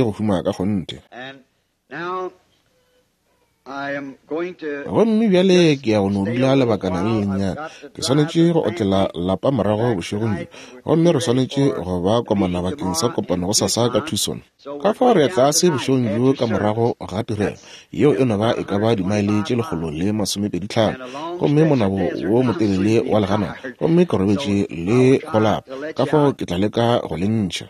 swanetše go huma ka kgonthe. Gomme bjale ke ya go no dula lebakana le lennyane. Ke swanetše go otlela lapa morago bošegong bjo, gomme re swanetše go ba komana bakeng sa kopano gosasa ka Tucson. Ka fao re ya tlase bošegong bjo ka morago ga tirelo, yeo e no ba e ka ba dimaele tše 125, gomme monabo wo motelele wa leganata, gomme ke robetše le go lapa, ka fao ke tla leka go le ntšha.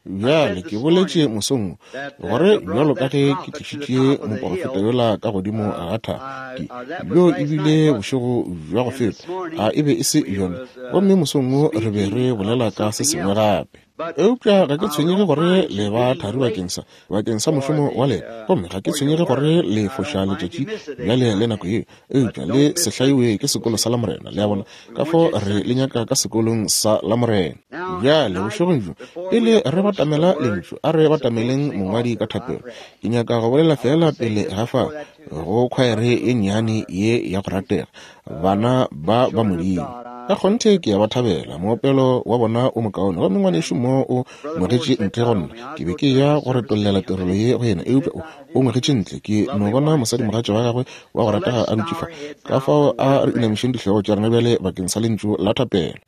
Bjale ke boletše mosong wo, gore bjalo ka ge ke tlišitše moporofeta yola ka godimo ga thaba, ke, bjo e bile bošego bja go feta, a e be e se bjona? Gomme mosong wo re be re bolela ka se sengwe gape. Eupša ga ke tshwenyege gore le ba thari bakeng sa, bakeng sa mošomo wa lena, gomme ga ke tshwenyege gore le foša letšatši bjale le nako yeo, eupša le se hlaiwe ke sekolo sa Lamorena. Le a bona? Ka fao re le nyaka ka sekolong sa Lamorena. Bjale, bošegong bjo, pele re batamela Lentšu, a re batameleng mongwadi ka thapelo. Ke nyaka go bolela feela pele ga fa go khwaere ye nnyane ye ya go ratega, bana ba ba Modimo. Ka kgonthe ke a ba thabela, moopelo wa bona o mokaone. Gomme ngwanešu mo o ngwegetše ntle go nna. Ke be ke eya go retollela tirelo ye go yena, eupša o, o ngwegetše ntle. Ke no bona mosadimogatša wa gagwe wa go ratega a dutše fa. Ka fao a re inamišeng dihlogo tša rena bjale bakeng sa lentšu la thapelo.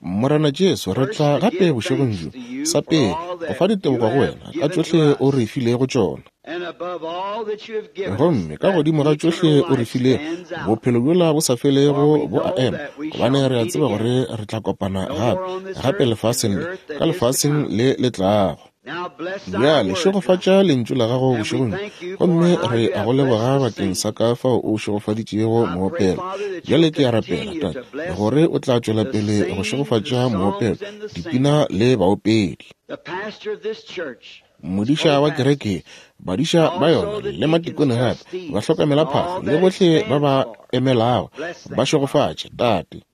Morena Jesu, re tla gape bošegong bjo, sa pele, go fa ditebogo go Wena ka tšohle O re filego tšona. Gomme ka godimo ga tšohle O re filego, bophelo bjola bo sa felego bo a ema, gobane re a tseba gore re tla kopana gape, gape lefaseng le, ka lefaseng le le tlago. Bjale šegofatša lentšu la gago bošegong bjo, gomme re a go leboga bakeng sa ka fao o šegofaditšego moopelo. Bjale ke a rapela, Tate, gore o tla tšwela pele go šegofatša moopelo, dipina le baopedi. Modiša wa kereke, badiša ba yona le matikone gape, bahlokamelaphahlo le bohle ba ba emelago, ba šegofatše, Tate.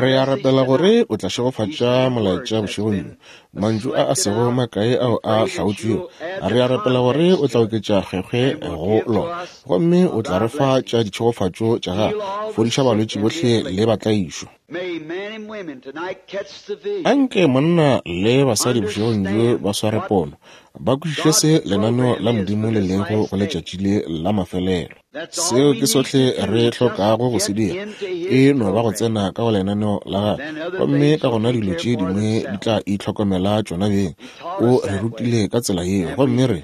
Re a rapela gore o tla šegofatša molaetša bošegong bjo, mantšu a a sego makae ao a hlaotšwego. Re a rapela gore o tla oketša kgwekgwe go lona, gomme o tla re fa tša ditšhegofatšo tša gago. Fodiša balwetši bohle le batlaišwa. Anke monna le basadi bošegong bjo ba sware pono, ba kwešiše se lenaneo la Modimo le lego go letšatši le la mafelelo. Seo ke sohle re hlokago go se dira, e no ba go tsena ka go lenaneo la gagwe, gomme ka gona dilo tše dingwe di tla itlhokomela tšona beng. O re rutile ka tsela yeo, gomme re.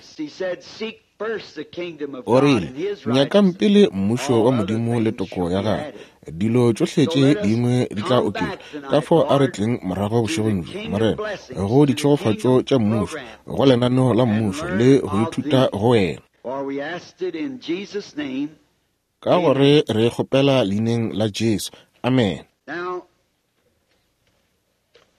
O rile, Nyakang pele Mmušo wa Modimo le toko ya gagwe, dilo tšohle tše dingwe di tla oketšwa. Ka fao a re tleng morago bošegong bjo, Morena, go ditšhegofatšo tša Mmušo, go lenaneo la Mmušo, le go ithuta go Wena. Ka gore re kgopela leineng la Jesu. Amen.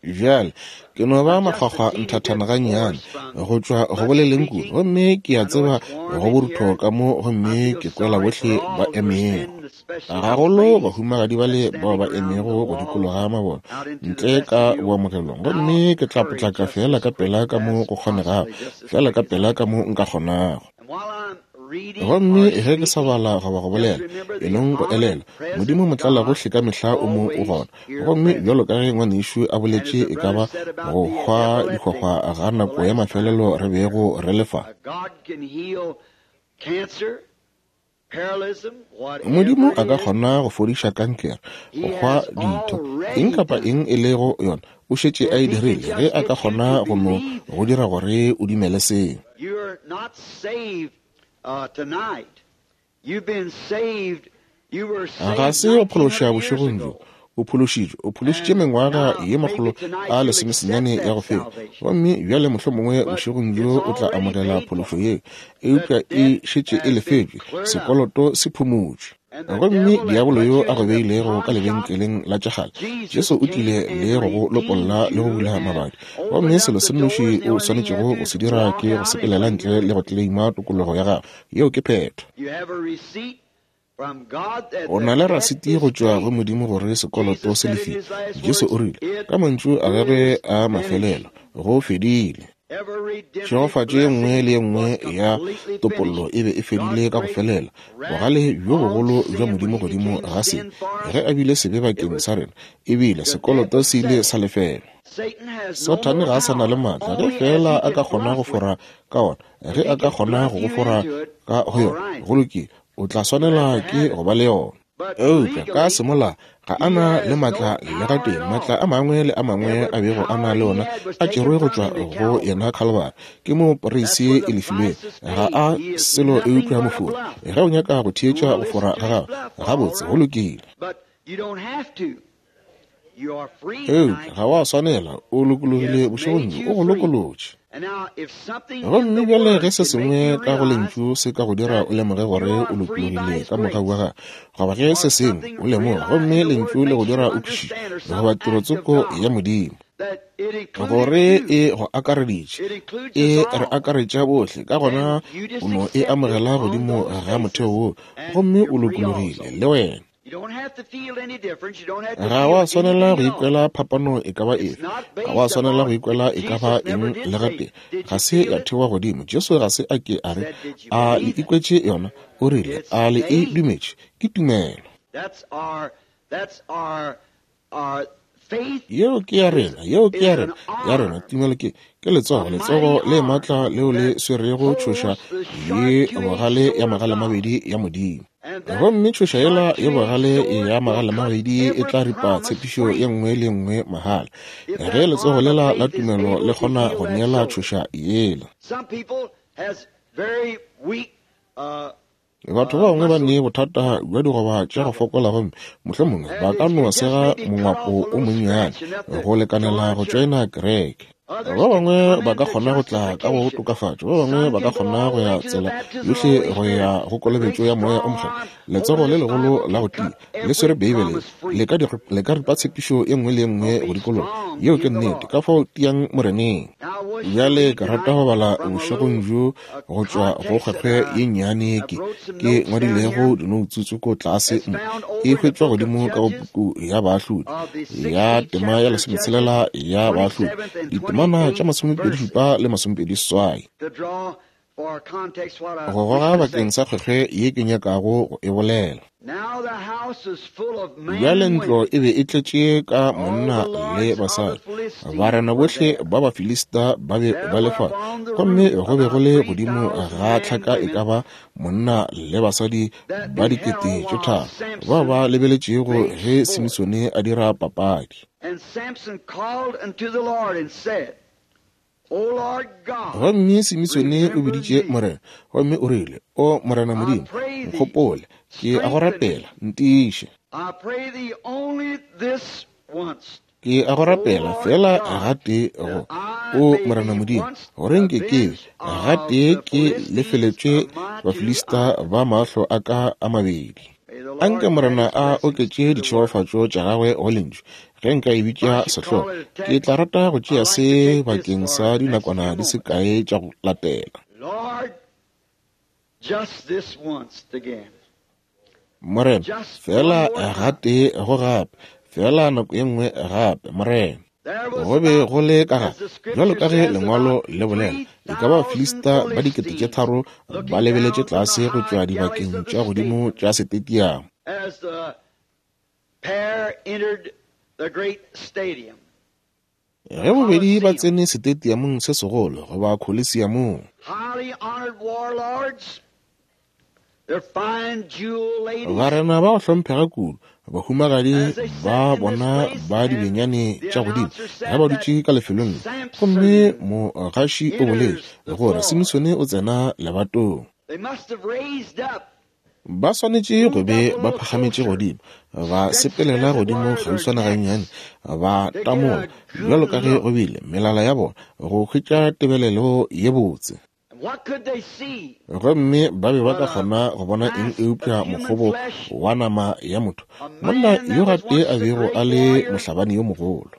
Bjale, ke no ba makgwakgwa nthathana gannyane go tšwa go boleleng kudu, gomme ke a tseba go borutho ka mo, gomme ke kwela bohle ba emego, gagolo bahumagadi bale bao ba emego go dikologa mabone ntle ka boamogelong, gomme ke tla potlaka feela ka pela ka mo go kgonegago, feela ka pela ka mo nka kgonago. Gomme ge ke sa bala goba go bolela, e nong go elelwa, Modimo motlalagohle ka mehla o mo o gona. Gomme bjalo ka ge ngwanešu a boletše e ka ba go hwa dihwahwa ga nako ya mafelelo re bego re le fa. Modimo a ka kgona go fodiša kankere, go hwa ditho, eng kapa eng e lego yona, o šetše a e dirile, ge a ka kgona go no go dira gore o dumele seo. Ga se wa phološa bošegong bjo. O phološitšwe, o phološitše mengwaga ye 190 ya go feta. Gomme bjale mohlomongwe bošegong bjo o tla amogela phološo yeo, eupša e šetše e lefetšwe, sekoloto se phumotšwe. Gomme diabolo yo a go beilego ka lebenkeleng la tša kgale, Jesu o tlile le go go lopolla le go bula mabadi. Gomme selo se nnoši o swanetšego go se dira ke go sepelela ntle le go tleleima tokologo ya gago. Yeo ke phetho. O na le rasiti go tšwa go Modimo gore sekoloto se lefile. Jesu o rile, ka mantšu a gagwe a mafelelo, go fedile. Tšhegofatšo ye nngwe le ye nngwe ya topollo e be e fedile ka go felela. Bogale bjo bogolo bja Modimo godimo ga sebe, ge a bile sebe bakeng sa rena, ebile sekoloto se ile sa lefelwa. Sathane ga a sa na le maatla, ge feela a ka kgona go fora ka ona, ge a ka kgona go go fora ka go yona, go lokile, o tla swanela ke go ba le yona. Eupša ka semola ga a na le maatla le gatee. Maatla a mangwe le a mangwe a bego a na le ona a tšerwe go tšwa go yena Khalibari. Ke mo poreisi e lefilwego. Ga a selo eupša mofori. Ge o nyaka go theetša go fora ga gagwe, gabotse, go lokile. Eupša ga wa swanela, o lokologile bošegong bjo, o go lokolotše. Gomme bjale ge se sengwe ka go Lentšu se ka go dira o lemoge gore o lokologile ka mogau wa Gagwe, goba ge se sengwe o lemoga gomme Lentšu le go dira o kwešiše, goba tirotsoko ya Modimo, gore e go akareditše, e re akaretša bohle, ka gona o no e amogela godimo ga motheo wo, gomme o lokologile le wena. Ga wa swanela go ikwela phapano e ka ba efe. Ga wa swanela go ikwela e ka ba eng le gatee. Ga se ya thewa godimo. Jesu ga se a ke a re, A le ikwetše yona? O rile, A le e dumetše? Ke tumelo. Yeo ke ya rena, yeo ke ya rena, ya rena tumelo ke, ke letsogo, letsogo le matla leo le swerego tšhoša ye bogale ya magalemabedi ya Modimo. Gomme tšhoša yela ye bogale ya magalemabedi e tla ripa tshepišo ye nngwe le nngwe mahala, ge letsogo lela la tumelo le kgona go neela tšhoša yela. Batho ba bangwe ba ne bothata bja digoba tša go fokola gomme mohlomongwe ba ka no sega mongwapo o monnyane go lekanela go tšoena kereke. Ba bangwe ba ka kgona go tla ka go tokafatšo, ba bangwe ba ka kgona go ya tsela yohle go ya go kolobetšo ya Moya o Mokgethwa. Letsogo le legolo la go tia le swere Beibele le ka, le ka ripa tshepišo ye nngwe le ye nngwe go dikologa. Yeo ke nnete. Ka fao tiang Moreneng. Bjale ke rata go bala bošegong bjo go tšwa go kgwekgwe ye nnyane ke, ke ngwadilego dinoutsu tsoko tlase mo. E hwetšwa godimo ka go puku ya Baahlodi, ya tema ya lesometshela ya Baahlodi, ditemana tša masomepedi šupa le masomepedi seswai. Go goga bakeng sa kgwekgwe ye ke nyakago go e bolela. Bjale ntlo e be e tletše ka monna le basadi. Barena bohle ba Bafilista ba be ba le fa, gomme go be go le godimo ga tlhaka e ka ba monna le basadi ba 3000 bao ba lebeletšego ge Simisone a dira papadi. Gomme Simisone o biditše Morena, gomme o rile, O Morena Modimo, nkgopole, ke a go rapela, ntiiše. Ke a go rapela feela gatee go, O Morena Modimo, gore nke ke be gatee ke lefeletšwe Bafilista ba mahlo a ka a mabedi. Anke Morena a oketše ditšhegofatšo tša gagwe go Lentšu. Ge nka e bitša sehlogo, ke tla rata go tšea se bakeng sa dinakwana di se kae tša go latela. Morena, feela gatee go gape, feela nako ye nngwe gape, Morena. Go be go le ka ga, bjalo ka ge Lengwalo le bolela, e ka ba Bafilista ba 3000 ba lebeletše tlase go tšwa dibakeng tša godimo tša setetiamo. Ge bobedi ba tsene setetiamong se segolo goba kholisiamong, barena ba go hlomphega kudu, bahumagadi ba bona ba dibenyane tša godimo ge ba dutše ka lefelong le, gomme mogaši o boletše gore Simisone o tsena lebatong. Ba swanetše go be ba phagametše godimo, ba sepelela godimo kgauswana gannyane, ba tamola, bjalo ka ge go bile, melala ya bona, go hwetša tebelelo ye botse. Gomme ba be ba ka kgona go bona eng eupša mokgobo wa nama ya motho, monna yo gatee a bego a le mohlabani yo mogolo,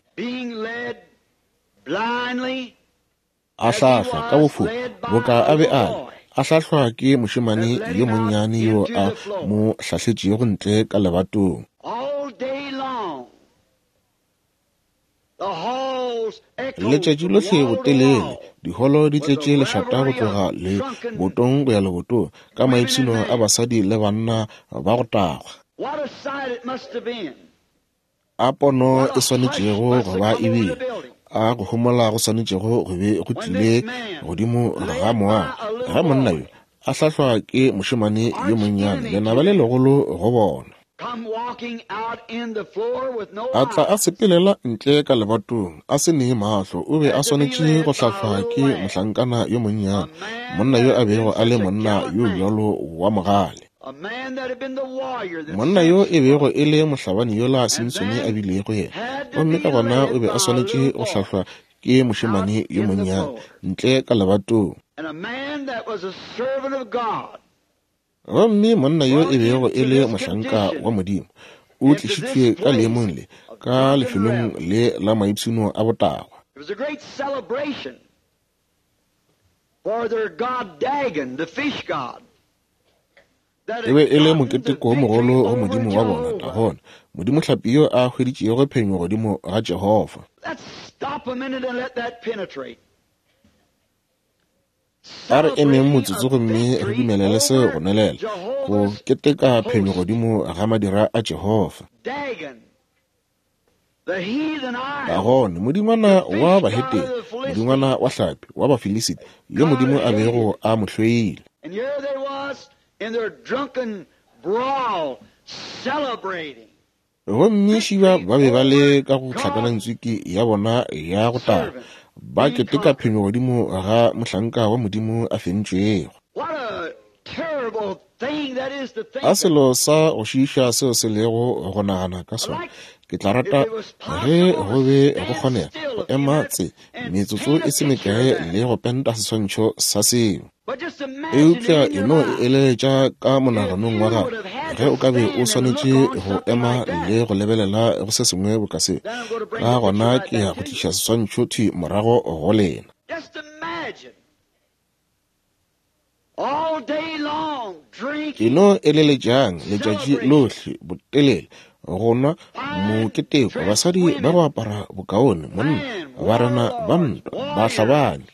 a hlahlwa ka bofofu boka a be a le, a hlahlwa ke mošemane yo monnyane yo a mo hlahletšego ntle ka lebatong. Letšatši lohle botelele, diholo di tletše lešata go tloga lebotong go ya lebotong, ka maipshino a basadi le banna ba go tagwa. A pono e swanetšego go ba e bile, a go homola go swanetšego go be go tlile godimo ga moago, ge monna yo a hlahlwa ke mošemane yo monnyane, lenaba le legolo go bona. A tla a sepelela ntle ka lebatong, a se ne mahlo, o be a swanetše go hlahlwa ke mohlankana yo monnyane, monna yo a bego a le monna yo bjalo wa mogale. Monna yo e bego e le mohlabani yola Simsone a bilego yena, gomme ka gona o be a swanetše go hlahlwa ke mošemane yo monnyane ntle ka lebatong. Gomme monna yo e bego e le mohlanka wa Modimo o tlišitšwe ka leemong le, ka lefelong le la maipshino a botagwa. E be e le moketeko wo mogolo go modimo wa bona, Dagona, modimohlapi yo a hweditšego phenyo godimo ga Jehofa. A re emeng motsotso gomme re dumelele seo go nwelela, go keteka phenyo godimo ga madira a Jehofa. Dagone, modingwana wa bahetene, modingwana wa hlapi wa Bafilisita, yo Modimo a bego a mo hloile. Gomme šiba ba be ba le ka go tlhakanantswiki ya bona ya go tagwa, ba keteka phenyo godimo ga mohlanka wa Modimo a fentšwego. A selo sa go šiiša seo se lego go nagana ka sona. Ke tla rata ge go be go kgonega go ema tse metsotso e se mekae le go penta seswantšho sa seo. Eupša e no e eleletša ka monaganong wa gago ge o ka be o swanetše go ema le go lebelela go se sengwe boka seo. Ka gona ke ya go tliša seswantšho thwi morago go lena. E no eleletšang letšatši lohle botelele, go nwa, moketeko, basadi ba go apara bokaone, monna, barena ba ntwa, bahlabani.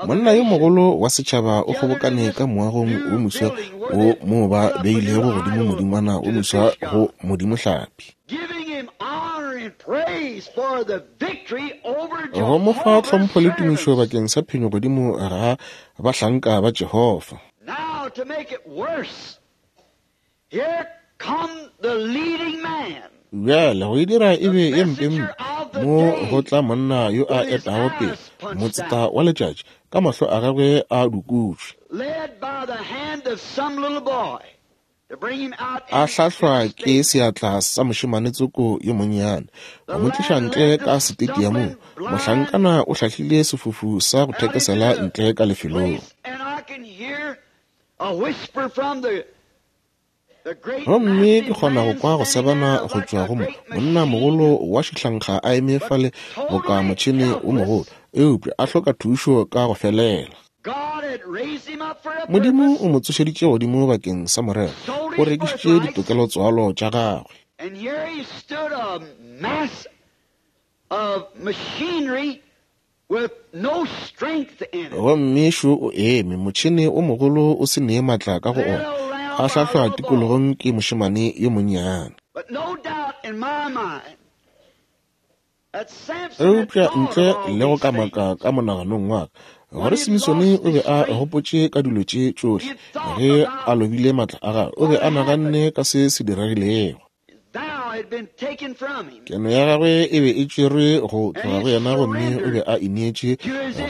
Monna yo mogolo wa setšhaba o kgobokane ka moagong wo moswa wo moo ba beilego godimo modingwana wo moswa go modimohlapi. Go mo fa tlhompho le tumišo bakeng sa phenyo godimo ga bahlanka ba Jehofa. Bjale go e dira e be ye mpempe, mo go tla monna yo a etago pele, motseta wa letšatši, ka mahlo a gagwe a dukutšwe, a hlahlwa ke seatla sa mošemane tsoko yo monnyane, go mo tliša ntle ka setetiamong. Mohlankana o hlahlile sefofu sa go thekesela ntle ka lefelong. Gomme ke kgona go kwa go sebana go tšwa go monnamogolo wa šihlankga a eme fale boka motšhene wo mogolo, eupša a hloka thušo ka go felela. Modimo o mo tsošeditše godimo bakeng sa morero, o rekišitše ditokelotswalo tša gagwe. Gomme šo o eme, motšhene o mogolo o se nee maatla ka go ona, a hlahlwa tikologong ke mošemane yo monnyane. Eupša ntle le go kamaka ka monaganong wa ka gore Simisone o be a gopotše ka dilo tše tšohle ge a lobile maatla a gagwe, o be a naganne ka se se diregilego. Keno ya gagwe e be e tšerwe go tloga go yena gomme o be a ineetše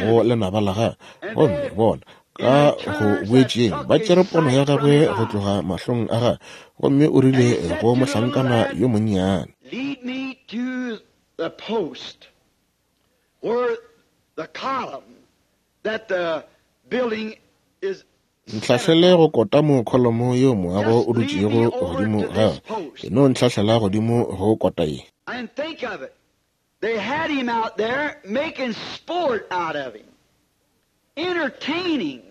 go lenaba la gagwe. Gomme bona, ka go boetšeng, ba tšere pono ya gagwe go tloga mahlong a gagwe, gomme o rile go mohlankana yo monnyane, Lead me to the post where the column that the building is. Ntlhahlele go kota mo kholomo yeo moago o dutšego godimo ga yona. E no ntlhahlela godimo go kota ye. And think of it, they had him out there making sport out of him, entertaining.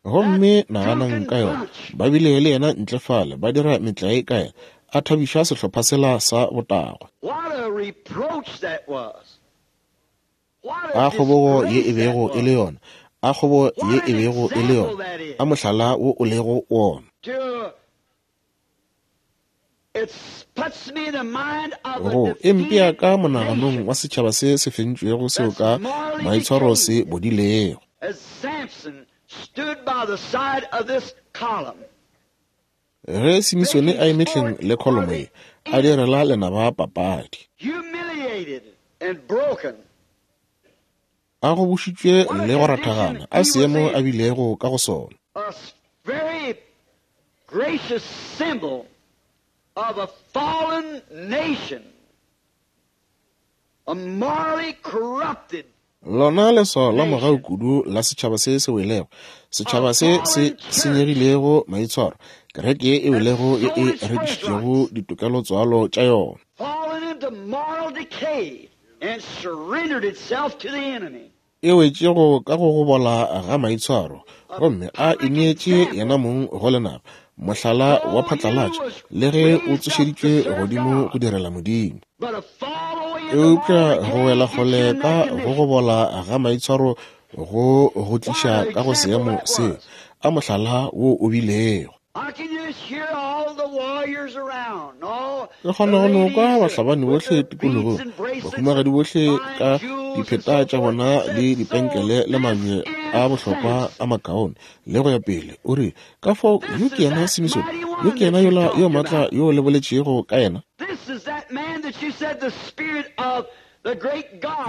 Gomme naganang ka yona, ba bile le yena ntle fale, ba dira metlae ka yena, a thabiša sehlopha sela sa botagwa. A kgobogo ye e bego e le yona, a kgobo ye e bego e le yona, a mohlala wo o lego wona. Go e mpea ka monaganong wa setšhaba se se fentšwego seo ka maitshwaro se bodilego. Ge Simisone a eme hleng le kholomo ye, a direla lenaba papadi. A gobošitšwe le go rathagana, a seemo a bilego ka go sona. Gracious symbol of a fallen nation, a morally corrupted Lona leswao la mogau kudu la setšhaba se se welego, setšhaba se se senyegilego maitshwaro, kereke ye e welego ye e rekišitšego ditokelotswalo tša yona. Fallen into moral decay and surrendered itself to the enemy. E wetšego ka go go bola ga maitshwaro, gomme a ineetše yena mong go lenaba, mohlala wa phatlalatša, le ge o tsošeditšwe godimo go direla Modimo. Eupša go wela kgole ka go go bola ga maitshwaro go go tliša ka go seemo seo, a mohlala wo o bilego. Ke kgona go no kwa bahlabani bohle tikologong, bahumagadi bohle ka dipheta tša bona le dipenkele le mabje a bohlokwa a makaone, le go ya pele. O re, Ka fao, yo ke yena Simisone, yo ke yena yola yo maatla yo le boletšego ka yena.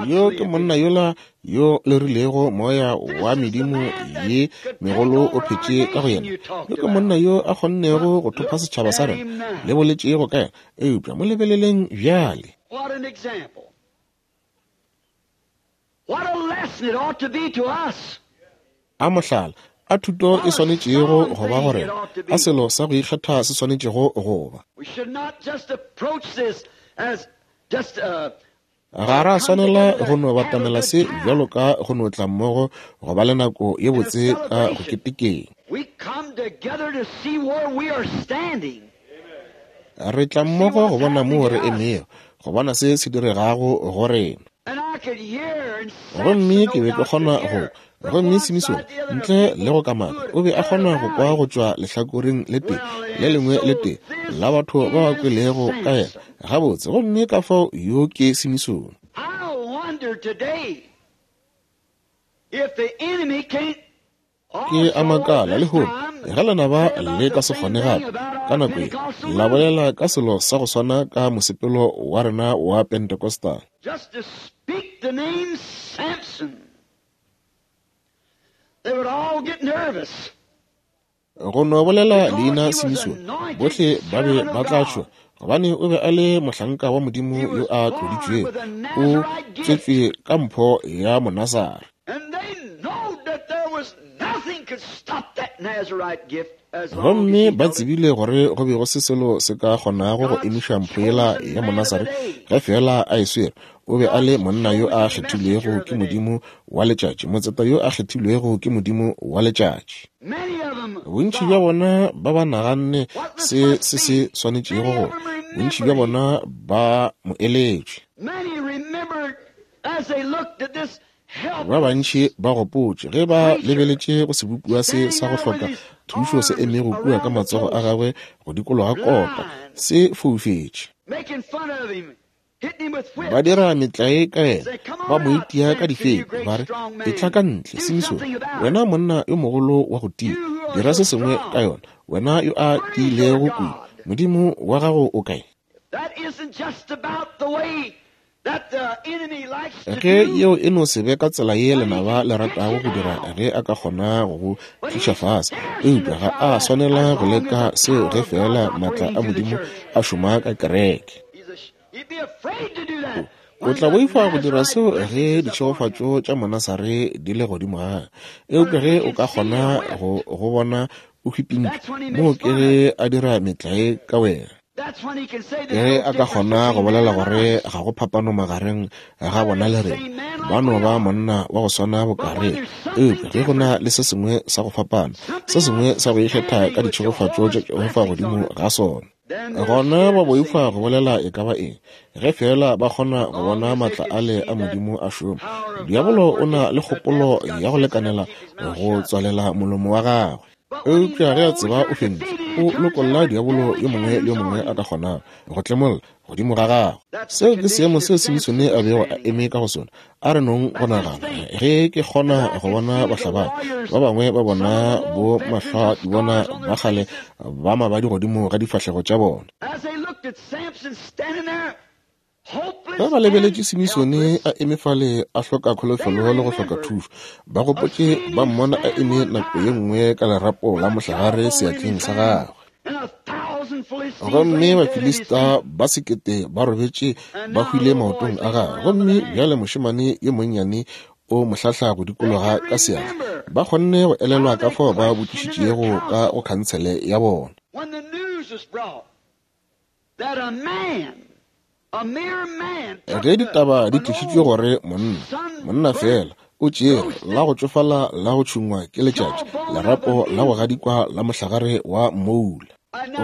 Yo ke monna yola yo le rilego moya wa medimo ye megolo o phetše ka go yena. Yo ke monna yo a kgonnego go thopa setšhaba sa rena, le boletšego ka yena. Eupša mo lebeleleng bjale. What an example. What a lesson it ought to be to us. A mohlala, a thuto e swanetšego go ba go rena, a selo sa go ikgetha se swanetšego go ba. We should not just approach this as just a Ga ra swanela go no batamela se bjalo ka go no tla mmogo go ba le nako ye botse ka go ketekeng. We come together to see where we are standing. Re tla mmogo go bona moo re emego, go bona se se diregago go rena. Gomme ke be ke kgona go kwa. Gomme Simisone, ntle le go kamaka, o be a kgona go kwa go tšwa lehlakoreng le tee, le lengwe le tee la batho ba ba kwelego ka yena. Gabotse, gomme ka fao yo ke Simisone. Ke a makala lehono ge lenaba le ka se kgone gape ka nako ye la bolela ka selo sa go swana ka mosepelo wa rena wa Pentecostal. Just to speak the name Samson, they would all get nervous. Go no bolela leina Simisone, bohle ba be ba tla tšhoga, gobane o be a le mohlanka wa Modimo yo a tloditšwego, o tswetšwe ka mpho ya Monasare. Gomme ba tsebile gore go be go se selo se ka kgonago go emiša mpho yela ya Monasare ge feela a e swere. O be a le monna yo a kgethilwego ke Modimo wa letšatši, motseta yo a kgethilwego ke Modimo wa letšatši. Bontši bja bona ba ba naganne se se se swanetšego go, bontši bja bona ba mo eletšwe. Ba bantši ba gopotše ge ba lebeletše go sebopiwa se sa go hloka thušo se emego kua ka matsogo a gagwe go dikologa kota, se foufetše. Ba dira metlae ka yena, ba mo itia ka difepi, ba re, Etla ka ntle, Simisone, wena monna yo mogolo wa go tia, dira se sengwe ka yona, wena yo a tiilego kudu. Modimo wa gago o kae? Ge yeo e no se be ka tsela ye lenaba le ratago go dira ge a ka kgona go go tliša fase, eupša ga a swanela go leka seo ge feela maatla a Modimo a šoma ka kereke. O tla boifa go dira seo ge ditšhegofatšo tša Monasare di le godimo ga, eupša ge o ka kgona go go bona o hwipintšwe, moo ke ge a dira metlae ka wena. Ge a ka kgona go bolela gore ga go phapano magareng ga bona le rena, ba no ba monna wa go swana boka rena. Eupša ge go na le se sengwe sa go fapana, se sengwe sa go ikgetha ka ditšhegofatšo tša Jehofa godimo ga sona, gona ba boifa go bolela e ka ba eng, ge feela ba kgona go bona maatla ale a Modimo a šoma. Diabolo o na le kgopolo ya go lekanela go tswalela molomo wa gagwe. Eupša ge a tseba o fentšwe, o lokolla diabolo yo mongwe le yo mongwe a ka kgonago go tlemolla godimo ga gagwe. Seo ke seemo seo Simisone a bego a eme ka go sona. A re nong go nagana, ge ke kgona go bona bahlabani ba bangwe ba bona bo mahlwa-di-bona ba kgale ba mabadi godimo ga difahlego tša bona. Ge ba lebeletše Simisone a eme fale a hloka kholofelo le go hloka thušo, ba gopotše ba mmona a eme nako ye nngwe ka lerapo la mohlagare seatleng sa gagwe. Gomme Bafilista ba sekete ba robetše ba hwile maotong a gagwe, gomme bjale mošemane yo monnyane o mo hlahla go dikologa ka seatla. Ba kgonne go elelwa ka fao ba botšišitšego ka go khansele ya bona. Ge ditaba di tlišitšwe gore monna, monna feela, o tšere la go tšofala la go tšhungwa ke letšatši, lerapo la go gadikwa la mohlagare wa mmoula.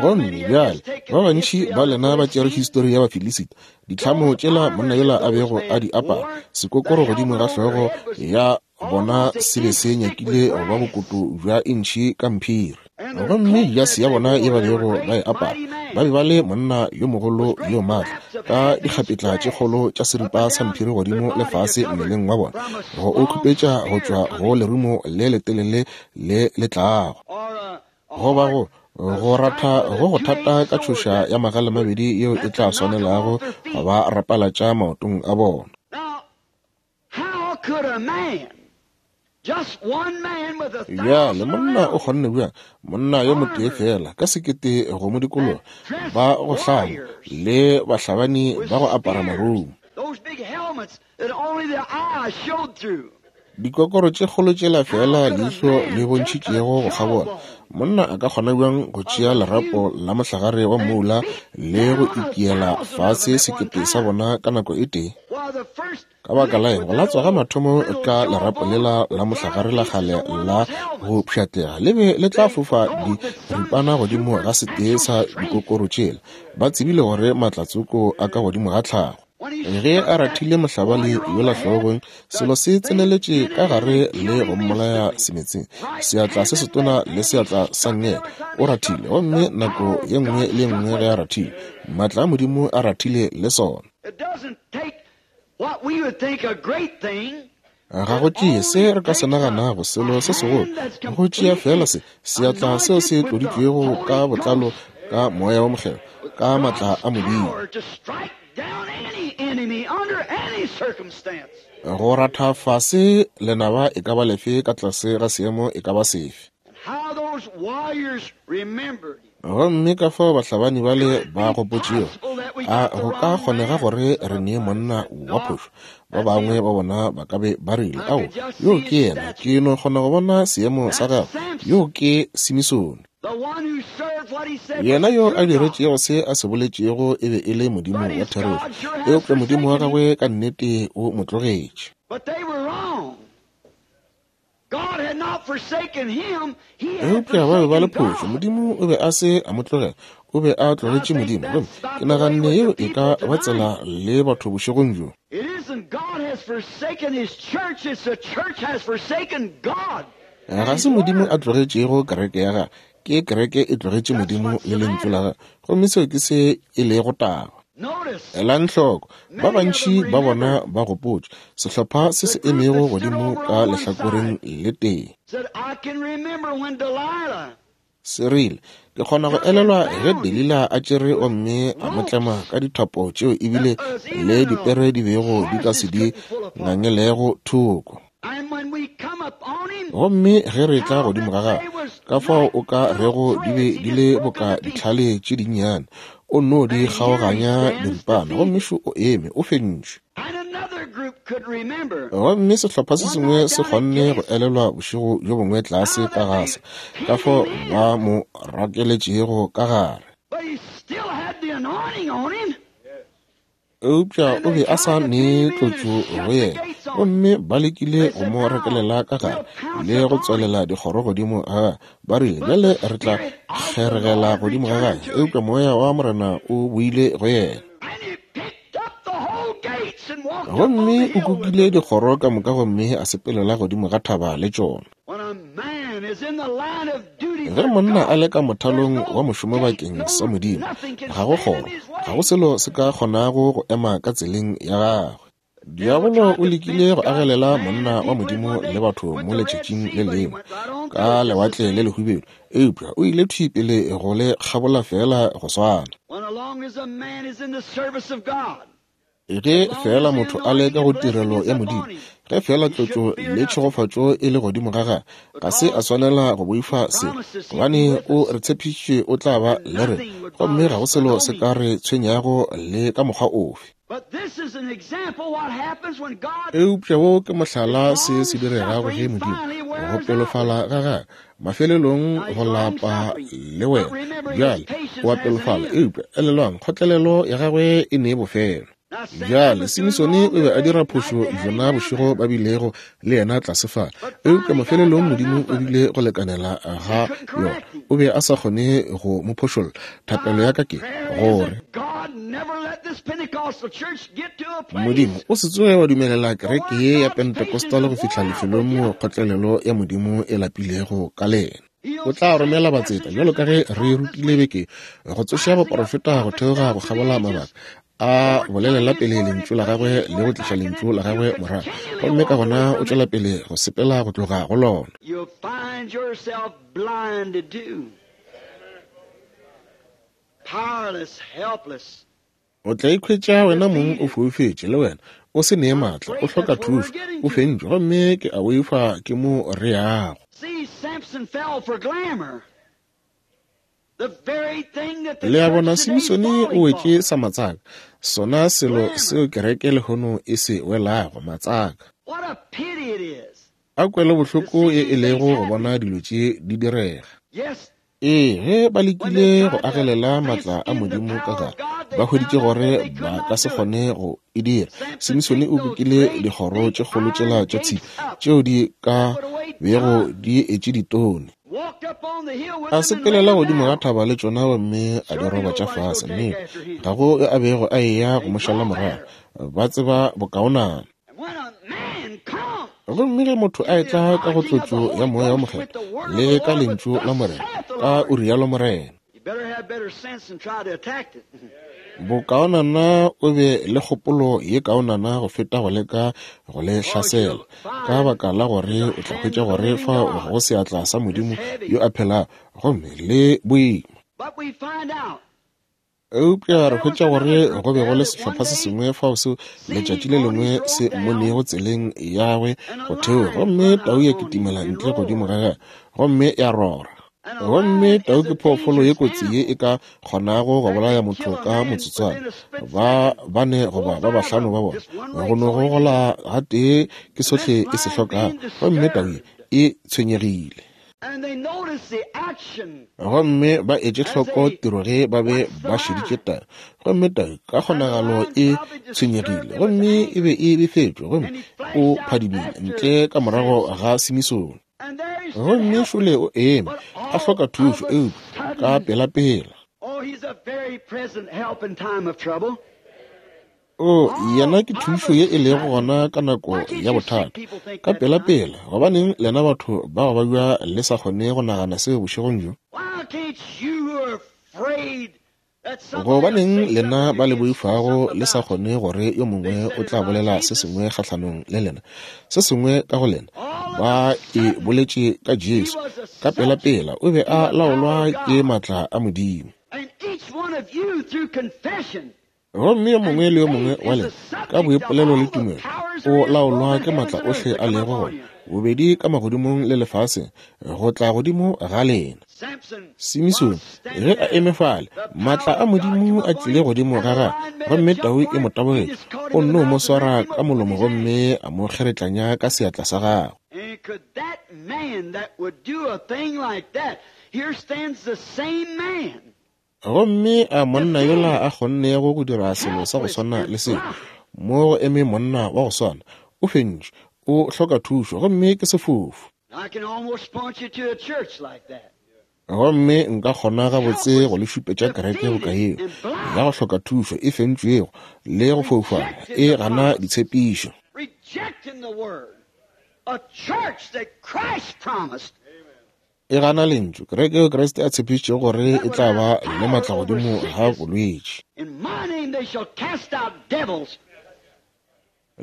Gomme bjale ba bantši ba lena ba tšere histori ya Bafilisita, ditlhamo tšela monna yola a bego a di apara, sekokoro godimo ga hlogo ya bona se be se nyakile go ba bokoto bja intšhi ka mphiri. Gomme jase ya bona ye ba bego ba e apara, ba be ba le monna yo mogolo yo maatla, ka dikgapetla tše kgolo tša seripa sa mphiri godimo le fase mmeleng wa bona, go o khupetša go tšwa go lerumo le letelele le le tlago, goba go go ratha go go thata ka tšhoša ya magalemabedi yeo e tla swanelago go ba rapalatša maotong a bona. Bjale monna o kgonne bjang, monna yo motee feela ka sekete go mo dikologa, ba go hlama le bahlabani ba go apara marumo, dikokoro tše kgolo tšela feela leihlo le bontšhitšego go kgabola. Monna a ka kgona bjang go tšea lerapo la mohlagare wa mmoula le go itiela fase sekete sa bona ka nako e tee? Ka baka la eng, go latswa ga mathomo ka lerapo lela la mohlagare la kgale la go pšhatlega le be le tla fofa diripana godimo ga setee sa dikokoro tšela. Ba tsebile gore matlatsoko a ka godimo ga tlhago. Ge a rathile mohlabani yola hlogong, selo se tseneletše ka gare le go mmolaya semetseng, seatla se setona le seatla sa nngele. O rathile, gomme nako ye nngwe le ye nngwe ge a rathile, maatla a Modimo a rathile le sona. Ga go tšee se re ka se naganago selo se segolo, go tšea feela se seatla seo se tloditšwego ka botlalo ka moya wa Mokgethwa, ka maatla a Modimo, go ratha fase lenaba e ka ba lefe ka tlase ga seemo e ka ba sefe. Gomme ka fao bahlabani bale ba gopotšego, a go ka kgonega gore re nee monna wa phošo? Ba bangwe ba bona ba ka be ba rile, ao, yo ke yena, ke no kgona go bona seemo sa gagwe, yo ke Simisone. Yena yo a diretšego se a se boletšego e be e le Modimo wa therešo, eupša Modimo wa gagwe ka nnete o mo tlogetše. Eupša ba be ba le phošo. Modimo o be a se a mo tlogela, o be a tlogetše Modimo. Gomme ke naganne yeo e ka ba tsela le batho bošegong bjo. Ga se Modimo a tlogetšego kereke ya gagwe, ke kereke e tlogetše Modimo le Lentšu la gagwe. Gomme seo ke se e lego taba. Elang hloko, ba bantši ba bona ba gopotše sehlopha se se emego godimo ka lehlakoreng le tee. Se rile, ke kgona go elelwa ge Delila a tšere gomme a mo tlema ka dithapo tšeo ebile le dipere di bego di ka se di ngangelego thoko. Gomme ge re tla godimo ga gagwe, ka fao o ka rego di be di le boka ditlhale tše dinnyane, o nno di kgaoganya diripana, gomme šo o eme, o fentšwe. Gomme sehlopha se sengwe se kgonne go elelwa bošego bjo bongwe tlase ka Gasa, ka fao ba mo rakeletšego ka gare. Eupša o be a sa ne tlotšo go yena, gomme ba lekile go mo rakelela ka gare le go tswalela dikgoro godimo ga gagwe. Ba rile, bjale re tla kgeregela godimo ga gagwe. Eupša moya wa Morena o boile go yena. Gomme o kukile dikgoro ka moka gomme a sepelela godimo ga thaba le tšona. Ge monna a le ka mothalong wa mošomo bakeng sa Modimo, ga go kgoro, ga go selo se ka kgonago go ema ka tseleng ya gagwe. Diabolo o lekile go agelela monna wa Modimo le batho mo letšatšing le lengwe ka lewatle le lehubedu, eupša o ile thwi pele go le kgabola feela go swana. Ge feela motho a le ka go tirelo ya Modimo, ge feela tlotšo le tšhegofatšo e le godimo ga gagwe, ga se a swanela go boifa selo, gobane o re tshepišitše o tla ba le rena, gomme ga go selo se ka re tshwenyago le ka mokgwa ofe. Eupša wo ke mohlala se se diregago ge Modimo, go pelofala ga gagwe, mafelelong go lapa le wena. Bjale, o a pelofala, eupša elelwang, kgotlelelo ya gagwe e ne bofelo. Bjale, Simisone o be a dira phošo bjona bošego ba bilego le yena tlase fa, eupša mafelelong Modimo o bile go lekanela ga yona. O be a sa kgone go mo phošolla. Thapelo ya ka ke gore Modimo o se tsoge wa dumelela kereke ye ya Pentecostal go fihla lefelong moo kgotlelelo ya Modimo e lapilego ka lena. O tla romela batseta, bjalo ka ge re rutile beke, go tsoša baporofeta go theoga go kgabola mabaka, a bolelela pele lentšu la gagwe le go tliša lentšu la gagwe morago, gomme ka gona o tšwela pele go sepela go tloga go lona. O tla ikhwetša wena mong o foufetše, le wena, o se nee maatla, o hloka thušo, o fentšwe, gomme ke a boifa ke mo re yago. Le a bona, Simsone o wetše sa matsaka, sona selo seo kereke lehono e se welago, matsaka. A kwelobohloko ye e lego go bona dilo tše di direga. Ee, ge ba lekile go agelela maatla a Modimo ka gare, ba hweditše gore ba ka se kgone go e dira. Simisone o kukile dikgoro tše kgolo tšela tša tshipi tšeo di ka bego di etše ditone. A sepelela godimo ga thaba le tšona gomme a di roba tša fase. Nnete, ga go yo a bego a eya go mo šala morago. Ba tseba bokaonana. Gomme ge motho a etla ka go tlotšo ya Moya wo Mokgethwa le ka Lentšu la Morena, ka o rialo Morena, bokaonana o be le kgopolo ye kaonana go feta go leka go le hlasela, ka baka la gore o tla hwetša gore fao go seatla sa Modimo yo a phelago, gomme le boima. Eupša re hwetša gore go be go le sehlopha se sengwe fao seo letšatši le lengwe se mmonego tseleng yagwe go theoga, gomme tau ya kitimela ntle godimo ga gagwe gomme ya rora. Gomme tau ke phoofolo ye kotsi ye e ka kgonago go bolaya motho ka motsotswana, ba bane goba ba bahlano ba bona. Go no gogola gatee ke sohle e se hlokago, gomme tau ye e tshwenyegile. Gomme ba etše hloko tiro ge ba be ba šeditše tau, gomme tau ka kgonagalo e tshwenyegile, gomme e be e befetšwe, gomme o phadimile ntle ka morago ga Simisone. Gomme šole o eme, a hloka thušo, eupša ka pelapela. O, yena ke thušo ye e lego gona ka nako ya bothata. Ka pelapela, gobaneng lena batho ba go babja le sa kgone go nagana seo bošegong bjo? Gobaneng lena ba le boifago le sa kgone gore yo mongwe o tla bolela se sengwe kgahlanong le lena, se sengwe ka go lena? Ba e boletše ka Jesu. Ka pelapela, o be a laolwa ke maatla a Modimo. Gomme yo mongwe le yo mongwe wa lena, ka boipolelo le tumelo, o laolwa ke maatla ohle a lego gona, bobedi ka magodimong le lefaseng, go tla godimo ga lena. Simisone, ge a eme fale, maatla a Modimo a tlile godimo ga gagwe, gomme tau e mo tabogetše, o nno mo swara ka molomo gomme a mo kgeretlanya ka seatla sa gagwe. Gomme a monna yola a kgonnego go dira selo sa go swana le seo, mo go eme monna wa go swana, o fentšwe, o hloka thušo, gomme ke sefofu. Gomme nka kgona gabotse go le šupetša kereke boka yeo, ya go hloka thušo, e fentšwego, le go foufala, e gana ditshepišo. E gana Lentšu, kereke yeo Kriste a tshepišitšego gore e tla ba le maatla godimo ga bolwetši.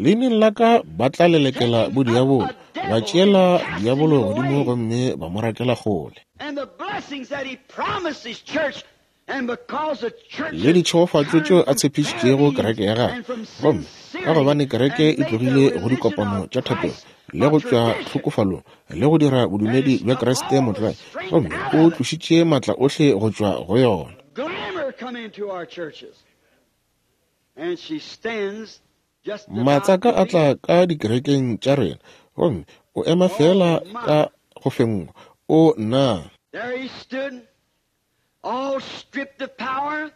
Leineng la ka ba tla lelekela bodiabolo, ba tšeela diabolo godimo gomme ba mo rakela kgole. Le ditšhegofatšo tšeo a tshepišitšego kereke ya gagwe. Gomme ka gobane kereke e tlogile go dikopano tša thapelo le go tšwa tlhokofalong le go dira bodumedi bja Kriste motlwae, gomme o tlošitše maatla ohle go tšwa go yona. Matsaka a tla ka dikerekeng tša rena, gomme o ema feela ka go fenngwa. O nna! All stripped of power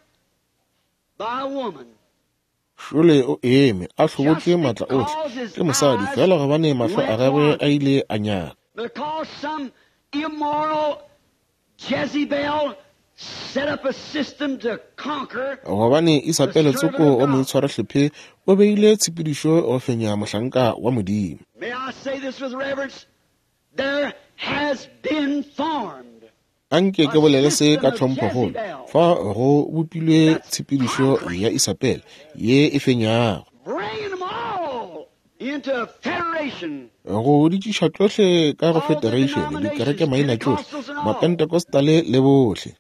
by a woman. Šole o eme, a hlobotšwe maatla ohle ke mosadi, feela gobane mahlo a gagwe a ile a nyaka. Because some immoral Jezebel set up a system to conquer. Gobane Isabele tsoko wa moitshwarahlephe o beile tshepedišo go fenya mohlanka wa Modimo. May I say this with reverence? There has been formed Anke ke bolele se ka tlhomphokgolo. Fa go bopilwe tshepedišo ya Isabele ye e fenyago. Go di tliša tšohle ka go federation, dikereke maina tšohle, Mapentecostal le bohle.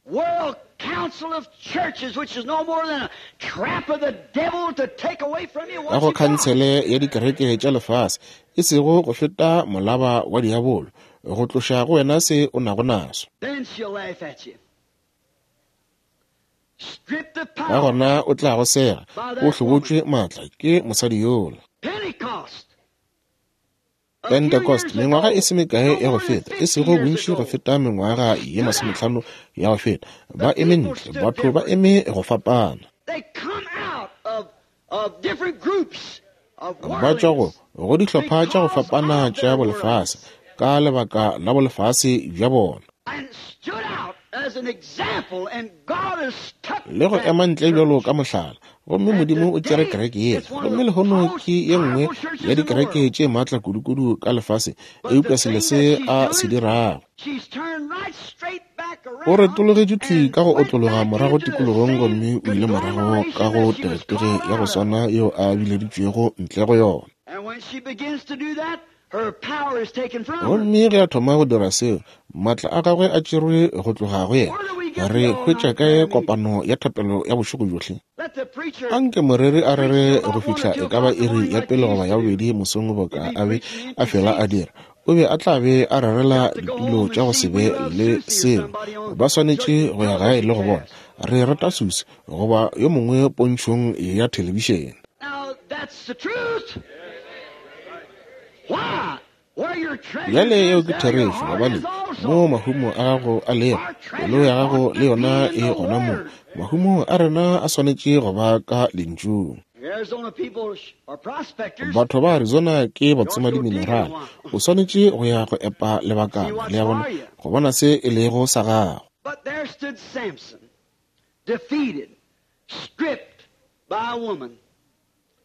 World Council of Churches, which is no more than a trap of the devil to take away from you Ka what go you got. khansele ya dikereke tša lefase, e sego go feta molaba wa diabolo, go tloša go wena se o nago naso. Then she'll laugh at you. Strip the Ka power. gona o tla go sega, o hlobotšwe maatla ke mosadi yola. Pentecost. Pentecost, mengwaga e se mekae ya go feta, e sego bontši go feta mengwaga ye 50 ya go feta, ba eme ntle, batho ba eme go fapana. They come out of different groups of Ba tšwa go worldliness. go dihlopha tša go fapana tša bolefase ka lebaka la bolefase bja bona. And stood out as an example, and God has stuck Le go that ema ntle bjalo church. ka mohlala. Gomme Modimo o tšere kereke yela. Gomme lehono ke ye nngwe ya dikereke tše maatla kudukudu ka lefase, eupša selo se a se dirago. She's turned right straight back O around retologetše thwi and ka go went otlologa back morago into the tikologong same gomme o ile morago ka conglomeration go that she was teritory called ya go out of. swana yeo a bileditšwego ntle go yona. And when she begins to do that, her power is taken from her. Gomme ge a thoma go dira seo, maatla a gagwe a tšerwe go tloga go yena. Re hwetša kae kopano ya thapelo ya bošego bjohle? Let the preacher Anke moreri a rere go fihla e ka ba iri ya pele goba ya bobedi mosong boka a be a fela a dira. O be a tla be a rerela ditulo tša go se be le selo. Ba swanetše go ya gae le go bona. Re rata Susie goba yo mongwe pontšhong ya thelebišene. Now that's the truth. Why? Where your treasure Bjale yeo is, ke there your therešo, heart gobane is also. mo mahumo a gago a lego, pelo ya gago le yona e gona moo. Mahumo a rena a swanetše go ba ka lentšung. Arizona people are prospectors. Batho ba Arizona ke batsoma-diminerale. O swanetše go ya go epa lebakana, le a bona, go bona se e lego sa gago. But there stood Samson, defeated, stripped by a woman.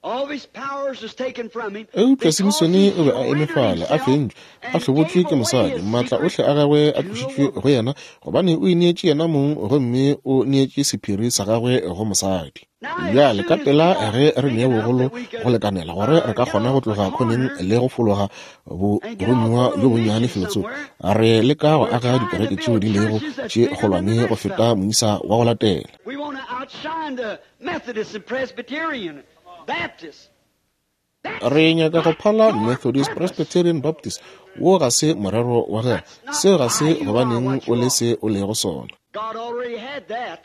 All of his powers was taken from him Eupša because Simsone he o be a eme surrendered fale, a himself fentšwe, a and hlobotšwe gave ke away mosadi. his Maatla secret ohle a gagwe a to a tlošitšwe woman. go yena, gobane o ineetše yena mong gomme o neetše sephiri sa gagwe go mosadi. Now, as Bjale ka soon as we pela got ge re big nea enough bogolo that we go could lekanela gore re ka get kgona go off the tloga khoneng corner le go fologa and get off a boromiwa little bjo bonnyane mission felotsoko, somewhere, re leka go we're aga trying to dikereke tšeo build di lego churches that's tše bigger than the kgolwane go next feta fellow. moisa wa go latela. We want to outshine the Methodist and Presbyterian, Baptist. That's Re nyaka go not phala your Methodist, purpose. Presbyterian, Baptist. Wo ga se morero wa gagwe. That's not Seo ga why se you are gobaneng what o you le are. se o lego sona. God already had that.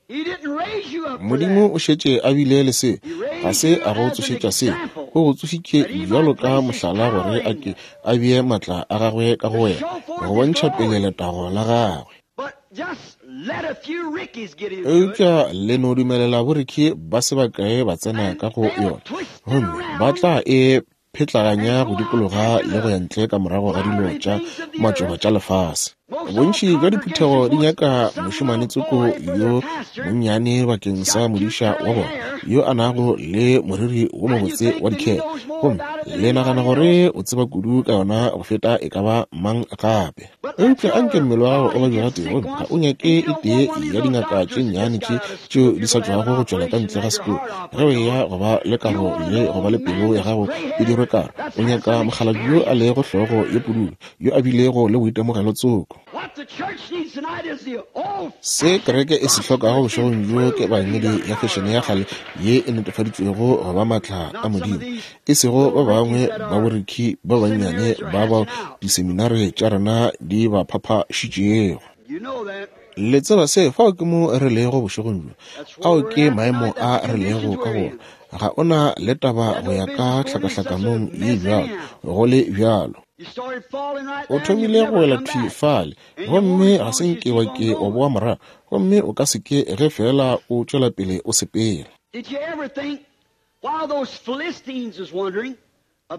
He didn't raise you up for Modimo that. o šetše a bile le se, He ga raised se you a go as an tsošetša se. example O go tsošitše that he bjalo might ka place his mohlala power gore a in ke you a bee maatla a gagwe ka to go wena, show forth go his bontšha pele glory. letago la gagwe. But just let a few Rickies get into it, Eupša le no dumelela boriki ba se bakae ba tsena and ka go they'll yona, twist it gomme ba around tla e phetlaganya and go go out dikologa after le go the ya ntle ka morago ga dilo flowery tša things of the matšoba earth. tša lefase. Most all Bontši bja diphuthego congregations di wants nyaka some mošemane little tsoko boy for their yo pastor. monnyane bakeng He's sa got cute modiša wa curly bona hair. yo a nago le moriri wo And you mobotse think wa that he dikhere, knows more gomme about it than le nagana anybody gore else. o tseba kudu ka yona go feta e ka ba mang gape. But let Eupša anke your mmele wa gago o body babje get gatee, sick gomme ga once, o nyake and you e don't tee want one of ya these little dingaka tše doctors that nnyane just tše got out of tšeo school di if sa you're gonna have tšwago an go tšwela ka operation ntle and ga have your sekolo. heart Ge o operated eya on. go ba le You karo want an le go ba le old pelo man ya that's gago gray e haired dirwe karo, that's o had nyaka some mokgalabje yo a experience. lego hlogo ye pududu, yo a bilego le boitemogelo tsoko. What Se kereke e se hlokago bošegong bjo ke ebangedi ya fešene ya kgale ye e netefaditšwego go ba maatla a Modimo, e sego ba bangwe ba borikhi ba bannyane ba bao diseminare tša rena di ba phaphašitšego. Le tseba se, fao ke mo re lego bošegong bjo. Ao ke maemo a re lego ka go ona. Ga o na le taba go ya ka tlhakahlakanong ye bjalo, go le bjalo. O thomile go wela thwi fale, gomme ga se nke wa ke wa boa morago, gomme o ka se ke ge feela o tšwela pele o sepela.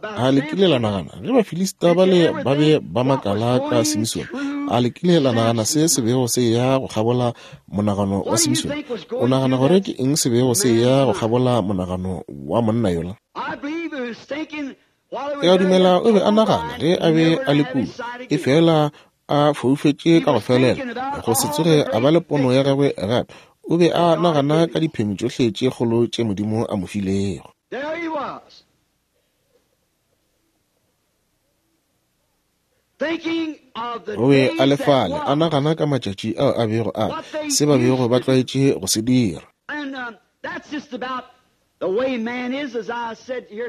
A le kile la nagana, ge Bafilista bale ba be ba makala ka Simisone, a le kile la nagana se se bego se ya go kgabola monagano wa Simisone? O nagana gore ke eng se bego se ya go kgabola monagano wa monna yola? Ke a dumela o be a nagana ge a be a le kua, efela a foufetše ka go felela, go se tsoge a ba le pono ya gagwe gape. O be a nagana ka diphenyo tšohle tše kgolo tše Modimo a mo filego. O be a le fale a nagana ka matšatši ao a bego a se ba bego ba tlwaetše go se dira.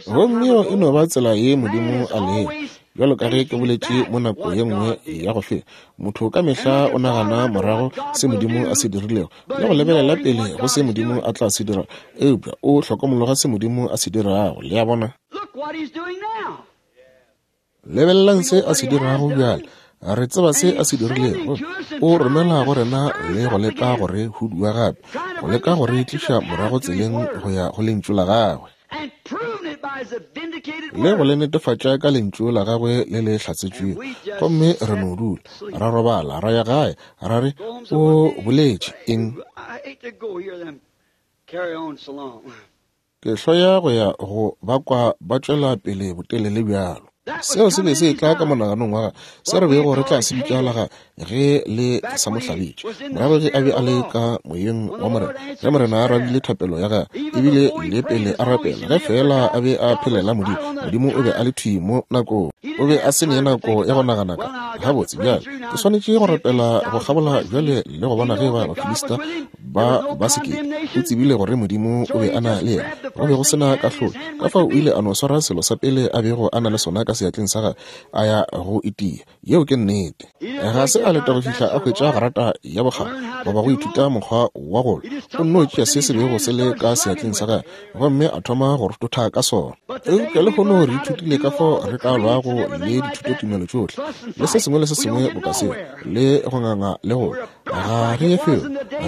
Gomme yeo e no ba tsela ye Modimo a lego. Bjalo ka ge ke boletše mo nako ye nngwe ya go feta, motho ka mehla o nagana morago se Modimo a se dirilego le go lebelela pele go se Modimo a tla se dira, eupša o hlokomologa se Modimo a se dirago. Le a bona? Lebelelang se a se dirago bjale. Re tseba se a se dirilego. O romela go rena le go leka go re hudua gape, go leka go re tliša morago tseleng go ya go Lentšu la Gagwe, le go le netefatša ka Lentšu la Gagwe le le hlatsetšwego. Gomme re no dula, ra robala, ra ya gae, ra re, O boletše eng? Ke hloya go ya go ba kwa ba tšwela pele botelele bjalo. Seo se be se etla ka monaganong wa gagwe, se re bego re tla se bitša la gagwe ge le sa mo hlabetše. Morago ge a be a le ka moyeng wa Morena, ge Morena a arabile thapelo ya gagwe, ebile le pele a rapela, ge feela a be a phelela Modimo, Modimo o be a le thwi mo nakong. O be a se ne nako ya go nagana ka, Gabotse, bjale, ke swanetše go rapela go kgabola bjale le go bona ge eba Bafilista ba ba sekete. O tsebile gore Modimo o be a na le yena. Go be go se na kahlolo. Ka fao o ile a no swara selo sa pele a bego a na le sona ka seatleng sa gagwe, a ya go itia. Yeo ke nnete. Ga se a leta go fihla a hwetša grata ya bokgabo goba go ithuta mokgwa wa go lwa. O nno tšea se se bego se le ka seatleng sa gagwe gomme a thoma go rototha ka sona. Eupša lehono re ithutile ka fao re ka lwago le dithutotumelo tšohle le se sengwe le se sengwe boka seo, le go nganga le go lwa. Ga re ye felo,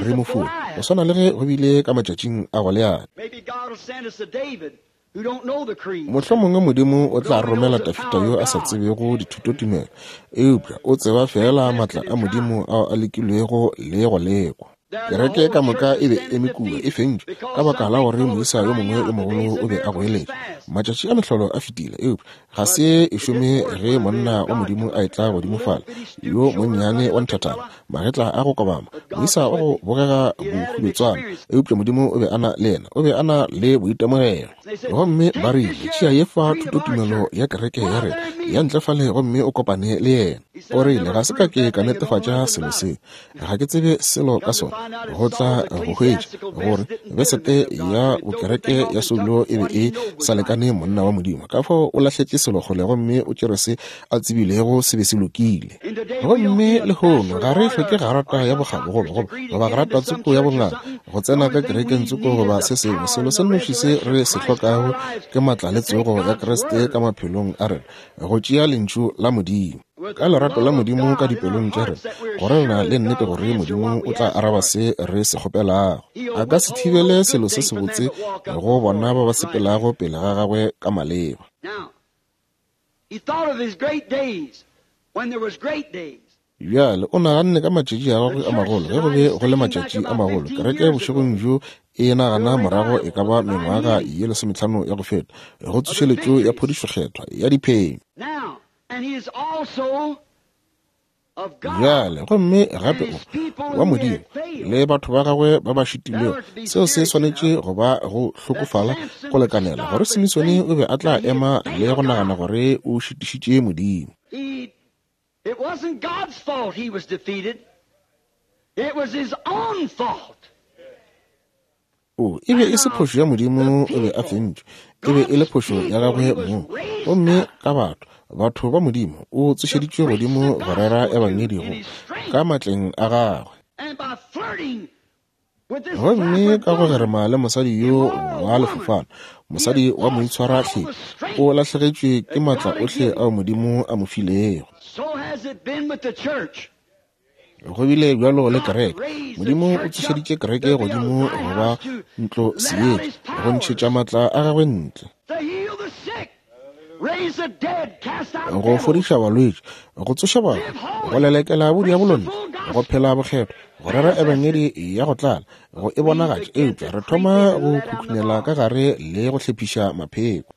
re mofula, go swana le ge go bile ka matšatšing a Goliate. Mohlomongwe Modimo o tla romela Dafida yo a sa tsebego dithutotumelo, eupša o tseba feela matla a Modimo ao a lekilwego le go lekwa. Kereke ka moka e be eme kua e fentšwe ka baka la gore moisa yo mongwe yo mogolo o be a goeletša. Matšatši a mehlolo a fetile, eupša ga se e šome ge monna wa Modimo a etla godimo fale, yo monnyane wa nthathana, magetla a go kobama, moisa wa go bogega bohubetswana, eupša Modimo o be a na le yena, o be a na le boitemogelo. Gomme ba rile, Tšea ye fa thutotumelo ya kereke ya rena ya ntle fale gomme o kopane le yena. O rile, Ga se ka ke ka netefatša selo se. Ga ke tsebe selo ka sona. Go tla go hwetša gore besete ya bokereke ya soulo e be e sa lekane monna wa Modimo. Ka fao o lahletše selo kgole gomme o tšere se a tsebilego se be se lokile. Gomme lehono ga re hloke garata ya bokgabo goba, goba, goba garata tsoko ya bongaka go tsena ka kerekeng tsoko goba se sengwe. Selo se nnoši se re se hlokago ke matla le tsogo ya Kriste ka maphelong a rena, go tšea Lentšu la Modimo. Ka lerato la Modimo ka dipelong tša rena, gore re na le nnete gore Modimo o tla araba se re se kgopelago. A ka se thibele selo se sebotse go bona ba ba sepelago pele ga gagwe ka maleba. Bjale o naganne ka matšatši a gagwe a magolo, ge go be go le matšatši a magolo. Kereke bošegong bjo e nagana morago e ka ba mengwaga ye lesometlhano ya go feta, go tsošeletšo ya phodišo kgethwa ya diphenyo. Bjale, gomme gape o wa Modimo le batho ba gagwe ba ba šitilwego, seo se swanetše go ba go hlokofala go lekanela gore Simisone o be a tla ema le go nagana gore o šitišitše Modimo. wasn't God's fault he was defeated. It was his own fault. O, e be e se phošo ya Modimo o be a fentšwe. E be e le phošo ya gagwe mong. Gomme ka batho, batho ba Modimo, o tsošeditšwe godimo go rera ebangedi go ka matleng a gagwe. Gomme ka go gerema le mosadi yo wa lefofana, mosadi wa moitshwarahle, o lahlegetšwe ke matla ohle ao Modimo a mo filego. Go bile bjalo le kereke. Modimo o tsošeditše kereke godimo go ba ntlo seetša, go ntšhetša matla a gagwe ntle, go fodiša balwetši, go tsoša batho, go lelekela bodiabolo ntle, go phela bokgethwa, go rera ebangedi ya go tlala, go e bonagatša. Eupša re thoma go khukhunela ka gare le go hlephiša mapheko.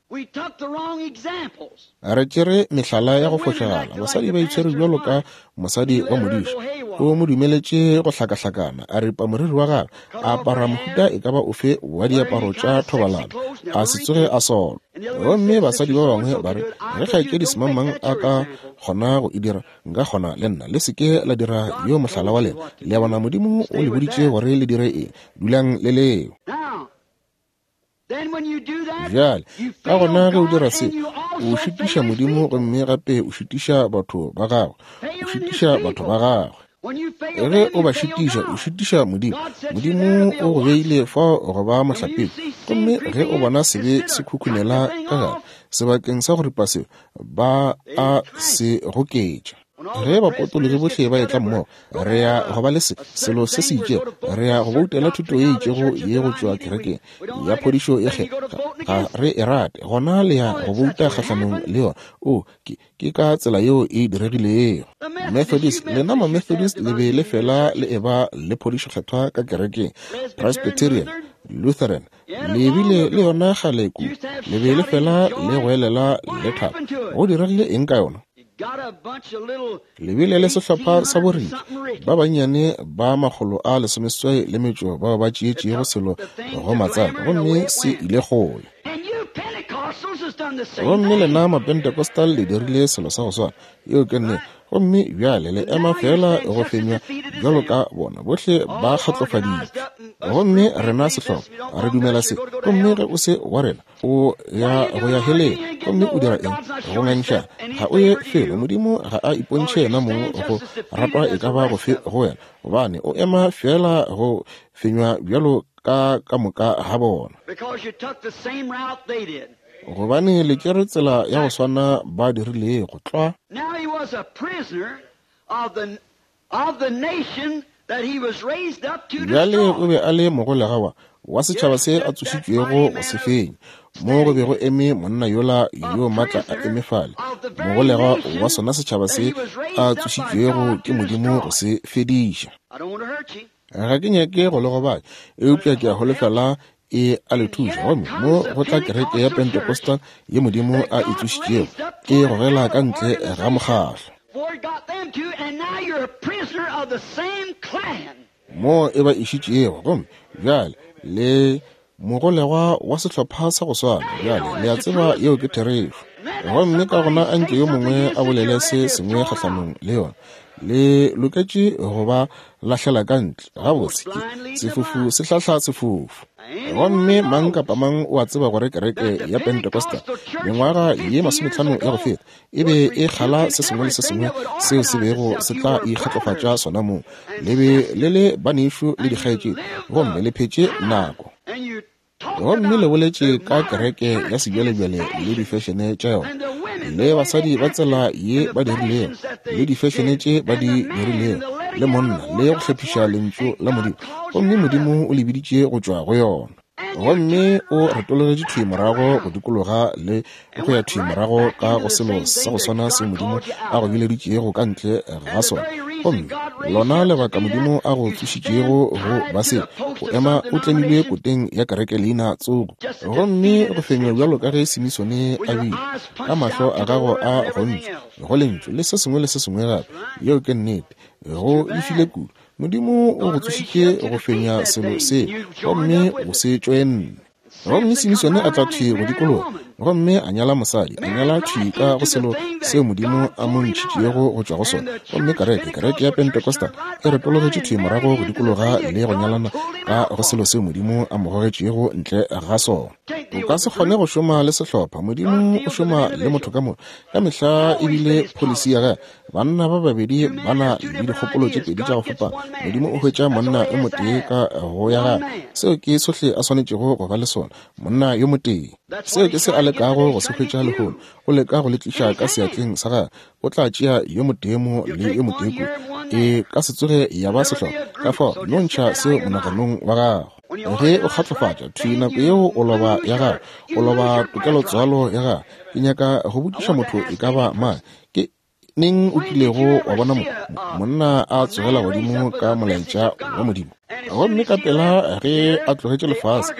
Re tšere mehlala ya go fošagala. Basadi ba itshwere bjalo ka mosadi wa modiši. O mo dumeletše go hlakahlakana, a ripa moriri wa gagwe, a apara mohuta e ka ba ofe wa diaparo tša thobalano, a se tsoge a solwa. Gomme basadi ba bangwe ba re, ge kgaetšedi semangmang a ka kgona go e dira, nka kgona le nna. Le se ke la dira yo mohlala wa lena. Le a bona, Modimo o le boditše gore le dire eng. Dulang le leo. Bjale, ka gona ge o dira se, o šitiša Modimo gomme gape o šitiša batho ba gagwe. O šitiša batho ba gagwe. Ge o ba šitiša, o šitiša Modimo. Modimo o go beile fao go ba mohlapetši. Gomme ge o bona sebe se khukhunela ka gare, sebakeng sa go ripa seo, ba a se goketša. Ge bapotologi bohle ba etla mmogo, re ya go ba le se, selo se se itšego, re ya go boutela thuto ye itšego ye go tšwa kerekeng ya phodišo ye kgethwa, ga re e rate, gona le ya go bouta kgahlanong le yona. O, ke, ke ka tsela yeo e diregilego. Methodist, lena ma-Methodist le be le fela le eba le phodišo kgethwa ka kerekeng. Presbyterian, Lutheran, le bile le yona kgale kudu, le be le fela le goelela le thaba. Go diregile eng ka yona? Le bile le sehlopha sa boriki ba bannyane ba 185 bao ba tšeetšego selo go matsaka, gomme se ile kgole. Gomme lena Mapentecostal le dirile selo sa go swana. Yeo ke nnete. Gomme bjale le ema feela go fenywa bjalo ka bona bohle ba kgatlofaditšwe. Gomme rena sehlopha re dumela se. Gomme ge o se wa rena, o ya go ya heleng. Gomme o dira eng? Go ngangišana. Ga o ye felo. Modimo ga a ipontšhe yena mong go ratwa e ka ba gofe go wena, gobane o ema feela go fenywa bjalo ka ka moka ga bona. Gobane le tšere tsela ya go swana ba dirilego tlwa. Bjale o be a le mogolegwa wa setšhaba se a tsošitšwego go se fenya, mo go be go eme monna yola yo maatla a eme fale, mogolegwa wa sona setšhaba se a tsošitšwego ke Modimo go se fediša. Ga ke nyake go le gobatša, eupša ke a holofela e a le thuša. Gomme mo go tla kereke ya Pentecostal ye Modimo a e tsošitšego, e gogela ka ntle ga mokgahlo. Mo e ba išitšego, gomme bjale le mogolegwa wa sehlopha sa go swana. Bjale le a tseba yeo ke therešo. Gomme ka gona a nke yo mongwe a bolele se sengwe kgahlanong le yona, le loketše go ba lahlela ka ntle. Gabotse, ke sefofu se hlahla sefofu. Gomme mang kapa mang o a tseba gore kereke ya Pentecostal mengwaga ye 50 ya go feta e be e kgala se sengwe le se sengwe seo se bego se tla ikgatlofatša sona mong. Le be le le banešu le dikgaetšedi, gomme le phetše nako. Gomme le boletše ka kereke ya sebjalebjale le difešene tša yona, le basadi ba tsela ye ba dirilego, le difešene tše ba di dirilego, le monna, le go hlephiša lentšu la Modimo. Gomme Modimo o le biditše go tšwa go yona. Gomme o retologetše thwi morago go dikologa le go ya thwi morago ka go selo sa go swana seo Modimo a go bileditšego ka ntle ga sona. Gomme lona lebaka Modimo a go tsošitšego go ba se, o ema o tlemilwe koteng ya kereke leina tsogo, gomme go fenywa bjalo ka ge Simisone a bile, ka mahlo a gago a gontšwe go lentšu le se sengwe le se sengwe gape. Yeo ke nnete. Go lefile kudu. Modimo o go tsošitše go fenya selo se, gomme o se tšoenne. Gomme Simisone a tla thwi go dikologa. Gomme a nyala mosadi, a nyala thwi ka go selo seo Modimo a mo ntšhitšego go tšwa go sona. Gomme kereke, kereke ya Pentecostal, e retologetše thwi morago go dikologa le go nyalana ka go selo seo Modimo a mo gogetšego ntle ga sona. O ka se kgone go šoma le sehlopha. Modimo o šoma le motho ka moka. Ka mehla e bile pholisi ya gagwe. Banna ba babedi ba na le dikgopolo tše pedi tša go fapana. Modimo o hwetša monna yo motee ka go ya gagwe. Seo ke sohle a swanetšego go ba le sona, monna yo motee. Seo ke se a lekago go se hwetša lehono. O leka go le tliša ka seatleng sa gagwe. O tla tšea yo motee mo le yo motee kua. E ka se tsoge ya ba sehlopha. Ka fao, no ntšha seo monaganong wa gago. Ge o kgatlofatša, thwi nako yeo o loba ya gago, o loba tokelotswalo ya gago. Ke nyaka go botšiša motho e ka ba mang, ke neng o kilego wa bona monna a tsogela godimo ka molaetša wa Modimo? Gomme ka pela ge a tlogetše lefase,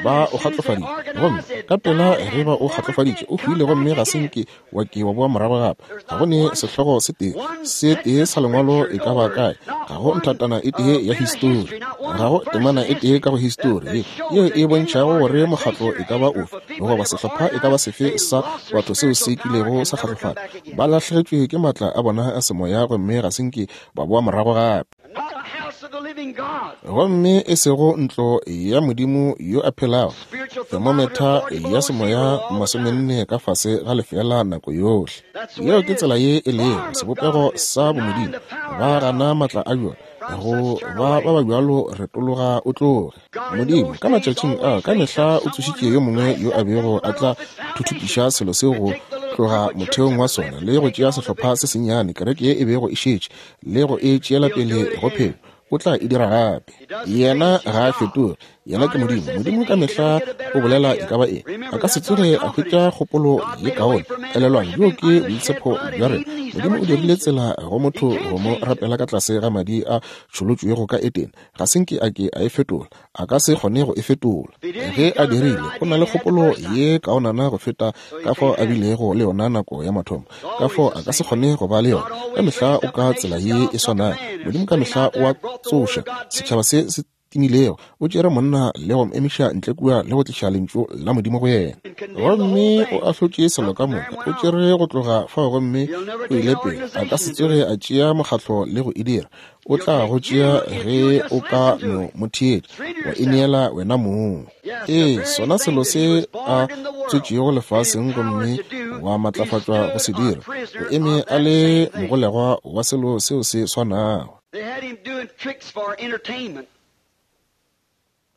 ba o kgatlofaditše. Gomme ka pela ge ba o kgatlofaditše, o hwile gomme ga se nke wa ke wa boa morago gape. Ga go ne sehlogo se tee, se tee sa lengwalo e ka ba kae, ga go nthatana e tee ya histori, ga go temana e tee ka go histori yeo e bontšhago gore mokgatlo e ka ba ofe goba sehlopha e ka ba sefe sa batho seo se kilego sa kgatlofala. Ba lahlegetšwe ke maatla a bona a semoya gomme ga se nke ba boa morago gape. Gomme e sego ntlo ya Modimo yo a phelago, thermometer ya semoya 40 ka fase ga lefeela nako yohle. Yeo ke tsela ye e lego sebopego sa bomodimo. Ba gana maatla a bjona. Go ba ba ba bjalo retologa o tloge. Modimo ka matšatšing a ka mehla o tsošitše yo mongwe yo a bego a tla thuthupiša selo seo go tloga motheong wa sona le go tšea sehlopha se sennyane, kereke ye e bego e šetše, le go e tšeela pele go phelo. O tla e dira gape. Yena ga a fetoge. Yena ke Modimo. Modimo ka mehla o bolela e ka ba eng. A ka se tsoge a hwetša kgopolo ye kaone. Elelwang, bjo ke boitshepo bja rena. Modimo o dirile tsela go motho go mo rapela ka tlase ga madi a tšholotšwego ka Edene. Ga se nke a ke a e fetola. A ka se kgone go e fetola. Ge a dirile, o na le kgopolo ye kaonana go feta ka fao a bilego le yona nako ya mathomo. Ka fao a ka se kgone go ba le yona. Ka mehla o ka tsela ye e swanago. Modimo ka mehla o a tsoša setšhaba se se timilego. O tšere monna le go mo emiša ntle kua le go tliša Lentšu la Modimo go yena. Gomme o ahlotše selo ka moka. O tšere go tloga fao gomme o ile pele. A ka se tsoge a tšea mokgatlo le go e dira. O tla go tšea ge o ka no mo theetša, wa ineela wena mong. Ee, sona selo se a tswetšego lefaseng gomme wa matlafatšwa go se dira, o eme a le mogolegwa wa selo seo se swanago.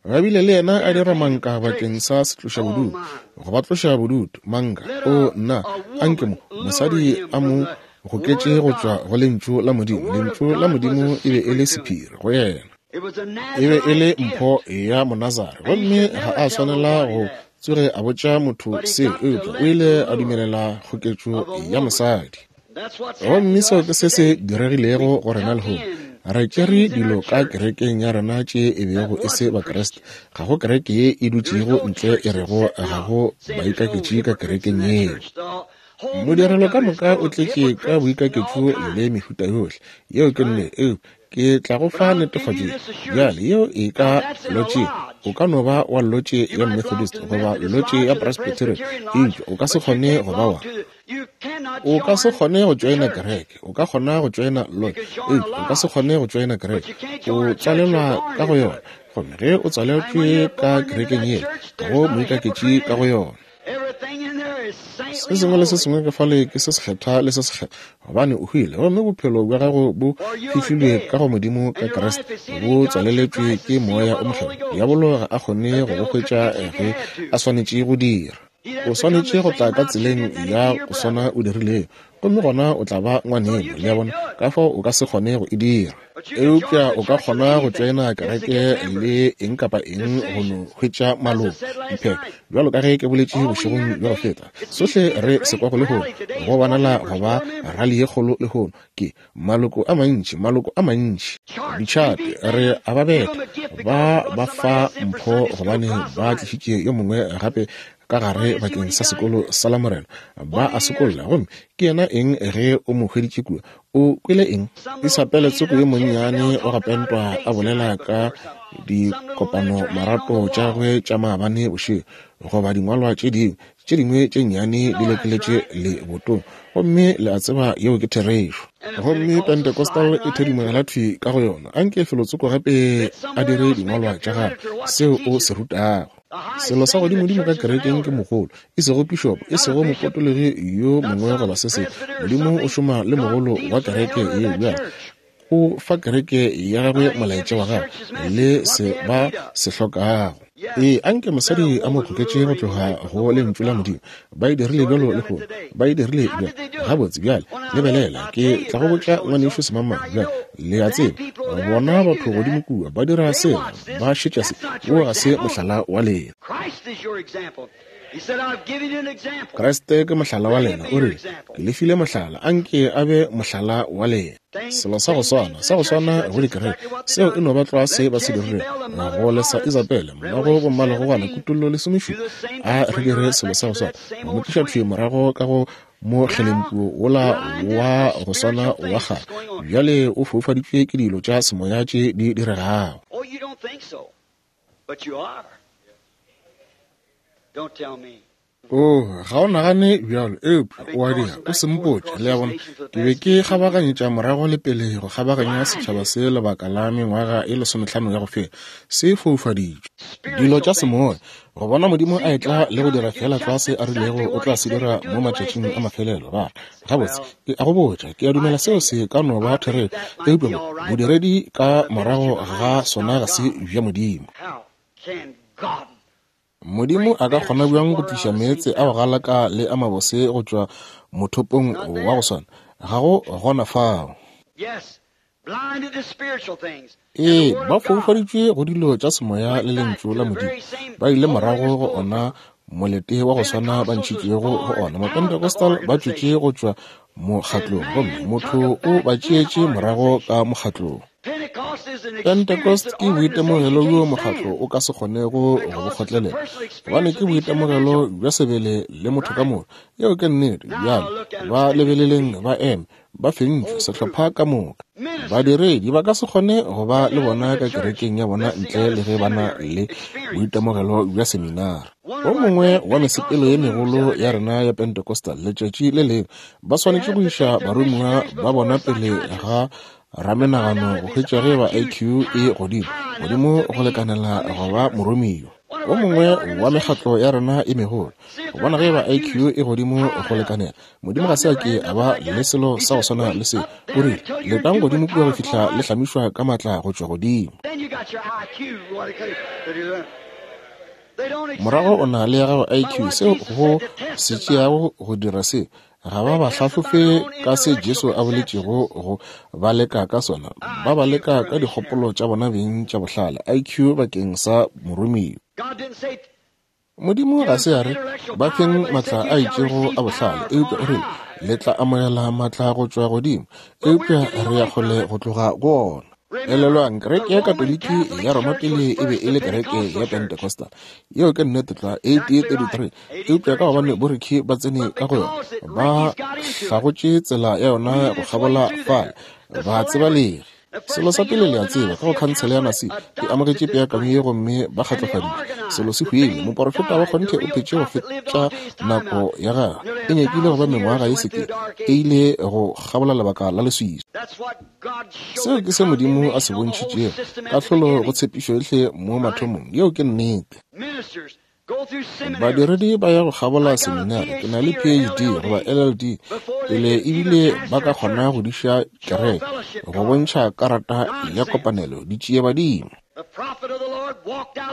Ba bile le yena a dira manka bakeng sa setlošabodutu, go ba tloša bodutu, manka. O, nna, anke mo, mosadi a mo goketše go tšwa go Lentšu la Modimo. Lentšu la Modimo e be e le sephiri go yena. E be e le mpho ya Monazare, gomme ga a swanela go tsoge a botša motho seo, eupša o ile a dumelela kgoketšo ya mosadi. Gomme seo ke se se diregilego go rena lehono. Re tšere dilo ka kerekeng ya rena tše e bego e se Bakriste. Ga go kereke ye e dutšego ntle e rego ga go baikaketši ka kerekeng yeo. Modirelo ka moka o tletše ka boikaketšo le mehuta yohle. Yeo ke nnete. Eupša ke tla go fa netefatšo ye. Bjale, yeo e ka lotše. O ka no ba wa lotše ya Methodist goba lotše ya Presbyterian, eupša o ka se kgone go ba wa. O ka se kgone go tšoena kereke. O ka kgona go tšoena lotše, eupša o ka se kgone go tšoena kereke. O tswalelwa ka go yona. Gomme ge o tswaletšwe ka kerekeng yela, ga go moikaketši ka go yona. Se sengwe le se sengwe ka fale ke se sekgethwa le se sekgethwa, gobane o hwile gomme bophelo bja gago bo fihlilwe ka go Modimo ka Kriste, bo tswaleletšwe ke Moya o Mokgethwa. Diabolo ga a kgone go go hwetša ge a swanetše go dira. O swanetše go tla ka tseleng ya go swana o dirilego, gomme gona o tla ba ngwaneno, le a bona, ka fao o ka se kgone go e dira. Eupša o ka kgona go tšoena kereke le eng kapa eng go no hwetša maloko, diphetho. Bjalo ka ge ke boletše bošegong bja go feta, sohle re se kwago lehono, go bonala go ba rali ye kgolo lehono, ke maloko a mantši, maloko a mantši. Ditšhate, re a ba betha, ba ba fa mpho gobane ba tlišitše yo mongwe gape ka gare bakeng sa sekolo sa Lamorena. Ba a sokolla, gomme ke yena eng ge o mo hweditše kua? O kwele eng? Isapele tsoko yo monnyane wa go pentwa a bolela ka dikopano marato tša gagwe tša maabane bošego, goba dingwalwa tše dingwe. Tše dingwe tše nnyane di lekeletše lebotong, gomme le a tseba yeo ke therešo. Gomme Pentecostal e thedimogela thwi ka go yona. Anke felotsoko gape a dire dingwalwa tša gagwe, seo o se rutago. Selo sa godimodimo ka kerekeng ke mogolo, e sego pišopo, e sego mopotologi yo mongwe goba se sengwe. Modimo o šoma le mogolo wa kereke yeo bjale. O fa kereke ya gagwe molaetša wa gagwe le se ba se hlokago. Ee, anke mosadi a mo goketše go tloga go Lentšu la Modimo. Ba e dirile bjalo lehono. Ba e dirile bjalo. Gabotse, bjale, lebelela, ke tla go botša ngwanešu semangmang. Bjale, le a tseba, bona batho godimo kua ba dira sela, ba šetša se. Wo ga se mohlala wa lena. Kriste ke mohlala wa lena. O rile, Ke le file mohlala, anke a be mohlala wa lena. Selo sa go swana, sa go swana go dikereke, seo e no ba tlwa se ba se dirilego go lesa Isabele, mmago bommalegogwana, Kutollo lesomešupa. A re dire selo sa go swana, go mo tliša thwi morago ka go mokgelempuo wola wa go swana wa kgale. Bjale o foufaditšwe ke dilo tša semoya tše di diregago. Oh, you don't think so, but you are. Don't tell me. Oh, ga o nagane bjalo, eupša o a dira. O se mpotše, le a bona. Ke be ke kgabaganyetša morago le pele go kgabaganya setšhaba se lebaka la mengwaga e lesomehlano ya go feta. Se foufaditšwe. Dilo tša semoya, go bona Modimo a etla le go dira feela tlwa se a rilego o tla se dira mo matšatšing a mafelelo. Ba re, Gabotse, ke a go botša, ke a dumela seo se ka no ba therešo, eupša bo, bodiredi ka morago ga sona ga se bja Modimo. How can God Modimo a ka kgona bjang go tliša meetse a go galaka le a mabose go tšwa mothopong wa go swana? Ga go gona fao. Ee, ba foufaditšwe go dilo tša semoya le Lentšu la Modimo. Ba ile morago go ona molete wa go swana ba ntšhitšwego go ona. Mapentecostal ba tšwetše go tšwa mokgatlong, gomme motho o ba tšeetše morago ka mokgatlong. Pentecost ke boitemogelo bjo mokgatlo o ka se kgonego go bo kgotlelela, gobane ke boitemogelo bja sebele le motho ka moka. Yeo ke nnete. Bjale ba lebeleleng ba eme, ba fentšwe, sehlopha ka moka. Badiredi ba ka se kgone go ba le bona ka kerekeng ya bona ntle le ge ba na le boitemogelo bja seminara. O mongwe wa mesepelo ye megolo ya rena ya Pentecostal letšatši le lengwe, ba swanetše go iša baromiwa ba bona pele ga ramenagano go hwetša ge ba IQ e godimo godimo go lekanela go ba moromiwa. O mongwe wa mekgatlo ya rena e megolo go bona ge ba IQ e godimo go lekanela. Modimo ga se a ke a ba le selo sa go swana le se. O rile, Letang godimo kua go fihla le hlamišwa ka maatla go tšwa godimo. Morago o na le ya gago IQ, seo go se tšeago go dira se. Ga ba ba hlahlofe ka se Jesu a boletšego go ba leka ka sona. Ba ba leka ka dikgopolo tša bona beng tša bohlale, IQ bakeng sa moromiwa. Modimo ga se a re ba feng matla a itšego a bohlale, eupša o rile le tla amogela matla go tšwa godimo, eupša re ya kgole go tloga go ona. Elelwang, kereke ya Katoliki ya Roma pele e be e le kereke ya Pentecostal. Yeo ke nnete tlwa, 1833. Eupša ka gobane borikhi ba tsene ka go yona, ba hlagotše tsela ya yona go kgabola fale, ba tsebalegi. Selo sa pele le a tseba, ka go Khansele ya Nasi e amogetše peakanyo ye gomme ba kgatlofaditšwe. Selo se hwile. Moporofeta wa kgonthe o phetše go fetša nako ya gagwe. E nyakile go ba mengwaga ye sekete. E ile go kgabola lebaka la leswiswi. Seo ke se Modimo a se bontšhitšego, kahlolo go tshepišo yohle mo mathomong. Yeo ke nnete. Badiredi ba ya go kgabola seminari, ke na le PhD goba LLD, pele ebile ba ka kgona go diša kereke, go bontšha karata ya kopanelo, ditšiebadimo.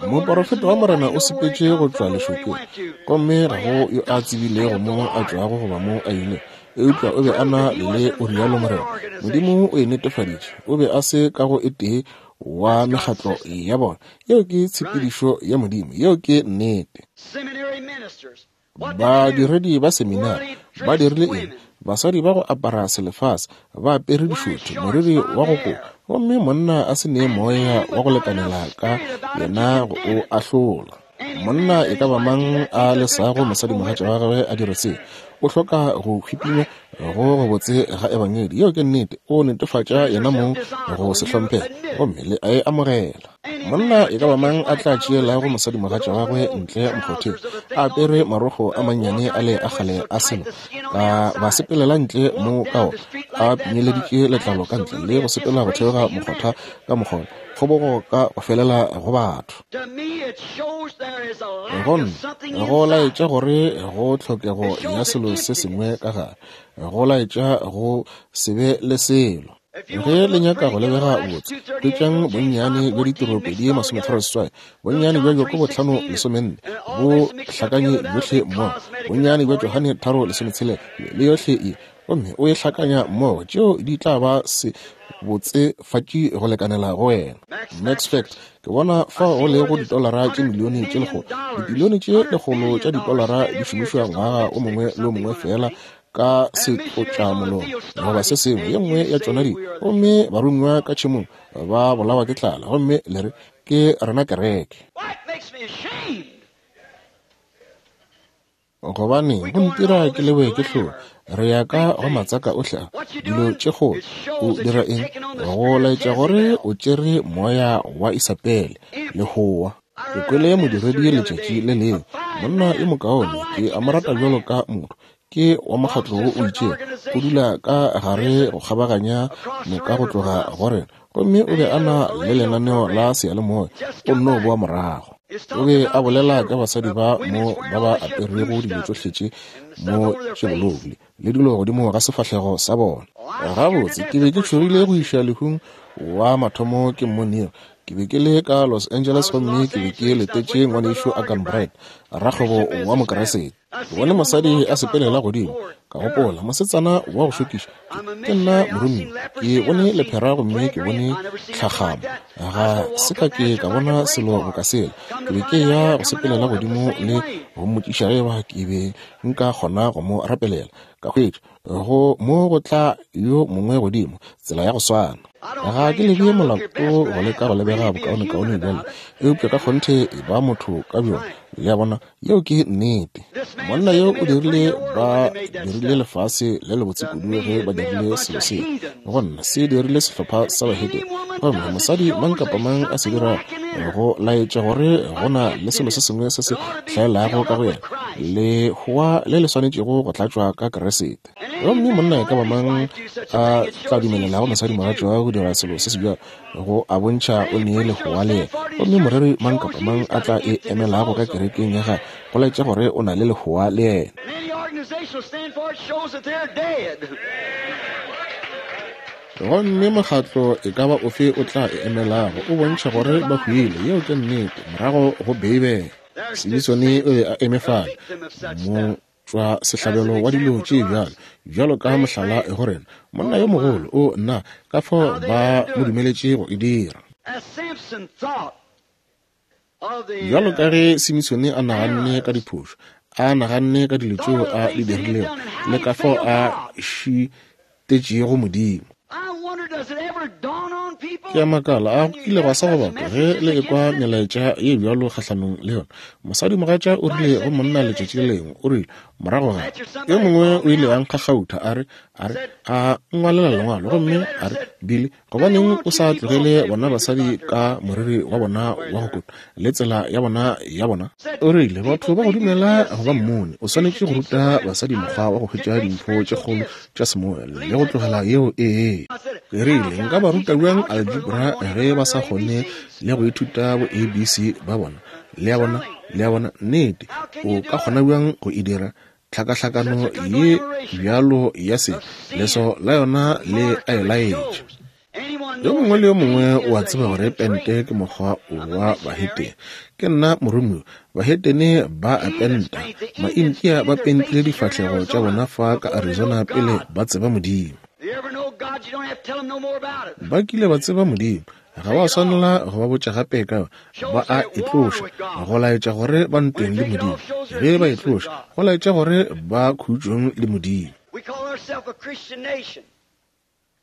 Moporofeta wa Morena o sepetše go tšwa lešokeng, gomme ga go yo a tsebilego mo a tšwago goba mo a ilego, eupša o be a na le o rialo Morena. Modimo o e netefaditše. O be a se ka go e tee wa mekgatlo ya bona. Yeo ke tshepedišo ya Modimo. Yeo ke nnete. Badiredi ba seminari ba dirile eng? Basadi ba go apara selefase, ba apere dišothi, moriri wa go kopa, gomme monna a se ne moya wa go lekanela ka yena go o ahlola. Monna e ka ba mang a lesago mosadimogatša wa gagwe a dire se, O hloka go hwipinywa go gobotse ga Ebangedi. Yeo ke nnete. O netefatša yena mong go se hlomphege, gomme le a e amogela. Monna e ka ba mang a tla tšeelago mosadimogatša wa gagwe ntle mokgotheng, a apere marokgo a mannyane a le a kgale a selo, ka ba sepelela ntle mo ka ona, a pinyeleditše letlalo ka ntle, le go sepela go theoga mokgotha ka mokgona, kgobogo ka go felela go batho. Go nna, go laetša gore go tlhokego ya selo se sengwe ka gare, go laetša go se be le selo. Ge le nyaka go lebega botse, hwetšang bonnyane bja ditiro 2:38, bonnyane bja Jakobo 5:14, bo hlakanye bjohle mmogo, bonnyane bja Johane 3:16, le yohle ye, gomme o e hlakanya mmogo, tšeo di tla ba se botsefatši go lekanela go wena. Max Fact, ke bona fao go lego ditolara tše milione tše lekgolo, dibilione tše lekgolo tša ditolara di šomišwa ngwaga o mongwe le o mongwe feela ka setlotšamolomo goba se sengwe, ye nngwe ya tšona dilo, gomme baromiwa ka tšhemong ba bolawa ke tlala, gomme le re ke rena kereke. Gobane go ntira ke lewe ke hlong. Re ya ka go matsaka ohle a dilo tše kgolo. O dira eng? Go laetša gore o tšere moya wa Isabele le hoa. Ke kwele modiredi letšatši le lengwe, monna yo mokaone, ke a mo rata bjalo ka motho, ke wa mokgatlo wo o itšego, o dula ka gare go kgabaganya noka go tloga go rena, gomme o be a na le lenaneo la seyalemoya, o nno boa morago. O be a bolela ka basadi ba mo ba ba aperego dilo tšohle tše mo tše bolou le dilo godimo ga sefahlego sa bona. Gabotse, ke be ke tšhogile go iša lehung wa mathomo ke mmoneo. Ke be ke le ka Los Angeles gomme ke be ke letetše ngwanešu Arganbright, rakgwebo wa Mokeresete. Ke bone mosadi a sepelela godimo, ka gopola, mosetsana wa go šokiša, ke nna moromiwa. Ke bone lephera gomme ke bone tlhakgamo. Ga se ka ke ka bona selo boka sela. Ke be ke ya go sepelela godimo le go mmotšiša ge eba ke be nka kgona go mo rapelela. Ka hwetša go mo go tla yo mongwe godimo, tsela ya go swana. Ga ke lebe molato go leka go lebega bokaonekaone bjale, eupša ka kgonthe e ba motho ka bjona. Le a bona, yeo ke nnete. Monna yo o dirile, ba dirile lefase le lebotse kudu ge ba dirile selo seo. Go nna se dirile sehlopha sa bahetene. Gomme mosadi mang kapa mang a se dira go laetša gore go na le selo se sengwe se se hlaelago ka go yena, lehoa le le swanetšego go tlatšwa ka Keresete. Gomme monna e ka ba mang a tla dumelelago mosadimogatša go dira selo se se bjalo, go a bontšha o nee lehoa le yena. Gomme moreri mang kapa mang a tla e emelago ka kerekeng ya gagwe, go laetša gore o na le lehoa le yena. Gomme mokgatlo e ka ba ofe o tla e emelago o bontšha gore ba hwile. Yeo ke nnete, morago go Beibele. Simisone o be a eme fale, motšwa sehlabelo wa dilo tše bjalo, bjalo ka mohlala go rena, monna yo mogolo. O nna, ka fao ba mo dumeletše go e dira. Bjalo ka ge Simisone a naganne ka diphošo, a naganne ka dilo tšeo a di dirilego, le ka fao a šitetšego Modimo. Ke a makala, a go kile gwa sa go batho ge le ekwa melaetša ye bjalo kgahlanong le yona? Mosadimogatša o rile go monna letšatši le lengwe, o rile, morago ga yo mongwe o ile a nkgakgautha, a re, a re, a nngwalela lengwalo, gomme a re, Billy, gobaneng o sa tlogele bona basadi ka moriri wa bona wa go kotwa le tsela ya bona ya bona? O rile, batho ba go dumela go ba mmone, o swanetše go ruta basadi mokgwa wa go hwetša dimpho tše kgolo tša semoya le go tlogela yeo. Ee. Ke rile, nka ba ruta bjang algebra ge ba sa kgone le go ithuta bo ABC ba bona? Le a bona? Le a bona? Nnete. O ka kgona bjang go e dira? Tlhakahlakano ye bjalo ya se, leso la yona le a e laetša. Yo mongwe le yo mongwe o a tseba gore pente ke mokgwa wa bahetene. Ke nna moromiwa. Bahetene ba a penta. Maintia ba pentile difahlego tša bona fa ka Arizona pele ba tseba Modimo. Ba kile ba tseba Modimo. Ga ba swanela go ba botša gape ka ba a e tloša, go laetša gore ba ntweng le Modimo. Ge ba e tloša, go laetša gore ba khutšong le Modimo.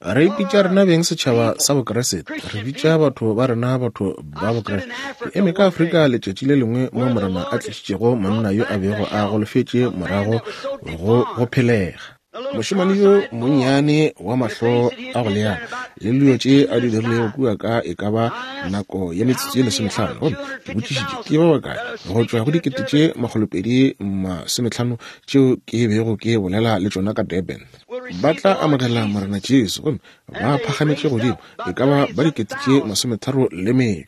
Re ipitša rena beng setšhaba sa Bokriste. Re bitša batho ba rena batho ba Bokriste. Ke eme ka Afrika letšatši le lengwe mo Morena a tlišitšego monna yo a bego a golofetše morago go go phelega. Mošemane yo monnyane wa mahlo a go leana le dilo tše a di dirilego kua ka e ka ba nako ya metsotso ye 15. Gomme ke botšišitše ke ba bakae go tšwa go 2,250 tšeo ke bego ke bolela le tšona ka Durban ba tla amogela Morena Jesu, gomme ba phagametše godimo e ka ba ba 35,000.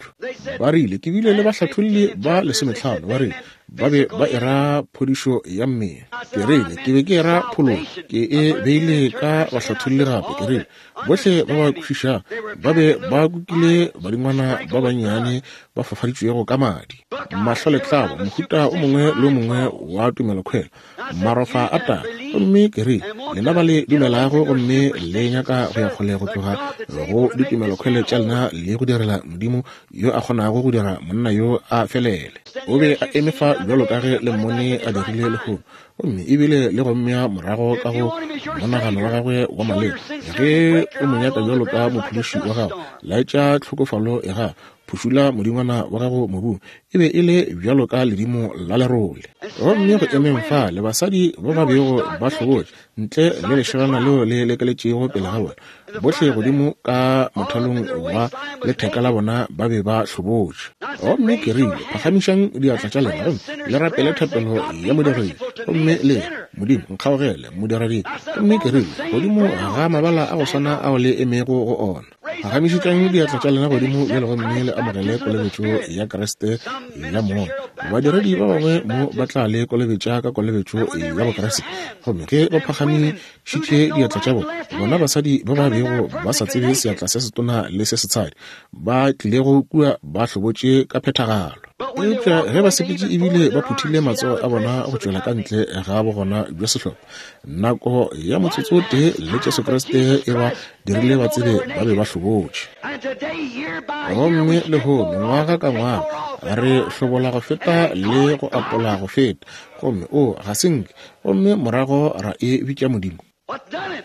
Ba rile ke bile le bahlatholli ba 15, ba rile ba be ba era phodišo ya mmele. Ke rile ke be ke era phologo, ke e beile ka bahlatholli gape. Ke rile bohle ba ba kwešišago ba be ba kukile badingwana ba bannyane ba fafaditšwego ka madi, mahlo le tlabo, mohuta o mongwe le o mongwe wa tumelokhwelo, marofa a tala. Gomme ke rile, lena ba le dumelago gomme le nyaka go ya kgole go tloga go ditumelokhwele tša lena le go direla Modimo yo a kgonago go dira monna yo a felele. O be a eme fa bjalo ka ge le mmone a dirile lehono, gomme ebile le go mmea morago ka go monagano wa gagwe wa maleba. Ge o mo nyaka bjalo ka mophološi wa gago, laetša tlhokofalo ya gago, phušula modingwana wa gago mobung. E be e le bjalo ka ledimo la lerole. Gomme go emeng fa le basadi ba ba bego ba hlobotše ntle le lešelana leo le lekeletšego pele ga bona, bohle godimo ka mothalong wa letheka la bona ba be ba hlobotše. Gomme ke rile, phagamišang diatla tša lena gomme le rapele thapelo ya modiredi, gomme le re, Modimo, nkgaogele, modiredi. Gomme ke rile, godimo ga mabala a go swana ao le emego go ona, phagamišetšang diatla tša lena godimo bjale gomme le amogele kolobetšo ya Kriste ya Moya. Badiredi ba bangwe mo ba tla le kolobetša ka kolobetšo ya Bokriste. Gomme ge ba phagamišitše diatla tša bona, bona basadi ba ba bego ba sa tsebe seatla se setona le se setshadi, ba tlilego kua ba hlobotše ka phethagalo. Eupša ge ba sepetše ebile ba phuthile matsogo a bona go tšwela ka ntle ga bogona bja sehlopha, nako ya motsotso o tee le Jesu Kriste e ba dirile ba tsebe ba be ba hlobotše. Gomme lehono, ngwaga ka ngwaga, re hlobola go feta le go apola go feta, gomme o ga se nke, gomme morago ra e bitša Modimo.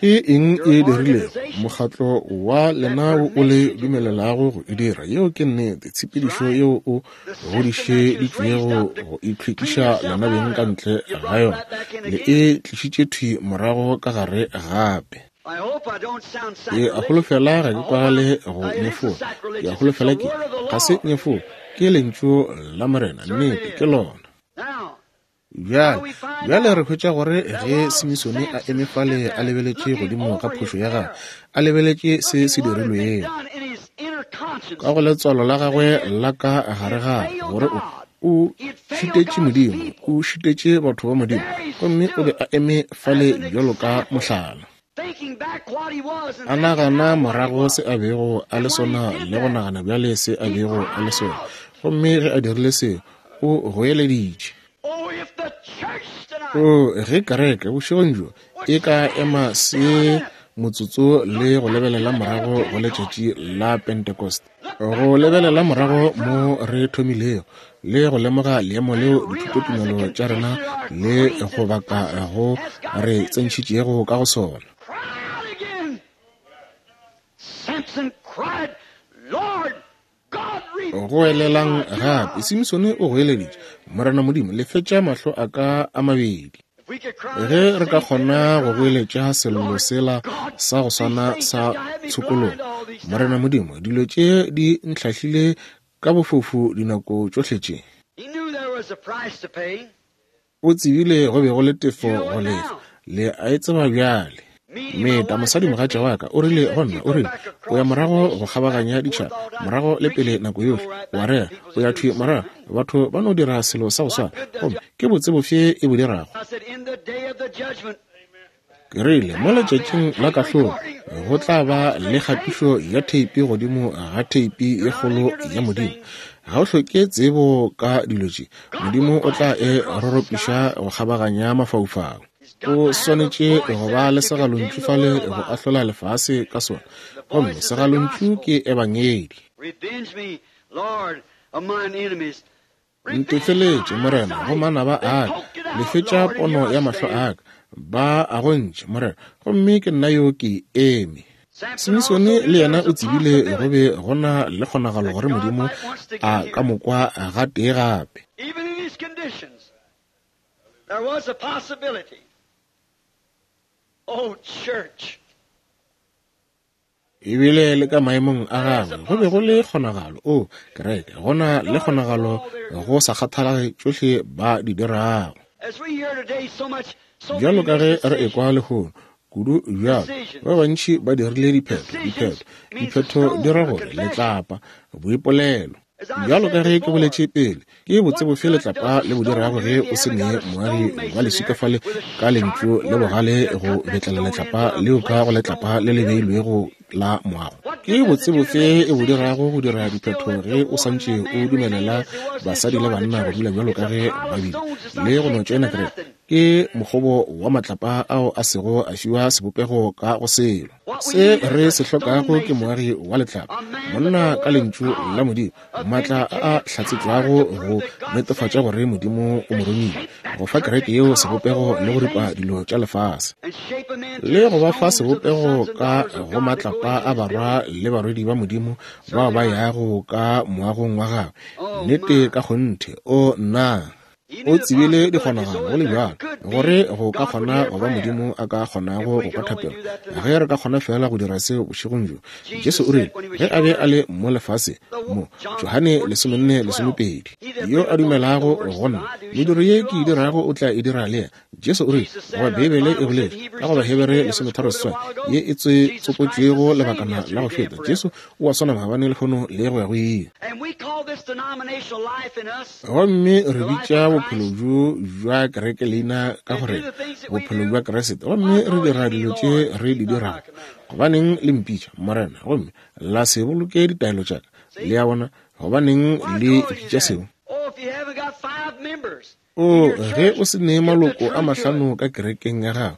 Ke eng e dirilego? Mokgatlo wa lena wo o le dumelelago go e dira. Yeo ke nnete, tshepedišo yeo o godišeditšwego go itlhwekiša lena beng ka ntle ga yona, le e tlišitše thwi morago ka gare gape. Ke a holofela ga ke kwagale go nyefola. Ke a holofela ke ga se nyefola. Ke lentšu la Morena, nnete ke lona. Bjale, bjale re hwetša gore ge Simisone a eme fale a lebeletše godimo ga phošo ya gagwe, a lebeletše se se dirilwego ka go letswalo la gagwe la ka gare gare, gore o o šitetše Modimo, o šitetše batho ba Modimo, gomme o be a eme fale bjalo ka mohlala. A nagana morago se a bego a le sona le go nagana bjale se a bego a le sona. Gomme ge a dirile seo, o goeleditše. O, ge kereke bošegong bjo e ka ema se motsotso le go lebelela morago go letšatši la Pentecost, go lebelela morago mo re thomilego le go lemoga leemo leo dithutotumelo tša rena le go baka go re tsentšhitšego ka go sona. Goelelang gape, Simsone o goeleditše, Morena Modimo, lefetša mahlo a ka a mabedi. Ge re ka kgona go goeletša sello sela sa go swana sa tshokologo, Morena Modimo, dilo tše di ntlhahlile ka bofofu dinako tšohle tše. O tsebile go be go le tefo go lefa. Le a e tseba bjale. Meta, mosadimogatša wa ka, o rile go nna, o rile, O ya morago go kgabaganya ditšhaba, morago le pele nako yohle, wa rera, o ya thwi morago, batho ba no dira selo sa go swana. Gomme ke botse bofe e bo dirago? Ke rile, mo letšatšing la kahlolo, go tla ba le kgatišo ya theipi godimo ga theipi ye kgolo ya Modimo. Ga o hloke tsebo ka dilo tše. Modimo o tla e roropiša go kgabaganya mafaufau. O swanetše go ba le segalontšu fale go ahlola lefase ka sona. Gomme segalontšu ke Ebangedi. Ntefeletše, Morena, go manaba a ka. Lefetša pono ya mahlo a ka. Ba a gontše, Morena, gomme ke nna yo ke eme. Simisone le yena o tsebile go be go na le kgonagalo gore Modimo a ka mo kwa gatee gape. Even in his conditions, there was a possibility. Oh, church. Ebile le ka maemong a gagwe go be go le kgonagalo. O, kereke, go na le kgonagalo go sa kgathalege tšohle ba di dirago. As we hear today so much, so Bjalo many ka ge re decisions. ekwa lehono, kudu bjalo, ba bantši ba dirile diphetho, diphetho, diphetho di ra gore letlapa, boipolelo. Bjalo ka ge ke boletše pele, ke botse bofe letlapa le bo dirago ge o se ne moagi wa leswika fale ka lentšu le bogale go betlela letlapa leo ka go letlapa le le beilwego la moago? Ke botse bofe e bo dirago go dira diphetho ge o santše o dumelela basadi le banna go dula bjalo ka ge ba bile le go no tšoena kereke? Ke mokgobo wa matlapa ao a sego a fiwa sebopego ka go selo. Se re se hlokago ke moagi wa letlapa, monna ka lentšu la Modimo, maatla a a hlatsetšwago go netefatša gore Modimo o mo romile, go fa kereke yeo sebopego le go ripa dilo tša lefase, And shape 'em into le the go ba fa stones of the sebopego sons and ka daughters of go God that go matlapa into a his barwa building. le barwedi ba Modimo bao ba yago ka moagong wa gagwe. Oh, Nnete my. ka kgonthe, o nna. He O knew the tsebile possibility so dikgonagalo go that le there bjalo could gore be go ka God would kgona hear go ba prayer. Modimo a ka If kgonago we go kwa could only thapelo. do that Ge tonight. re ka kgona fela go dira seo bošegong bjo. Jesu Jesus o rile said when he was ge a be showing a le mo lefase the mo, John Johane 14, 14 12, 12, he that yo a believeth on me, the dumelago works go that nna, I do shall mediro he ye do ke e also. dirago o tla e dira le yena. Jesu o rile, Jesus goba said, the Beibele e Bible said in boletše ka Hebrews go 13, Bahebere that was 13 quoted a seswai while ago, ye e Jesus Christ is tsopotšwego the same lebakana la go yesterday, today, and feta. forever. Jesu o a swana maabane lehono le go ya go ile. And we call this denominational life in us Gomme re the life bitša of bophelo Christ bjo bja kereke leina ka and gore do the things that we bophelo do. bja Kriste, Why gomme re call dira ye me dilo tše Lord and re di keep not my dirago. commandments? Gobaneng le mpitša Morena gomme la se boloke ditaelo tša ka? Le See? a bona, gobaneng Why le call you ipitša that? seo? Oh, if you haven't got 5 members in O your ge church, o se ne give the maloko a truth to it. mahlano ka kerekeng ya gago,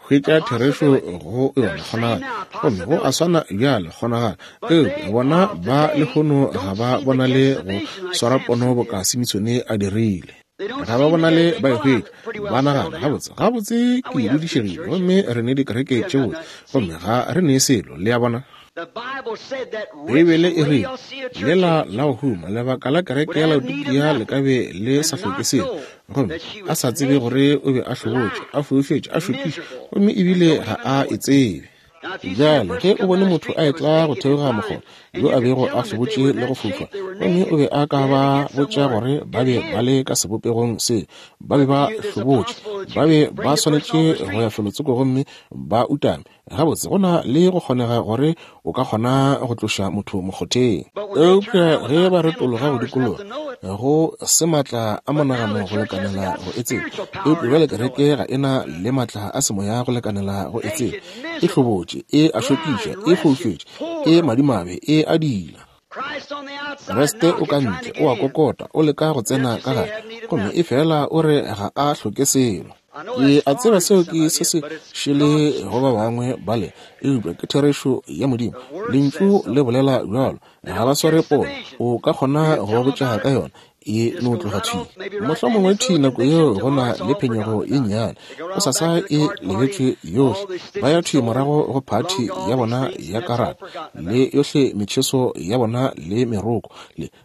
A hwetša therešo possibility. go They're yona saying kgonagalo. now, a Gomme go a possibility. swana bjale kgonagalo. But Eupša they bona of ba today lehono ga don't ba seem to bonale catch the go vision like swara pono Samson boka did. Simisone a dirile. They don't Ga ba seem to get bonale it. Think, ba e well, I'm hwetša. pretty well Ba settled nagana now. gabotse, gabotse Now ke we have good dudišegile churches. gomme re ne dikereke We haven't tše got botse, nothing. gomme See, ga re ne selo. Le a bona? the Bible said that rich Beibele e rile, Laodicea church lela age la go huma, lebaka la kereke would ya have need of Laodikia le nothing ka be le and sa hloke not selo, know gomme that she a was sa tsebe naked, gore o be a hlobotše, blind, a foufetše, a šokiša, miserable, gomme and ebile don't ga even a know e it. tsebe. Now, if you seen a Bjale ge person o come bone down the motho street a that was etla go naked and theoga blind, mokgoba and yo you a could bego tell a them that they hlobotše were in le go that fofa, shape, they were gomme o naked, be a ka they had to ba get botša somewhere, gore ba get be ba hid. le ka sebopegong se, ba be But ba to you, there's a hlobotše, possible that you ba be could ba bring the person swanetše off the go ya street. felotsoko gomme ba utame. Gabotse go na le go kgonega gore o ka kgona go tloša motho mokgotheng. But when they turn Eupša around ge without ba mental retologa go powers enough dikologa, to know it, go se maatla a but now the monagano go church hasn't lekanela got go e tseba. spiritual power Eupša bjale enough to know kereke it. ga e na le maatla a semoya go lekanela go e tseba. Naked, E miserable, hlobotše, e a šokiša, blind, e wretched, foufetše, e poor. madimabe, e a diila. Christ on the outside Kriste o knocking, ka trying ntle, to o a get in. kokota, o leka go Yet tsena you ka say you gare, have need of gomme e nothing. fela o re ga a hloke selo. I know Ke that's a tseba foreign to seo some ke of se you, se but it's šele God's go ba truth. bangwe bale, eupša ke therešo ya Modimo. The Word Lentšu says so. le bolela bjalo, They ga ba don't sware catch the pono. vision. O ka kgona You go tell ba them botša about ka it, yona, e just no goes tloga right thwi. off, maybe right then Mohlomongwe this thwi little nako yeo conviction, go na tomorrow it's le all phenyego forgotten ye about. nnyane, They go go right on sasa back to the e card party lebetšwe and all yohle. the Ba ya stitching thwi sewing, morago go belong phathi to ya all these bona things, ya and that's all karata, forgotten le about. yohle metšheso ya bona le meroko,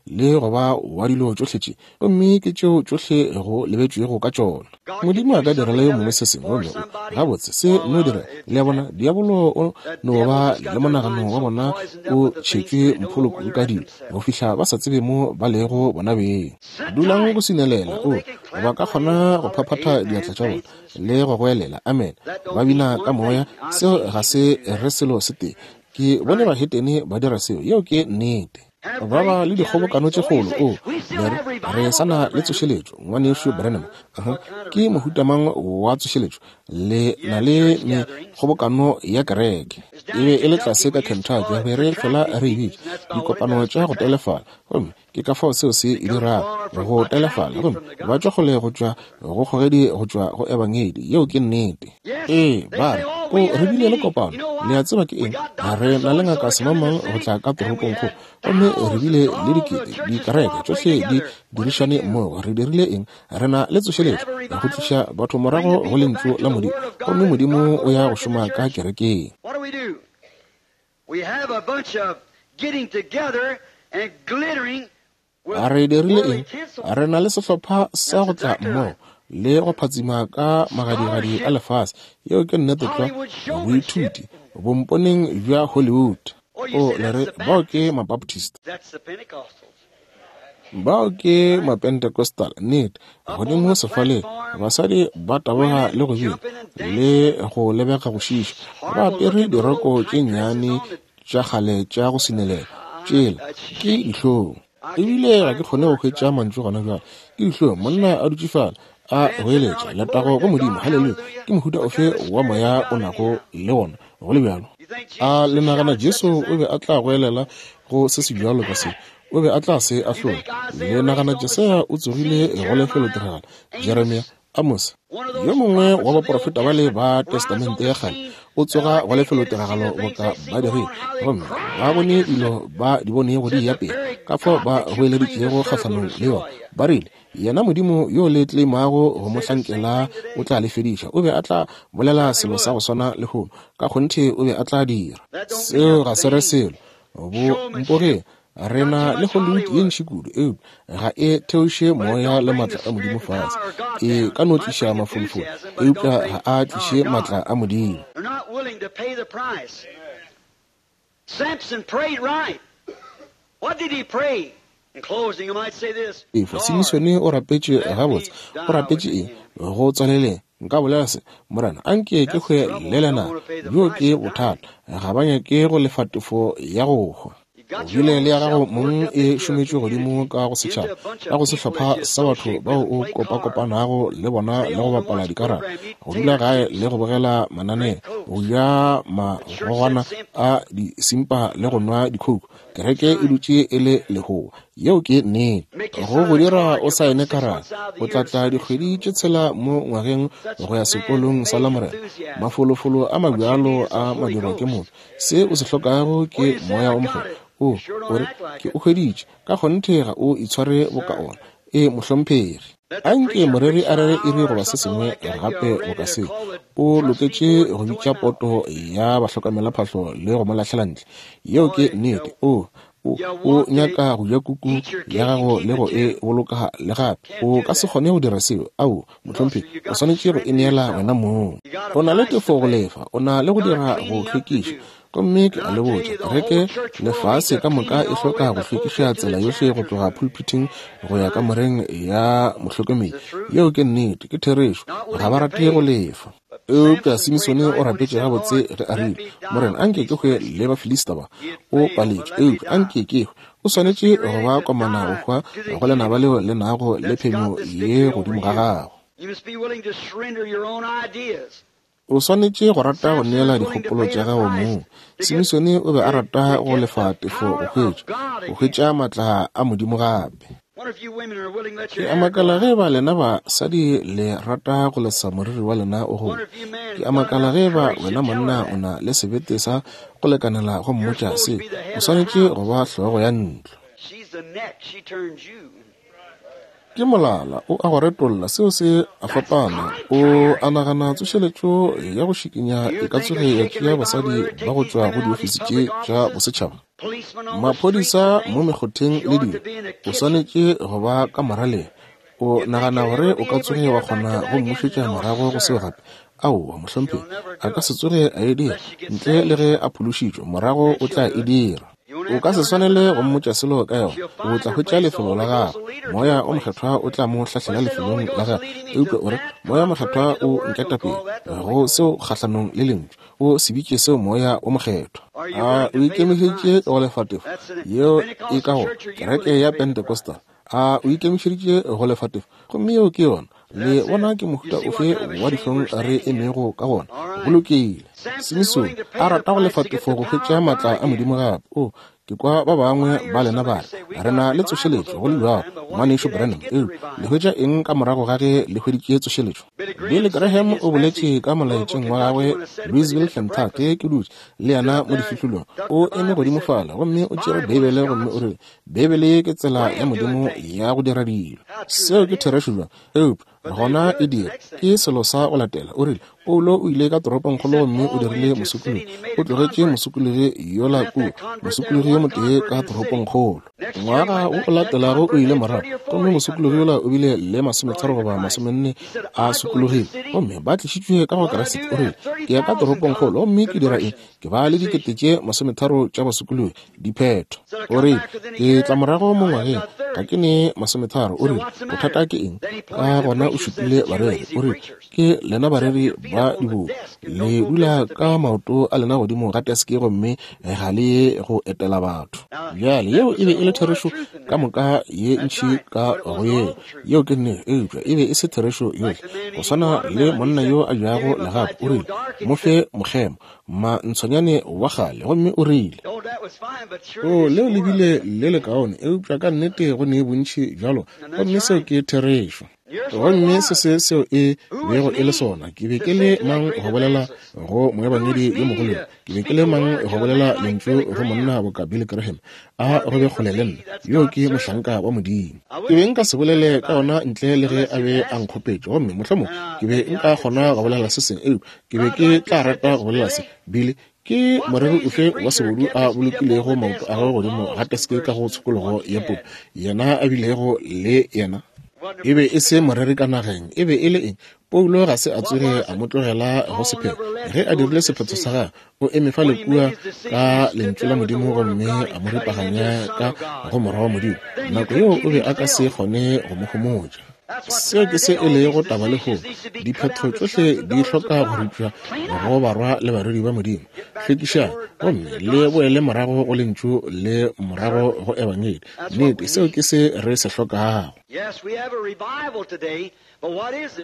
le go ba wa dilo tšohle tše, gomme ke tšeo tšohle go lebetšwego ka tšona. God can Modimo a do ka direla something yo mongwe other se sengwe for gomme o somebody. gabotse se Well, no dira. it's Le a bona, that diabolo o that no devil ba just got le their monagano minds wa so bona poisoned up o with the things tšhetšwe that they don't know mpholo where kudu they're ka at dilo go themselves. fihla ba sa tsebe mo ba lego bona beng. Sit Dulang go tight. sinelela, Oh, o they can ba clap ka their hands kgona and go holler, phaphatha Amen, diatla tša bona thanks in the Spirit. le go goelela amen, That ba don't mean bina ka one moya. thing. I've Seo seen ga heathens se do that. re selo se tee. Ke bone Right. bahetene ba dira seo, yeo ke nnete. Have Ba ba great le dikgobokano gatherings. tše Oh, you kgolo, say, o we still le re have re revival, sa na Brother le Branham. tsošeletšo, ngwanešu Branham. What kind of Ke mohuta revival? mang wa tsošeletšo? Le You na have le church gatherings. mekgobokano ya kereke. It's E down be in e le Kentucky, tlase ka we used to Kentucky, call re it be re fela protracted re e meetings, bitša and that's about what it dikopano does, tša go protract. telefala, gomme ke ka fao seo se e It comes dirago far from go telefala, attracted gomme from the ba tšwa gospel. kgole go tšwa go kgogedi go tšwa go ebangedi. Yeo ke nnete. Yes, Ee, they ba say, re, oh, o we re had a bile le meeting. kopano. You know Le a what? tseba ke We eng? got Ga Dr. re na le So-and-so ngaka to come in the semangmang go city, tla ka and we toropongkgolo, had gomme re bile thousands. le All the dikete, churches dikereke cooperate tšohle di together. What did we dirišane do? mmogo. Re dirile eng? Re na le We tsošeletšo have a go revival, tliša batho bring morago the go people lentšu back to la the Modimo, Word of God, gomme and Modimo God go o to ya go work in the šoma ka church. kerekeng. What do we do? Re dirile eng? Re na le sehlopha sa go tla mmogo le go phatsima ka magadigadi a lefase. Yeo ke nnete tlwa, boithuti bomponeng bja Hollywood. O le re, bao ke Mabaptist. Bao ke Mapentecostal. Nnete, godimo sefaleng, basadi ba taboga le go bina le go lebega go šiiša, ba apere diroko tše nnyane tša kgale tša go sinelela. Tšela ke dihlong. Ebile ga ke kgone go hwetša mantšu gona bjale. Ke dihlong, monna a dutše fale a goeletša, Letago go Modimo, haleluya! Ke mohuta ofe wa moya o nago le wona, go le bjalo? A le nagana Jesu o be a tla goelela go se sebjalo ka se? O be a tla se ahlola. Le nagana Jesaya o tsogile go lefelotiragalo? Jeremia, Amos, yo mongwe wa baprofeta bale ba Testamente ya Kgale, o tsoga go lefelotiragalo boka ba dirile, gomme ba bone dilo ba di bonego di eya pele, ka fao ba goeleditšego kgahlanong le yona. Ba rile, Yena Modimo yo le tleimago go mo hlankela o tla le fediša. O be a tla bolela selo sa go swana lehono. Ka kgonthe o be a tla dira. Seo ga se re selo. Bo mpogeng. Re na le Hollywood ye ntši kudu, eupša ga e theoše moya le maatla a Modimo fase. E ka no tliša mafolofolo, eupša ga a tliše maatla a Modimo. Samson prayed right. What did he pray? In closing, I might say this. Efa, Simisone o rapetše gabotse. O rapetše eng? Go tswaleleng, nka bolela se, Morena, a nke ke hwe le lena. Bjo ke bothata. Ga ba nyake go lefa tefo ya go hwa. O bile le ya gago mong e šometšwe godimo ka go setšhaba, ka go sehlopha sa batho bao o kopakopanago le bona le go bapala dikarata, go dula gae le go bogela mananeo, go ja magogwana a disimpa le go nwa dikhouku. Kereke e dutše e le lehoa. Yeo ke nnete. Go go dira o saene karata, o tla tla dikgwedi tše tshela mo ngwageng go ya sekolong sa Lamorena. Mafolofolo a mabjalo a madirwa ke motho. Se o se hlokago ke Moya wo Mokgethwa. O, o re, Ke o hweditše. Ka kgonthe ga o itshware boka ona. Ee, mohlomphegi. A nke moreri a rere iri goba se sengwe gape boka se, o loketše go bitša poto ya bahlokamelaphahlo le go mo lahlela ntle. Yeo ke nnete. O, o, o nyaka go ja kuku ya gago le go e boloka le gape. O ka se kgone go dira seo. Aowa, mohlomphegi. O swanetše go e neela wena mong. O na le tefo go lefa. O na le go dira go hlwekiša. Gomme ke a le botša, kereke lefase ka moka e hloka go hlwekiša tsela yohle go tloga pulpiting go ya kamoreng ya mohlokomedi. Yeo ke nnete, ke therešo. Ga ba rate go lefa. Eupša Simisone o rapetše gabotse ge a rile, Morena, anke ke hwe le Bafilista ba. O paletšwe, eupša anke ke hwe. O swanetše go ba komana go hwa go lenaba leo le nago le phenyo ye godimo ga gago. O swanetše go rata go neela dikgopolo tša gago mong. Simisone o be a rata go lefa tefo go hwetša, go hwetša matla a Modimo gape. Ke a makala ge eba lena basadi le rata go lesa moriri wa lena o gole. Ke a makala ge eba wena monna o na le sebete sa go lekanela go mmotša se. O swanetše go ba hlogo ya ntlo. Ke molala, o a go retolla, seo se a fapana. O a nagana tsošeletšo ya go šikinya e ka tsoge ya tšea basadi ba go tšwa go diofisi tše tša bosetšhaba? Maphodisa mo mekgotheng le dilo, o swanetše go ba ka moraleng. O nagana gore o ka tsoge wa kgona go mmušetša morago go seo gape? Aowa, mohlomphegi, a ka se tsoge a e dira, ntle le ge a phološitšwe, morago o tla e dira. O ka se swanele go mmotša selo ka yona. O tla hwetša lefelo la gagwe. Moya o Mokgethwa o tla mo hlahlela lefelong la gagwe. Eupša o re, Moya o Mokgethwa o nketapele go seo kgahlanong le Lentšu. O se bitše seo Moya o Mokgethwa. A o ikemišeditše go lefa tefo yeo e ka go kereke ya Pentecostal? A o ikemišeditše go lefa tefo? Gomme yeo ke yona. Le bona ke mohuta ofe wa dihlong re emego ka gona? Go lokile. Simisone a rata go lefa tefo go hwetša maatla a Modimo gape. O, ke kwa ba bangwe ba lena ba re, Re na le tsošeletšo, go le bjalo, Ngwanešu Branham. Eupša le hwetša eng ka morago ga ge le hweditše tsošeletšo? Billy Graham o boletše ka molaetšeng wa gagwe Louisville, Kentucky, ke dutše le yena mo difihlolong. O eme godimo fale gomme o tšere Beibele gomme o rile, Beibele ke tsela ya Modimo ya go dira dilo. Seo ke therešo bjang? Eupša Gona e dire. Ke selo sa go latela. O rile, Paulo o ile ka toropongkgolo gomme o dirile mosokologi. O tlogetše mosokologi yola kua, mosokologi yo motee ka toropongkgolo. Ngwaga wo o latelago o ile morago, gomme mosokologi yola o bile le 30 goba 40 a sokologile, gomme ba tlišitšwe ka go Kriste. O rile, Ke ya ka toropongkgolo gomme ke dira eng? Ke ba le 30,000 tša basokologi, diphetho. O rile, Ke tla morago mo ngwageng, ga ke ne 30. O rile, Bothata ke eng? Ka gona o šupile bareri. O rile, Ke lena bareri ba dibobo, le dula ka maoto a lena godimo ga teske gomme ga le ye go etela batho. Bjale, yeo e be e le therešo ka moka ye ntši ka go yeo. Yeo ke nnete, eupša e be e se therešo yohle. Go swana le monna yo a jago legapu, o rile, Mo fe mokgemo, mantshonyane wa kgale, gomme o rile, O, leo le bile le lekaone, eupša ka nnete go ne bontši bjalo, gomme seo ke therešo. Gomme se se seo e bego e le sona. Ke be ke le mang go bolela go moebangedi yo mogolo yo? Ke be ke le mang go bolela lentšu go monna boka Billy Graham? A go be kgole le nna. Yo ke mohlanka wa Modimo. Ke be nka se bolele ka ona ntle le ge a be a nkgopetše, gomme mohlomong ke be nka kgona go bolela se sengwe, eupša ke be ke tla rata go bolela se. Billy, ke moreri ofe wa sebodu a bolokilego maoto a gagwe godimo ga teske ka go tshokologo ya puku, yena a bilego le yena? E be e se moreri ka nageng. E be e le eng? Paulo ga se a tsoge a mo tlogela go sephetho. Ge a dirile sephetho sa gagwe, o eme fale kua ka Lentšu la Modimo gomme a mo ripaganya ka go Morwa wa Modimo. Nako yeo o be a ka se kgone go mo homotša. Seo ke se e lego taba lehono. Diphetho tšohle di hloka go ripša go barwa le barwedi ba Modimo. Hlwekišang gomme le boele morago go Lentšu le morago go Ebangedi. Nnete, seo ke se re se hlokago.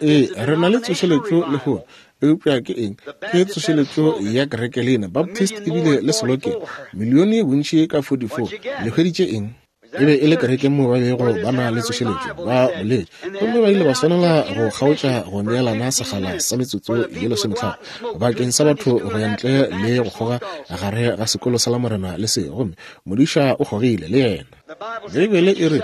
Ee, re na le tsošeletšo lehono, eupša ke eng? Ke tsošeletšo ya kerekelina, Baptist ebile le selokeng, milione bontši ka 44. Le hweditše eng? E be e le kereke moo ba bego ba na le tsošeletšo, ba boletše, gomme ba ile ba swanela go kgaotša go neelana sekgala sa metsotso ye lesometlhano bakeng sa batho go ya ntle le go kgoga gare ga sekolo sa Lamorena le se, gomme modiša o kgogile le yena. Beibele e re,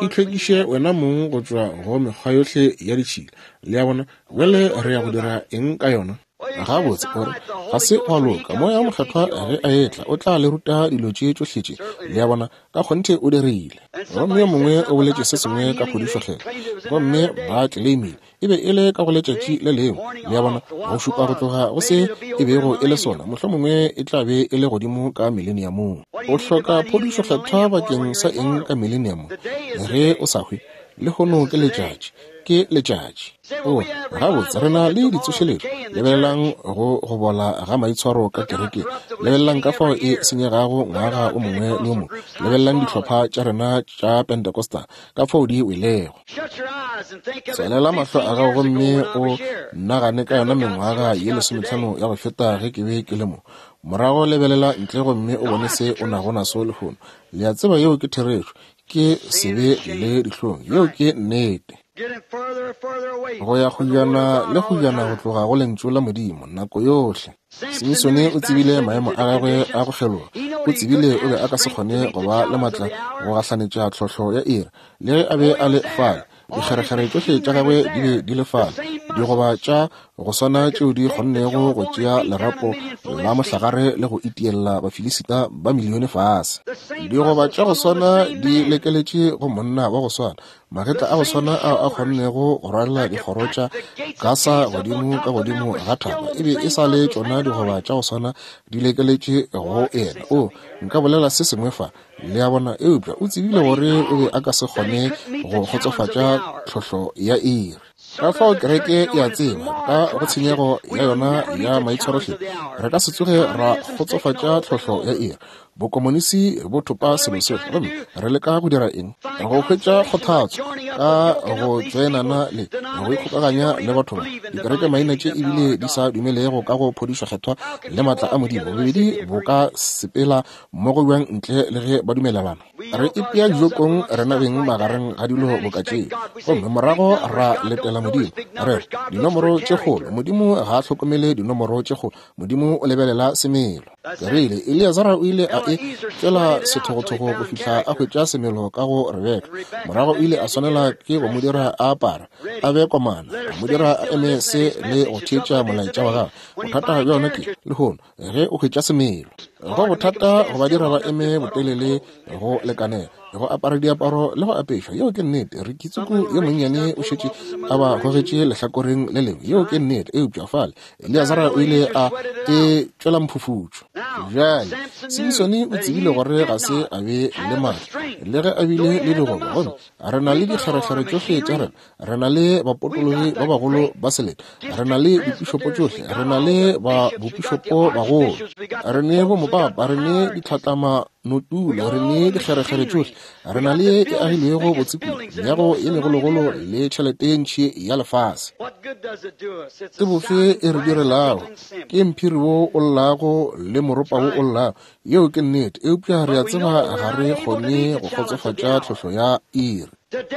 Itlhwekiše wena mong go tšwa go mekgwa yohle ya ditšhila. Le a bona? Bjale re ya go dira eng ka yona? Gabotse, o re, ga se gwa loka. Moya wo Mokgethwa ge a etla, o tla le ruta dilo tše tšohle tše. Le a bona? Ka kgonthe o dirile. Gomme yo mongwe o boletše se sengwe ka phodišo Kgethwa, gomme ba tleleimile e be e le ka go letšatši le lengwe. Le a bona? Go šupa go tloga go se e bego e le sona, mohlomongwe e tla be e le godimo ka Mileniamong. O hloka phodišo Kgethwa bakeng sa eng ka Mileniamong, ge o sa hwe? Lehono ke letšatši. Ke letšatši. O re, Gabotse, re na le ditsošeletšo. Lebelelang go go bola ga maitshwaro ka kerekeng. Lebelelang ka fao e senyegago ngwaga o mongwe le o mongwe. Lebelelang dihlopha tša rena tša Pentecostal, ka fao di welego. Tswalela mahlo a gago gomme o nagane ka yona mengwaga ye lesometlhano ya go feta ge ke be ke le mo. Morago lebelela ntle gomme o bone se o nago naso lehono. Le a tseba yeo ke therešo. Ke sebe le dihlong. Yeo ke nnete. Go ya kgojana le kgojana go tloga go Lentšu la Modimo, nako yohle. Simisone o tsebile maemo a gagwe a go kgeloga. O tsebile o be a ka se kgone go ba le matla go gahlanetša tlhohlo ya iri, le ge a be a le fale. Dikgerekgere tšohle tša gagwe di be di le fale, digoba tša go swana tšeo di kgonnego go tšea lerapo la mohlagare le go itiella Bafilisita ba milione fase. Digoba tša go swana di lekeletše go monna wa go swana, magetla a go swana ao a kgonnego go rwalela dikgoro tša Gasa godimo ka godimo ga thaba, e be e sa le tšona digoba tša go swana di lekeletše go yena. O, nka bolela se sengwe fa, le a bona, eupša o tsebile gore o be a ka se kgone go kgotsofatša tlhohlo ya iri. Ka fao kereke e a tseba, ka go tshenyego ya yona ya maitshwarohle, re ka se tsoge ra kgotsofatša tlhohlo ya iri. Bokomonisi bo thopa selo sohle, gomme re leka go dira eng? Go hwetša kgothatso ka go tšoenana le go ikgokaganya le batho ba dikereke maina tše ebile di sa dumelego ka go phodišo kgethwa le maatla a Modimo. Bobedi bo ka sepela mmogo bjang ntle le ge ba dumelelana? Re ipea dijokong rena beng magareng ga dilo boka tše, gomme morago ra letela Modimo. Re dinomoro tše kgolo. Modimo ga a hlokomele dinomoro tše kgolo. Modimo o lebelela semelo. Ke rile, Eleazara o ile a e tšwela sethogothogo go fihla a hwetša semelo ka go Rebeka. Morago o ile a swanela ke go mo dira a apara, a be komana, a mo dira a eme se le go theetša molaetša wa gagwe. Bothata bja yona ke, lehono, ge o hwetša semelo, go bothata go ba dira ba eme botelele go lekanela, go apara diaparo le go apešwa. Yeo ke nnete. Ricky Tsuku yo monnyane o šetše a ba gogetše lehlakoreng le lengwe. Yeo ke nnete. Eupša fale Eleazara o ile a e tšwela mphufutšo. Bjale Simsone o tsebile gore ga se a be le maatla, le ge a bile le digoba. Gomme re na le dikgerekgere tšohle tša rena, re na le bapotologi ba bagolo ba selete, re na le dipišopo tšohle, re na le ba bopišopo bagolo, re ne bomopapa, re ne ditlhatlama notula, re ne dikgerekgere tšohle, re na le ye e agilwego botse kudu, meago ye megologolo le tšhelete ye ntši ya lefase. Ke bofe e re direlago? Ke mphiri wo o llago le moropa wo o llago. Yeo ke nnete, eupša re a tseba ga re kgone go kgotsofatša tlhohlo ya iri.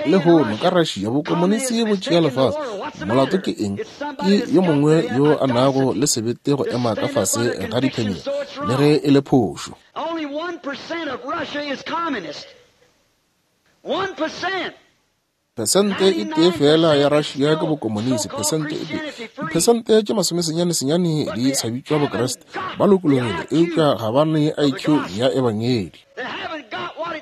Lehono ka Russia, bokomonisi bo tšea lefase. Molato ke eng? Ke yo mongwe yo a nago le sebete go ema ka fase ga diphemelo, le ge e le phošo. Only 1% of Russia is communist. 1%. Phesente e tee fela ya Russia ke bokomonisi, phesente e tee. Diphesente tše masomesenyane-senyane di sa bitšwa Bokriste. Ba lokologile, eupša ga ba ne IQ ya ebangedi.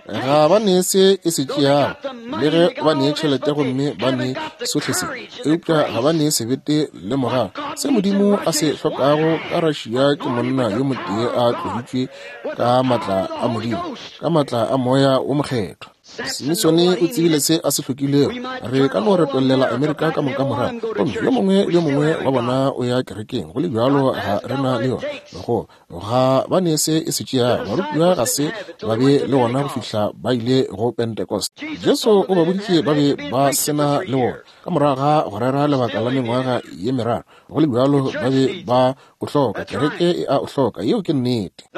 Ga ba ne se e se tšeago, le ge ba ne tšhelete gomme ba ne sohle se, eupša ga ba ne sebete le morago. Se Modimo a se hlokago ka Russia ke monna yo motee a tloditšwe ka maatla a Modimo, ka maatla a Moya wo Mokgethwa. Simisone o tsebile se a se hlokilego. Re ka no retollela Amerika ka moka morago, gomme yo mongwe le yo mongwe wa bona o ya kerekeng, go le bjalo ga re na le yona. Go ga ba ne se e se tšeago. Barutiwa ga se ba be le wona go fihla ba ile go Pentecost. Jesu o ba boditše ba be ba se na le wona ka morago ga go rera lebaka la mengwaga ye meraro. Go le bjalo ba be ba o hloka. Kereke e a o hloka. Yeo ke nnete.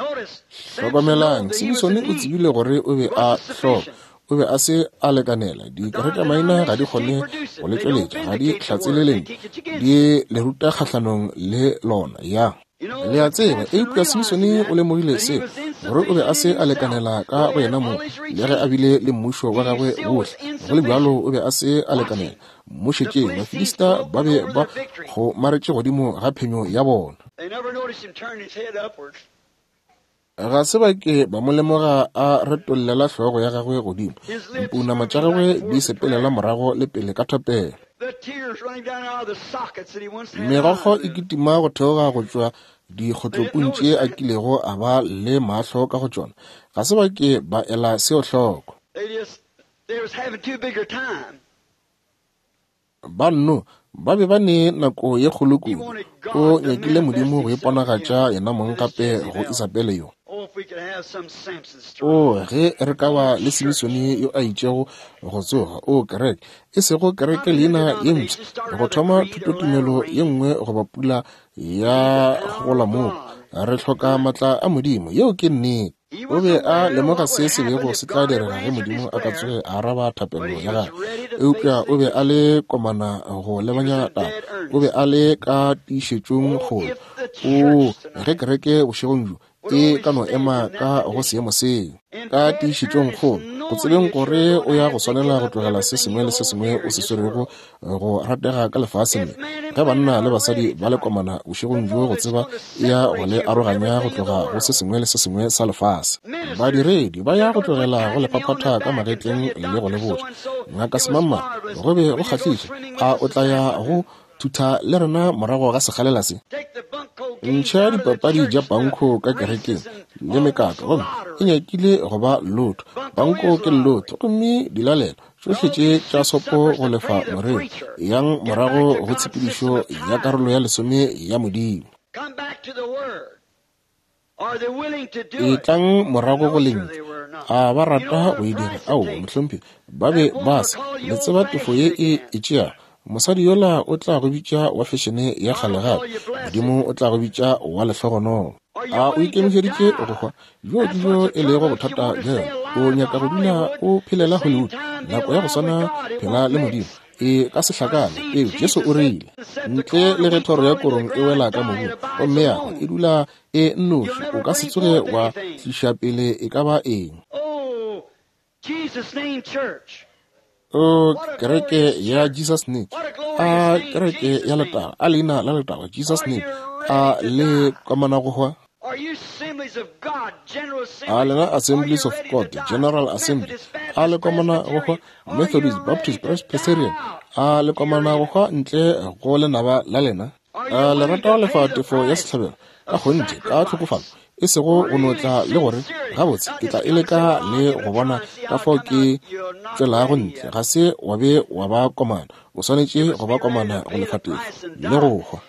Hlokomelang, Simsone o tsebile gore o be a hloka. O be a se a lekanela. Dikerekemaina ga di kgone go le tšweletša, ga di hlatsele lentšu, di le ruta kgahlanong le lona. Ya. Le a tseba, eupša Simsone o lemogile se, gore o be a se a lekanela ka go yena mong, le ge a bile le mmušo wa gagwe wohle, go le bjalo o be a se a lekanela. Mmušetšeng, Bafilista ba be ba kgomaretše godimo ga phenyo ya bona. Ga se ba ke ba mo lemoga a retollela hlogo ya gagwe godimo, dipounama tša gagwe di sepelela morago le pele ka thapelo. Megokgo e kitima go theoga go tšwa dikgotlopung tše a kilego a ba le mahlo ka go tšona. Ga se ba ke ba ela seo hloko. Ba nno ba be ba ne nako ye kgolo kudu. O nyakile Modimo go iponagatša yena mong gape go Isabele yo. O, ge re ka ba le Simisone yo a itšego go tsoga, o kereke, e sego kereke leina ye mpsha, go thoma thutotumelo ye nngwe goba pula ya gola moo. Re hloka maatla a Modimo. Yeo ke nnete. O be a lemoga se se bego se tla direga ge Modimo a ka tsoge a araba thapelo ya gagwe, eupša o be a le komana go lebanya taba. O be a le ka tiišetšong kgolo. O, ge kereke bošegong bjo e ka no ema ka go seemo seo, ka tiišetšong kgolo, go tsebeng gore o ya go swanela go tlogela se sengwe le se sengwe o se swerego go ratega ka lefaseng le, ge banna le basadi ba le komana bošegong bjo go tseba e ya go le aroganya go tloga go se sengwe le se sengwe sa lefase. Badiredi ba ya go tlogela go le phaphatha ka magetleng le go le botša, Ngaka Semangmang, go be go kgahliša, a o tla ya go thutha le rena morago ga sekgalela se? Ntšha dipapadi tša panko ka kerekeng le mekaka, gomme e nyakile go ba lotho. Panko ke lotho, gomme dilalelo tšohle tše tša sopo go lefa moreri. Yang morago go tshepedišo ya karolo ya lesome ya Modimo. Etlang morago go Lentšu. A ba rata go e dira? Aowa, mohlomphegi, ba be ba se. Le tseba tefo ye e e tšeago. Mosadi yola o tla go bitša wa fešene ya kgale gape. Modimo o tla go bitša wa lehlogonolo. A o ikemišeditše go hwa? Bjo ke bjo e lego bothata bja yona. O nyaka go dula o phelela Hollywood. Nako ya go swana, phela le Modimo. E ka se hlakane peu. Jesu o rile, ntle le ge thoro ya korong e wela ka mobung gomme ya hwa, e dula e nnoši, o ka se tsoge wa tliša pele e ka ba eng. O kereke ya Jesus Name, a kereke ya letago, a leina la letago, Jesus Name, a le komana go hwa? A lena Assemblies of God, General Assembly, a le komana go hwa? Methodist, Baptist, Presbyterian, a le komana go hwa ntle go lenaba la lena? A le rata go lefa tefo ya sehlabelo ka kgonthe ka tlhokofalo, e sego go no tla le gore gabotse ke tla e leka le go bona ka fao ke tšwelago ntle? Ga se wa be wa ba komana. O swanetše go ba komana go lefa tefo le go hwa.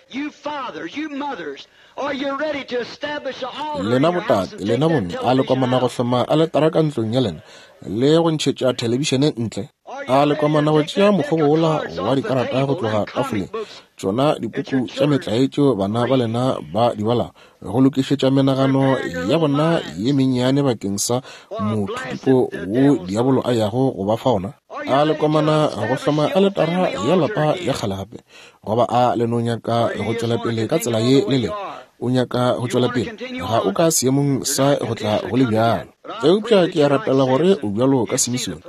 Lena botate, lena bomme, a le komana go hloma aletara ka ntlong ya lena le go ntšhetša thelebišene ntle? A le komana go tšea mokgobo wola wa dikarata go tloga tafoleng, tšona dipuku tša metlae tšeo bana ba lena ba di balago, go lokišetša menagano ya bona ye mennyane bakeng sa mothutupo wo diabolo a yago go ba fa ona? A le komana go hloma aletara ya lapa ya kgale gape, goba a le no nyaka go tšwela pele ka tsela ye le lego? O nyaka go tšwela pele, ga o ka seemong sa go tla go le bjalo. Eupša ke a rapela gore o bjalo ka Simisone,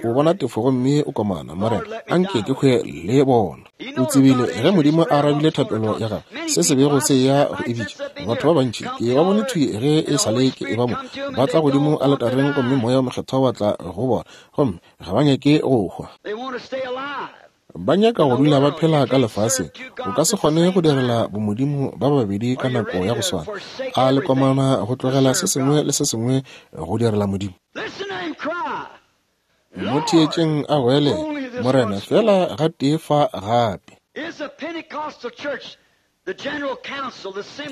o bona tefo gomme o komana, Morena, anke ke hwe le bona. O tsebile ge Modimo a arabile thapelo ya gagwe, se se bego se ya go e bitša. Batho ba bantši ke ba bone thwi ge e sa le ke e ba mo, ba tla godimo aletareng gomme Moya wo Mokgethwa wa tla go bona, gomme ga ba nyake go hwa. Ba nyaka go dula ba phela ka lefaseng. O ka se kgone go direla bomodimo ba babedi ka nako ya go swana. A le komana go tlogela se sengwe le se sengwe go direla Modimo? Mo theetšeng a goelela, Morena, feela gatee fa gape.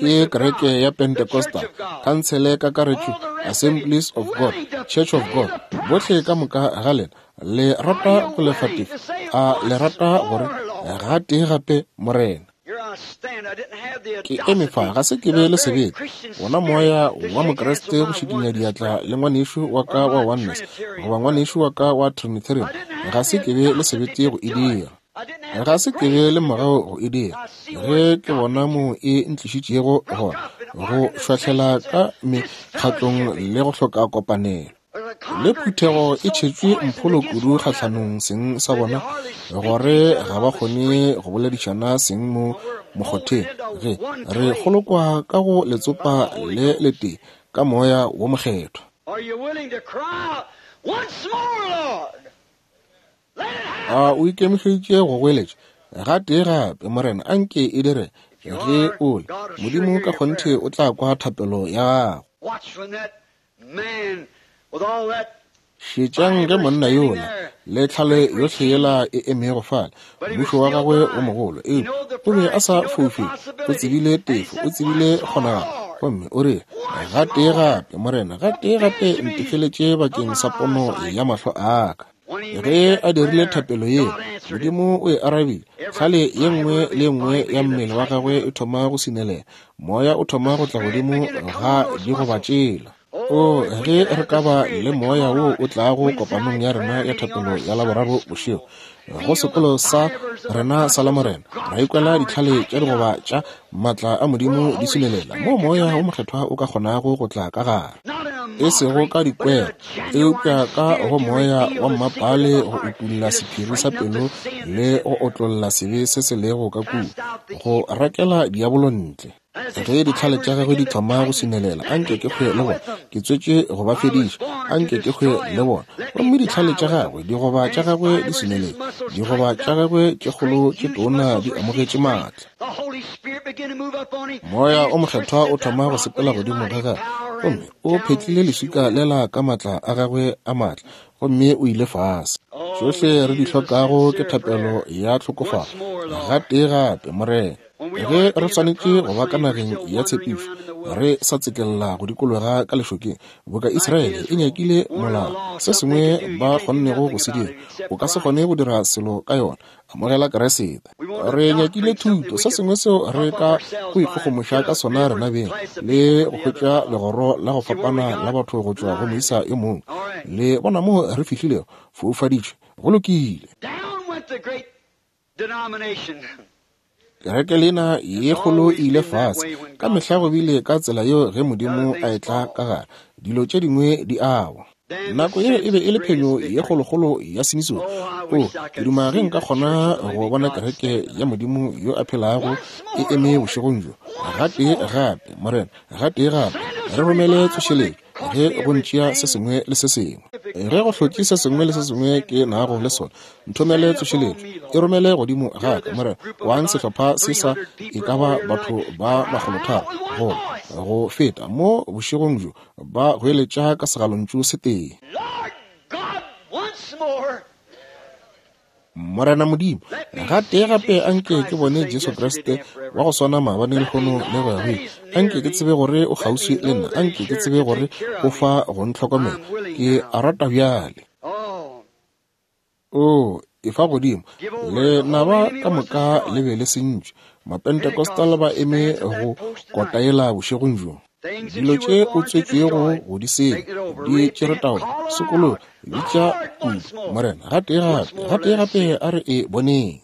Ke kereke ya Pentecostal, Khansele Kakaretšo, Assemblies of God, Church of God, bohle ka moka ga lena le rata go lefa tefo. A le rata gore gatee gape, Morena? Ke eme fa, ga se ke be le sebete, wona moya wa Mokriste go šikinya diatla le ngwanešu wa ka wa Oneness goba ngwanešu wa ka wa Trinitarian, ga se ke be le sebete go e dira. Ga se ke be le mogau go e dira. Ge ke bona mo e ntlišitšego gona, go šwahlela ka mekgatlong le go hloka kopanelo. Le phuthego e tšhetšwe mpholo kudu kgahlanong seng sa bona, gore ga ba kgone go boledišana seng mo mokgotheng. Ge re kgolokwa ka go letsopa le letee ka Moya wo Mokgethwa. A o ikemišeditše go goeletša gatee gape, Morena, anke e dire ge o le Modimo ka kgonthe o tla kwa thapelo ya gago. Šetšang ge monna yola le tlhale yohle yela e emego fale, mmušo wa gagwe o mogolo, eupša o be a sa foufele, o tsebile tefo, o tsebile kgonagalo, gomme o rile, Gatee gape, Morena, gatee gape ntefeletše bakeng sa pono ya mahlo a ka. Ge a dirile thapelo ye, Modimo o e arabile. Tlhale ye nngwe le ye nngwe ya mmele wa gagwe e thoma go sinelela. Moya o thoma go tla godimo ga digoba tšela. O, ge re ka ba le moya wo o tlago kopanong ya rena ya thapelo ya Laboraro bošego, go sekolo sa rena sa Lamorena, ra ikwela ditlhale tša digoba tša maatla a Modimo di sinelela, moo Moya wo Mokgethwa o ka kgonago go tla ka gare, e sego ka dikwero, eupša ka go Moya wa mmapale go utolla sephiri sa pelo le go otlolla sebe se se lego ka kua, go rakela diabolo ntle. Ge ditlhale tša gagwe di thoma go sinelela, anke ke hwe le bona. Ke tswetše go ba fediša, anke ke hwe le bona. Gomme ditlhale tša gagwe, digoba tša gagwe di sineletše, digoba tša gagwe tše kgolo tše tona di amogetše maatla. Moya o Mokgethwa o thoma go sepela godimo ga gagwe, gomme o phetlile leswika lela ka maatla a gagwe a maatla, gomme o ile fase. Tšohle re di hlokago ke thapelo ya tlhokofalo, gatee gape, Morena. Ge re swanetše go ba ka nageng ya tshepišo, re sa tsekella go dikologa ka lešokeng, boka Israele e nyakile molao, se sengwe ba kgonnego go se dira, o ka se kgone go dira selo ka yona. Amogela Kriste. Re nyakile thuto, se sengwe seo re ka go ikgogomoša ka sona rena beng, le go hwetša legoro la go fapana la batho go tšwa go moisa yo mongwe. Le bona moo re fihlilego? Foufaditšwe. Go lokile. Kereke lena ye kgolo e ile fase. Ka mehla go bile ka tsela yeo ge Modimo a etla ka gare, dilo tše dingwe di awa. Nako ye e be e le phenyo ye kgolokgolo ya Simisone. O, ke duma ge nka kgona go bona kereke ya Modimo yo a phelago e eme bošegong bjo. Gatee gape, Morena, gatee gape, re romele tsošeletšo ge go ntšea se sengwe le se sengwe. Ge go hlotše se sengwe le se sengwe ke nago le sona, nthomele tsošeletšo, e romele godimo ga ka, Morena. Kwang sehlopha se sa e ka ba batho ba 300 goba go feta mo bošegong bjo, ba goeletša ka segalontšu se tee. Morena Modimo, gatee gape anke ke bone Jesu Kriste wa go swana maabane, lehono le go ya go ile. Anke ke tsebe gore o kgauswi le nna. Anke ke tsebe gore o fa go ntlhokomela. Ke a rata bjale. O, efa godimo. Lenaba ka moka le be le sentšwe. Mapentecostal ba eme go kotaela bošegong bjo. Dilo tše o tswetšwego go di senya, di tšere taolo. Sokologa, bitša kudu, Morena, gatee gape, gatee gape a re e boneng.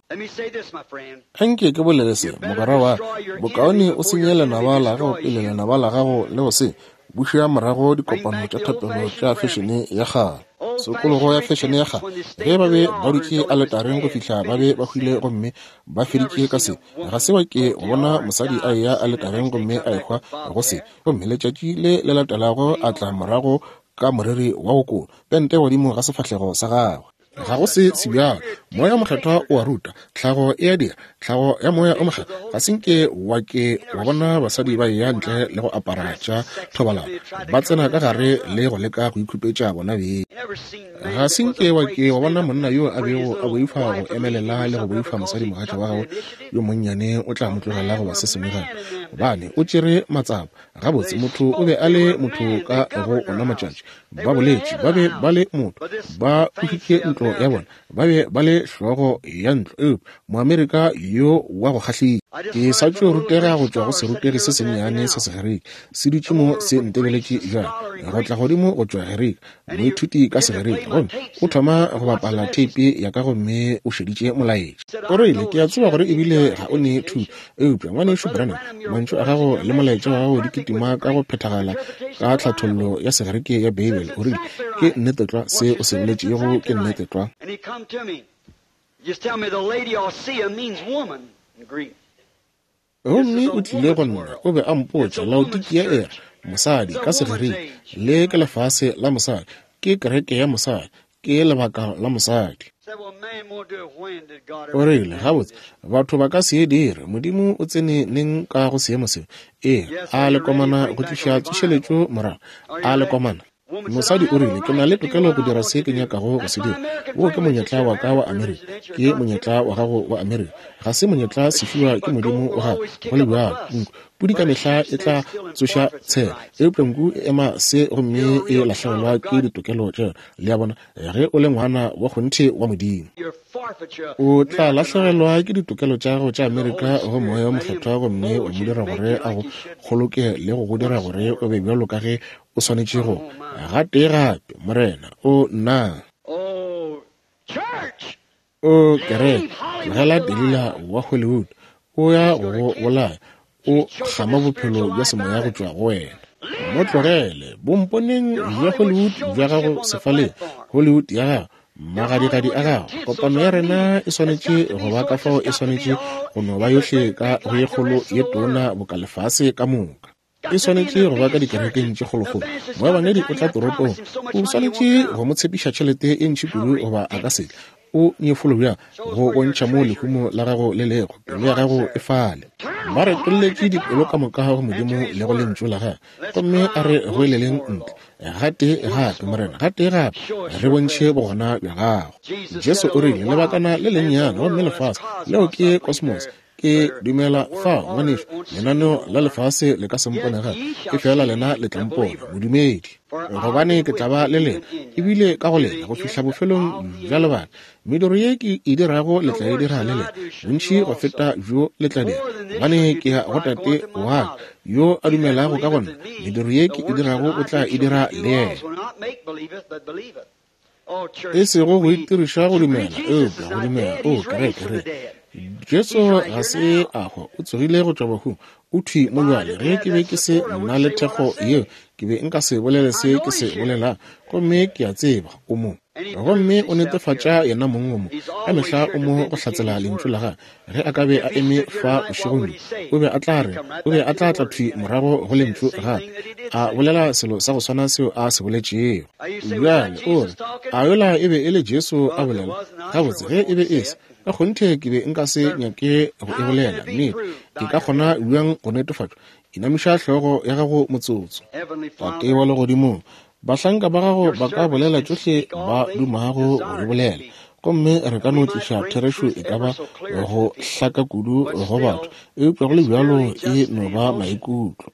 Anke ke bolele se, mogwera wa ka, bokaone o senye lenaba la gago pele lenaba la gago le go senya. Buša morago dikopano tša thapelo tša fešene ya kgale, sokologo ya fešene ya kgale, ge ba be ba dutše aletareng go fihla ba be ba hwile gomme ba feditše ka se. Ga se wa ke go bona mosadi a eya aletareng gomme a ehwa go se, gomme letšatši le le latelago a tla morago ka moriri wa go kola, pente godimo ga sefahlego sa gagwe. Ga go se sebjalo. Moya o Mokgethwa o a ruta. Tlhago e a dira. Tlhago ya Moya o Mokgethwa. Ga se nke wa ke wa bona basadi ba eya ntle le go apara tša thobalano, ba tsena ka gare le go leka go ikhupetša bona beng. Ga se nke wa ke wa bona monna yo a bego a boifa go emelela le go boifa mosadimogatša wa gagwe yo monnyane o tla mo tlogela goba se sengwe gape, gobane o tšere matsapa. Gabotse, motho o be a le motho ka go ona matšatši. Ba boletše, ba be ba le motho, ba ušitše ntlo ya bona, ba be ba le hlogo ya ntlo. Eupša Moamerika yo wa go kgahliša, ke sa tšo rutega go tšwa go serutegi se sennyane sa Segerika, se dutše mo se ntebeletše bjale, go tla godimo go tšwa Gerika, moithuti ka Segerika, gomme o thoma go bapala theipi ya ka gomme o šeditše molaetša. O rile, ke a tseba gore ebile ga o ne thuto, eupša Ngwanešu Branham, mantšu a gago le molaetša wa gago di kitima ka go phethagala ka tlhathollo ya Segerike ya Beibele. O rile, ke nnete tlwa se o se boletšego, ke nnete tlwa. Gomme o tlile go nna, o be a mpotša, Laodikia e re, mosadi, ka Segerike, le ke lefase la mosadi, ke kereke ya mosadi, ke lebaka la mosadi. O rile, gabotse, batho ba ka se e dire. Modimo o tsene neng ka go seemo seo? Ee, a le komana go tliša tsošeletšo morago? A le komana? Mosadi o rile, ke na le tokelo go dira se ke nyakago go se dira. Wo ke monyetla wa ka wa Amerika. Ke monyetla wa gago wa Amerika. Ga se monyetla sefiwa ke Modimo wa gago, go le bjalo. Nku, pudi ka mehla e tla tsoša tshela, eupša nku e ema se gomme e lahlegelwa ke ditokelo tša yona. Le a bona, ge o le ngwana wa kgonthe wa Modimo, o tla lahlegelwa ke ditokelo tša gago tša Amerika go Moya wo Mokgethwa gomme wa mo dira gore a go kgoloke le go go dira gore o be bjalo ka ge o swanetše go. Gatee gape, Morena, o nna. O kereke, tlogela Delila wa Hollywood, o ya go go bolaya, o kgama bophelo bja semoya go tšwa go wena. Mo tlogele, bomponeng bja Hollywood bja gago sefaleng, Hollywood ya gago, magadigadi a gago. Kopano ya rena e swanetše go ba ka fao e swanetše go no ba yohle ka go ye kgolo ye tona boka lefase ka moka. E swanetše go ba ka dikerekeng tše kgolokgolo. Moebangedi o tla toropong, o swanetše go mo tshepiša tšhelete e ntši kudu goba a ka se tle. O nyefolo bjang go bontšha moo lehumo la gago le lego, pelo ya gago e fale. Ba retolletše dipelo ka moka go Modimo le go Lentšu la Gagwe. Gomme a re goeleleng ntle, gatee gape, Morena, gatee gape, re bontšhe bogona bja Gago. Jesu o rile, Lebakana le lennyane, gomme lefase, leo ke kosmos, Ke dumela fa, ngwanešu, lenaneo la lefase le ka se mpone gape, efela lena le tla mpona, modumedi. Gobane ke tla ba le lena, ebile ka go lena, go fihla bofelong bja lebaka. Mediro ye ke e dirago le tla e dira le lena, bontši go feta bjo le tla dira, gobane ke ya go Tate wa ka. Yo a dumelago ka go nna, mediro ye ke e dirago o tla e dira le yena. E sego go itiriša go dumela, eupša go dumela. O, kereke, re. Jesu ga se a hwa, o tsogile go tšwa bahung, o thwi mo bjale. Ge ke be ke se nna le thekgo yeo, ke be nka se bolele se ke se bolelang. Gomme ke a tseba o mo. Gomme o netefatša yena mong o mo. Ka mehla o mo go hlatsela lentšu la gagwe. Ge a ka be a eme fa bošegong bjo, o be a tla re, o be a tla tla thwi morago go lentšu gape, a bolela selo sa go swana seo a se boletšego. Bjale o re, A yola e be e le Jesu a bolela? Gabotse, ge e be e se, ka kgonthe ke be nka se nyake go e bolela. Nnete, e ka kgona bjang go netefatšwa? Inamiša hlogo ya gago motsotso. Tate wa Legodimong, bahlanka ba gago ba ka bolela tšohle ba dumago go di bolela, gomme re ka no tliša therešo e ka ba go hlaka kudu go batho, eupša go le bjalo e no ba maikutlo.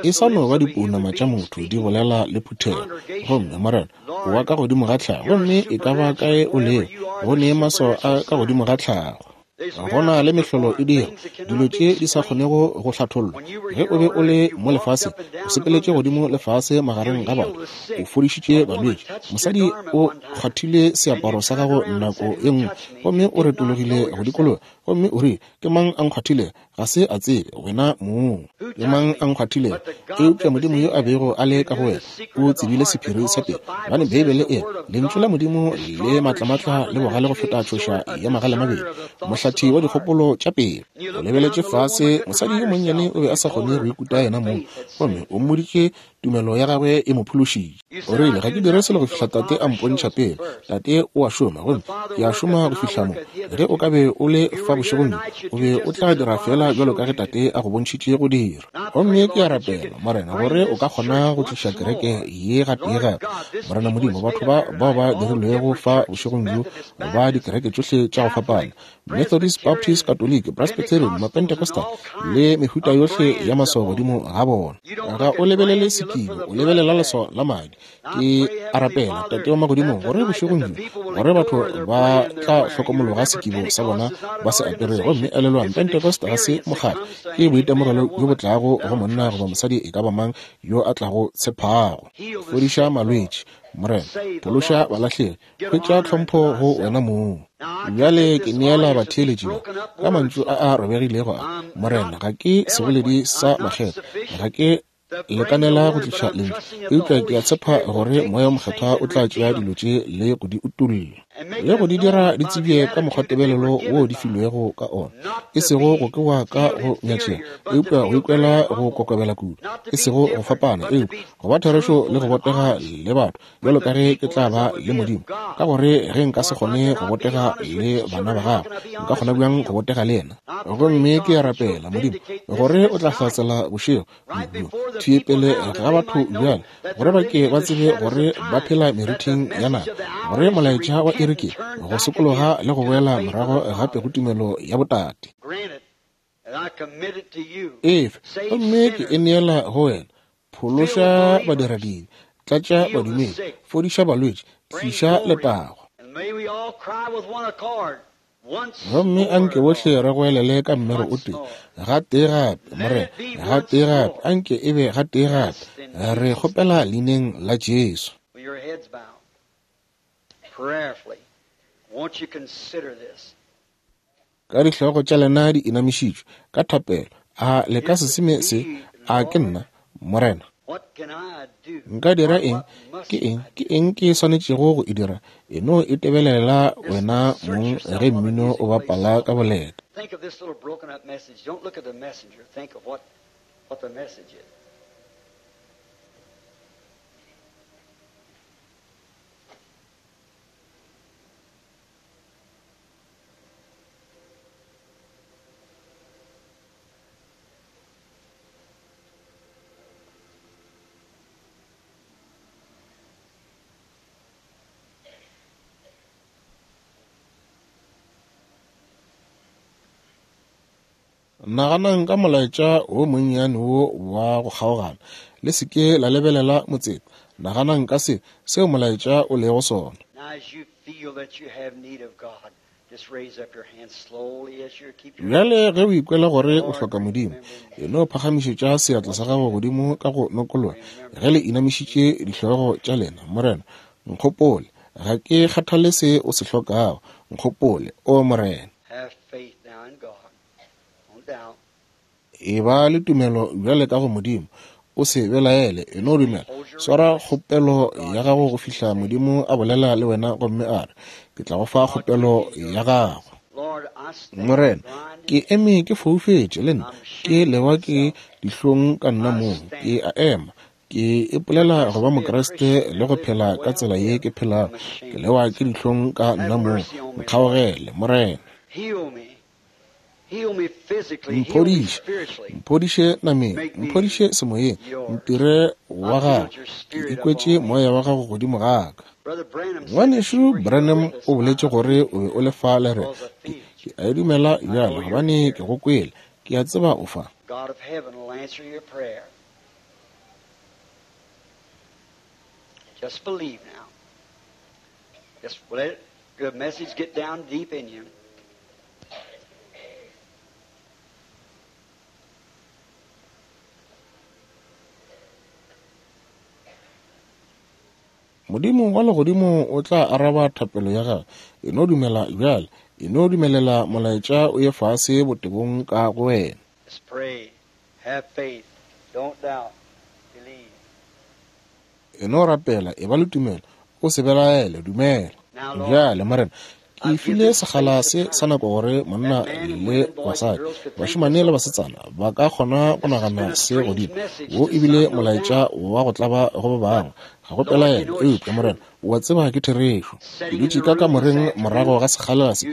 E sa no ba dipounama tša motho di bolela le phuthego. Gomme, Morena, o wa ka godimo ga tlhago, gomme e ka ba kae o lego, go ne maswao a ka godimo ga tlhago. Go na le mehlolo e dira dilo tše di sa kgonego go hlathollwa. Ge o be o le mo lefaseng, o sepeletše godimo le fase magareng ga batho, o fodišitše balwetši. Mosadi o kgwathile seaparo sa gago nako ye nngwe, gomme o retologile go dikologa, gomme o rile, Ke mang a nkgwathilego? Ga se a tsebe, wena mong. Ke mang a nkgwathilego? Eupša Modimo yo a bego a le ka go wena o tsebile sephiri sa pelo. Gobane Beibele e re, Lentšu la Modimo le matlamatla le bogale go feta tšhoša ya magalemabedi, mohlathi wa dikgopolo tša pelo. O lebeletše fase, mosadi yo monnyane o be a sa kgone go ikuta yena mong, gomme o mmoditše tumelo ya gagwe e mo phološitše. O rile, Ga ke dire selo go fihla Tate a mpontšha pele. Tate o a šoma, gomme ke a šoma go fihla mo. Ge o ka be o le fa bošegong bjo, o be o tla dira feela bjalo ka ge Tate a go bontšhitše go dira. Gomme ke a rapela, Morena, gore o ka kgona go tliša kereke ye gatee gape. Morena Modimo, batho ba bao ba dirilwego fa bošegong bjo ba dikereke tšohle tša go fapana, Methodist, Baptist, Katoliki, Presbyterian, Mapentecostal, le mehuta yohle ya maswao godimo ga bona. Ga o lebelele sekibo, o lebelela leswao la madi. Ke a rapela, Tate wa Magodimong, gore bošegong bjo, gore batho ba tla hlokomologa sekibo sa bona ba se aperego. Gomme elelwang, Pentecost ga se mokgatlo, ke boitemogelo bjo bo tlago go monna goba mosadi e ka ba mang yo a tlago tshephago. Fodiša malwetši, Morena, phološa balahlegi, Hwetša tlhompho go wena mong. Bjale ke neela batheeletši ba ka mantšu a a robegilego a, Morena, ga ke seboledi sa makgetho, ga ke lekanela go tliša lentšu, eupša ke a tshepa gore Moya wo Mokgethwa o tla tšea dilo tše le go di utolla le go di dira di tsebje ka mokgwatebelelo wo di filwego ka ona, e sego go kwewa ka go nyatšega, eupša go ikwela go kokobela kudu, e sego go fapana, eupša go ba therešo le go botega le batho, bjalo ka ge ke tla ba le Modimo, ka gore ge nka se kgone go botega le bana ba gagwe, nka kgona bjang go botega le yena? Gomme ke a rapela, Modimo, gore o tla hlatsela bošego bjo thwi pele ga batho bjale, gore ba ke ba tsebe gore ba phela merithing ya naga, gore molaetša wa iri ke go sokologa le go boela morago gape go tumelo ya botate. Efe, gomme ke e neela go wena. Phološa badiradibe, tlatša badumedi, fodiša balwetši, tliša letago. Gomme a nke bohle re goelele ka mmero o tee, gatee gape, Morena, gatee gape, a nke e be gatee gape. Re kgopela Leineng la Jesu. Ka dihlogo tša lena di inamišitšwe, ka thapelo, a le ka se seme se, A ke nna, Morena? Nka dira eng? Ke eng, ke eng ke swanetšego go e dira? E no itebelela wena mong ge mmino o bapala ka boleta. Naganang ka molaetša wo monnyane wo wa go kgaogana. Le se ke la lebelela motseta. Naganang ka se, seo molaetša o lego sona. Bjale ge o ikwela gore o hloka Modimo, e no phagamišetša seatla sa gago godimo ka go nokologa ge le inamišitše dihlogo tša lena. Morena, nkgopole. Ga ke kgathale se o se hlokago. Nkgopole, O Morena. Eba le tumelo bjale ka go Modimo. O se belaele, e no dumela. Swara kgopelo ya gago go fihla Modimo a bolela le wena gomme a re, Ke tla go fa kgopelo ya gago. Morena, ke eme ke foufetše le nna, ke lewa ke dihlong ka nna mong. Ke a ema, ke ipolela go ba Mokriste le go phela ka tsela ye ke phelago. Ke lewa ke dihlong ka nna mong. Nkgaogele, Morena. Mphodiše, mphodiše nameng, mphodiše semoyeng, ntire wa gago. Ke ikwetše moya wa gago godimo ga ka. Ngwanešu Branham o boletše gore o be o le fa le re. Ke a e dumela bjale, gobane ke go kwele. Ke a tseba o fa. Just believe now. Just let the message get down deep in you. Modimo wa legodimo o tla araba thapelo ya gago. E no dumela bjale. E no dumelela molaetša o ye fase botebong ka go wena. Just pray. Have faith. Don't doubt. Believe. E no rapela, e ba le tumelo. O se belaele, dumela. Bjale, Morena, ke file sekgala se sa nako gore monna le basadi, bašemane le basetsana ba ka kgona go nagana se godimo. Wo ebile molaetša wa go tlaba go ba bangwe. Ga go pelaelo, eupša Morena, o a tseba ke therešo. Ke dutše ka kamoreng morago ga sekgala se.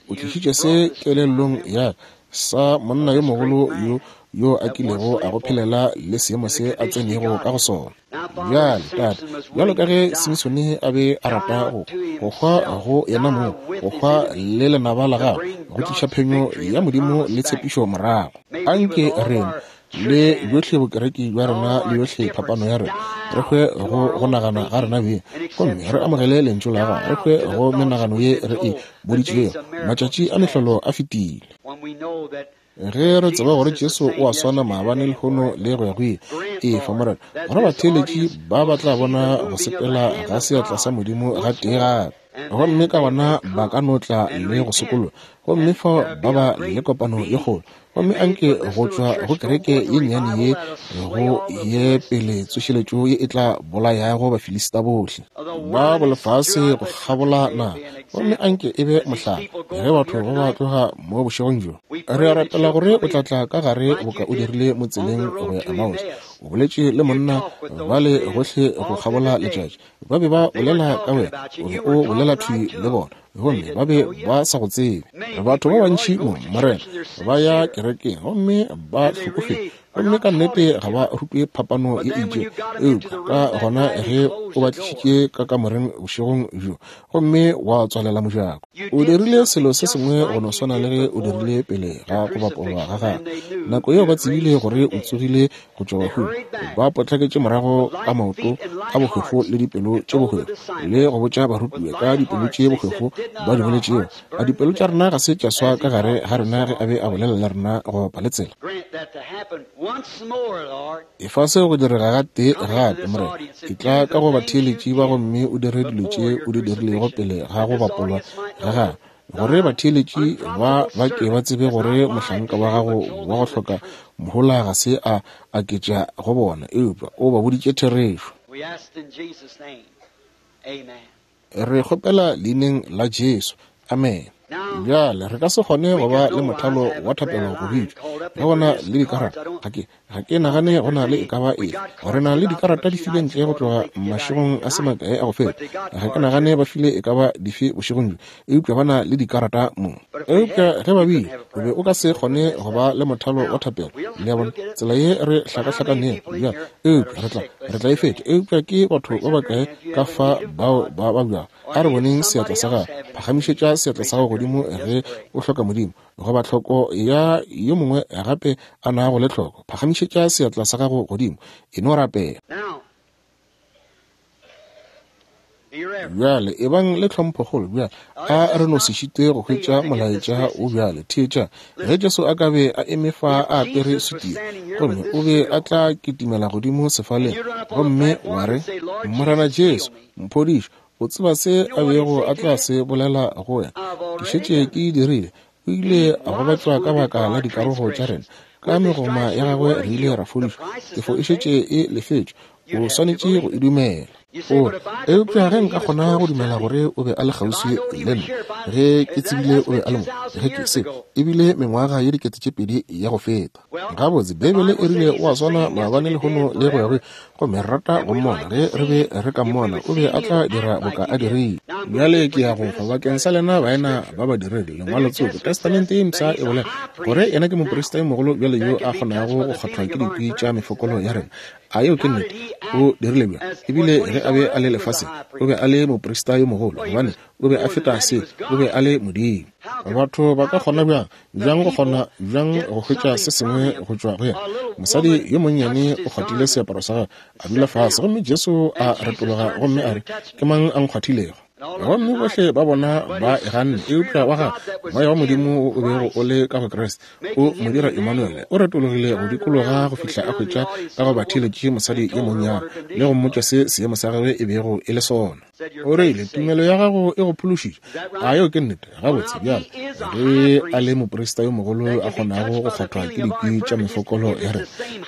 O tlišitše se kelellong ya sa monna yo mogolo yo yo a kilego a go phelela le seemo se a tsenego ka go sona. Bjale, Tate, bjalo ka ge Simsone a be a rata go hwa go yena mong, go hwa le lenaba la gagwe, go tliša phenyo ya Modimo le tshepišo morago. Anke rena le bjohle bokereki bja rena le yohle phapano ya rena, re hwe go go nagana ga rena beng, gomme re amogele lentšu la gago, re hwe go menagano ye re e boditšego. Matšatši a mehlolo a fetile. Ge re tseba gore Jesu o a swana maabane, lehono le go ya go ile, efa, Morena, gore batheeletši ba ba tla bona go sepela ga seatla sa Modimo ga tee gape, gomme ka gona ba ka no tla le go sokologa, gomme fao ba ba le kopano ye kgolo. Gomme anke go tšwa go kereke ye nnyane ye go ye pele tsošeletšo ye e tla bolayago Bafilista bohle ba bolefase go kgabola naga. Gomme anke e be mohlala ge batho ba ba tloga mo bošegong bjo. Re a rapela gore o tla tla ka gare boka o dirile mo tseleng go ya Emmaus. O boletše le monna bale gohle go kgabola letšatši. Ba be ba bolela ka wena, o be o bolela thwi le bona, gomme ba be ba sa go tsebe. Batho ba bantši mo, Morena, ba ya kerekeng gomme ba hlokofetše, gomme ka nnete ga ba rutwe phapano ye itšego. Eupša ka gona ge o ba tlišitše ka kamoreng bošegong bjo gomme wa tswalela mojako, o dirile selo se sengwe go no swana le ge o dirile pele ga go bapolwa ga gago. Nako yeo ba tsebile gore o tsogile go tšwa bahung, ba potlaketše morago ka maoto a bohwefo le dipelo tše bohwefo, le go botša barutiwa ka dipelo tše bohwefo ba di boletšego. A dipelo tša rena ga se tša swa ka gare ga rena ge a be a bolela le rena go bapa le tsela? Efa seo go direga ga tee gape, Morena. Etla ka go batheeletši ba gomme o dire dilo tše o di dirilego pele ga go bapolwa ga gago, gore batheeletši ba ba ke ba tsebe gore mohlanka wa gago wa go hloka mohola ga se a aketša go bona, eupša o ba boditše therešo. Re kgopela leineng la Jesu. Amen. Bjale re ka se kgone go ba le mothalo wa thapelo go bitšwa ge go na le dikarata. Ga ke nagane go na le e ka ba efe. Re na le dikarata di filwe ntle go tloga mašegong a se makae a go feta. Ga ke nagane ba file e ka ba dife bošegong bjo, eupša ba na le dikarata mo. Eupša ge ba bile, o be o ka se kgone go ba le mothalo wa thapelo. Le a bona, tsela ye re hlakahlakanego bjale, eupša re tla e fetša. Eupša ke batho ba bakae ka fa bao ba babjago? A re boneng seatla sa gago. Phagamišetša seatla sa gago godimo ge o hloka Modimo, goba tlhoko ya yo mongwe gape a nago le tlhoko. Phagamišetša seatla sa gago godimo, e no rapela. Bjale ebang le tlhomphokgolo bjale. A re no se šite go hwetša molaetša o bjale. Theetša, ge Jesu a ka be a eme fa a apere sutu ye, gomme o be a tla kitimela godimo sefaleng gomme wa re, Morena Jesu, mphodiše. O tseba se a bego a tla se bolela go wena? Ke šetše ke e dirile. O ile a gobatšwa ka baka la dikarogo tša rena, ka megoma ya gagwe re ile ra fodišwa. Tefo e šetše e lefetšwe, o swanetše go e dumela. O re, Eupša ge nka kgona go dumela gore o be a le kgauswi le nna, ge ke tsebile o be a le mo, ge ke se, e bile mengwaga ye 2000 ya go feta. Gabotse, Beibele e rile o a swana maabane, lehono, le go ya go ile. Gomme re rata go mmona. Ge re be re ka mmona, o be a tla dira boka a dirile. Bjale ke ya go fa bakeng sa lena baena ba badiredi lengwalo tsoko. Testamente ye Mpsha e bolela gore yena ke moprista yo mogolo bjale yo a kgonago go kgwathwa ke dikwi tša mefokolo ya rena. A yeo ke nnete? O dirile bjang? Ebile ge a be a le lefaseng, o be a le moprista yo mogolo, gobane o be a feta se, o be a le Modimo. Batho ba ka kgona bjang, bjang go kgona bjang go hwetša se sengwe go tšwa go yena? Mosadi yo monnyane o kgwathile seaparo sa gagwe, a dula fase, gomme Jesu a retologa gomme a re, Ke mang a nkgwathilego? Gomme bohle ba bona ba e ganne, eupša wa gagwe Moya wa Modimo wo o bego o le ka go Kriste, o mo dira Emmanuele, o retologile go dikologa go fihla a hwetša ka go batheeletši mosadi yo monnyane, le go mmotša se seemo sa gagwe e bego e le sona. O rile, Tumelo ya gago e go phološitše. A yeo ke nnete? Gabotse, bjale, ge a le moprista yo mogolo yo a kgonago go kgwathwa ke dikwi tša mefokolo ya rena,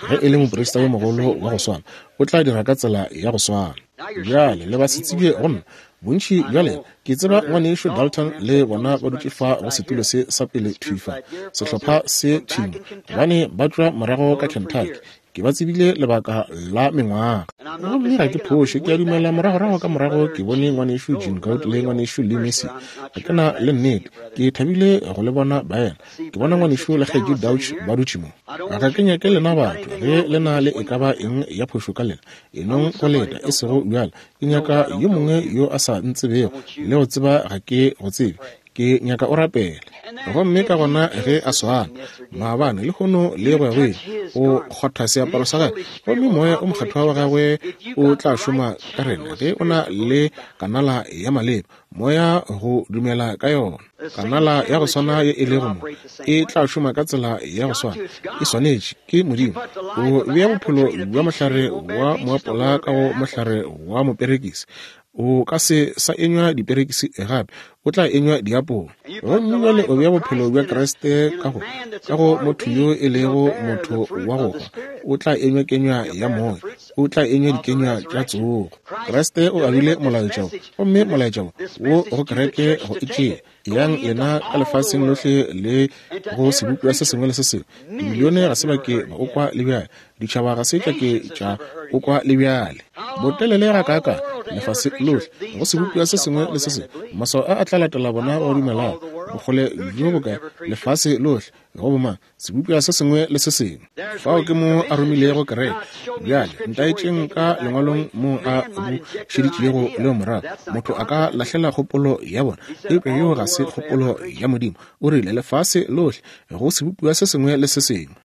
ge e le moprista yo mogolo wa go swana, o tla dira ka tsela ya go swana. Bjale, le basetsebje go nna, bontši bja lena. Ke tseba Ngwanešu Dalton le bona ba dutše fa go setulo se sa pele thwi fa, sehlopha se thwi mo, gobane ba tšwa morago ka Kentucky. Ke ba tsebile lebaka la mengwaga. Gomme ga ke phoše, ke a dumela moragorago ka morago ke bone Ngwanešu Gene Goad le Ngwanešu Lee Mercier. Ga ke na le nnete. Ke thabile go le bona baena. Ke bona Ngwanešu le Kgaetšedi Dauch ba dutše mo. Ga ke nyake lena batho, ge le na le e ka ba eng ya phošo ka lena, e nong go leta, e sego bjale. Ke nyaka yo mongwe yo a sa ntsebego, le go tseba ga ke go tsebe. Ke nyaka o rapele. Gomme ka gona ge a swana maabane, lehono, le go ya go ile, o kgotha seaparo sa gagwe, gomme Moya o Mokgethwa wa gagwe o tla šoma ka rena ge o na le kanala ya maleba, Moya go dumela ka yona. Kanala ya go swana ye e lego mo e tla šoma ka tsela ya go swana. E swanetše, ke Modimo. O bea bophelo bja mohlare wa moapola ka go mohlare wa moperekisi. O ka se sa enywa diperekisi gape, o tla enywa diapola. Gomme bjale o bea bophelo bja Kriste ka go, ka go motho yo e lego motho wa go hwa, o tla enywa kenywa ya Moya, o tla enywa dikenywa tša tsogo. Kriste o abile molaetša wo, gomme molaetša wo wo go kereke go e tšea. Eyang lena ka lefaseng lohle le go sebopiwa se sengwe le se sengwe. Dimilione ga se ba ke ba o kwa le bjale. Ditšhaba ga se tša ke tša o kwa le bjale. Botelele gakaakang, lefase lohle, go sebopiwa se sengwe le se sengwe. Maswao a a tla latela bona ba dumelago. Bokgole bjo bokae, lefase lohle, go bomang? Sebopiwa se sengwe le se sengwe. Fao ke mo a romilego kereke. Bjale, ntaetšeng ka Lengwalong moo a bušeditšego leo morago. Motho a ka lahlela kgopolo ya bona, eupša yeo ga se kgopolo ya Modimo. O rile, Lefase lohle, go sebopiwa se sengwe le se sengwe.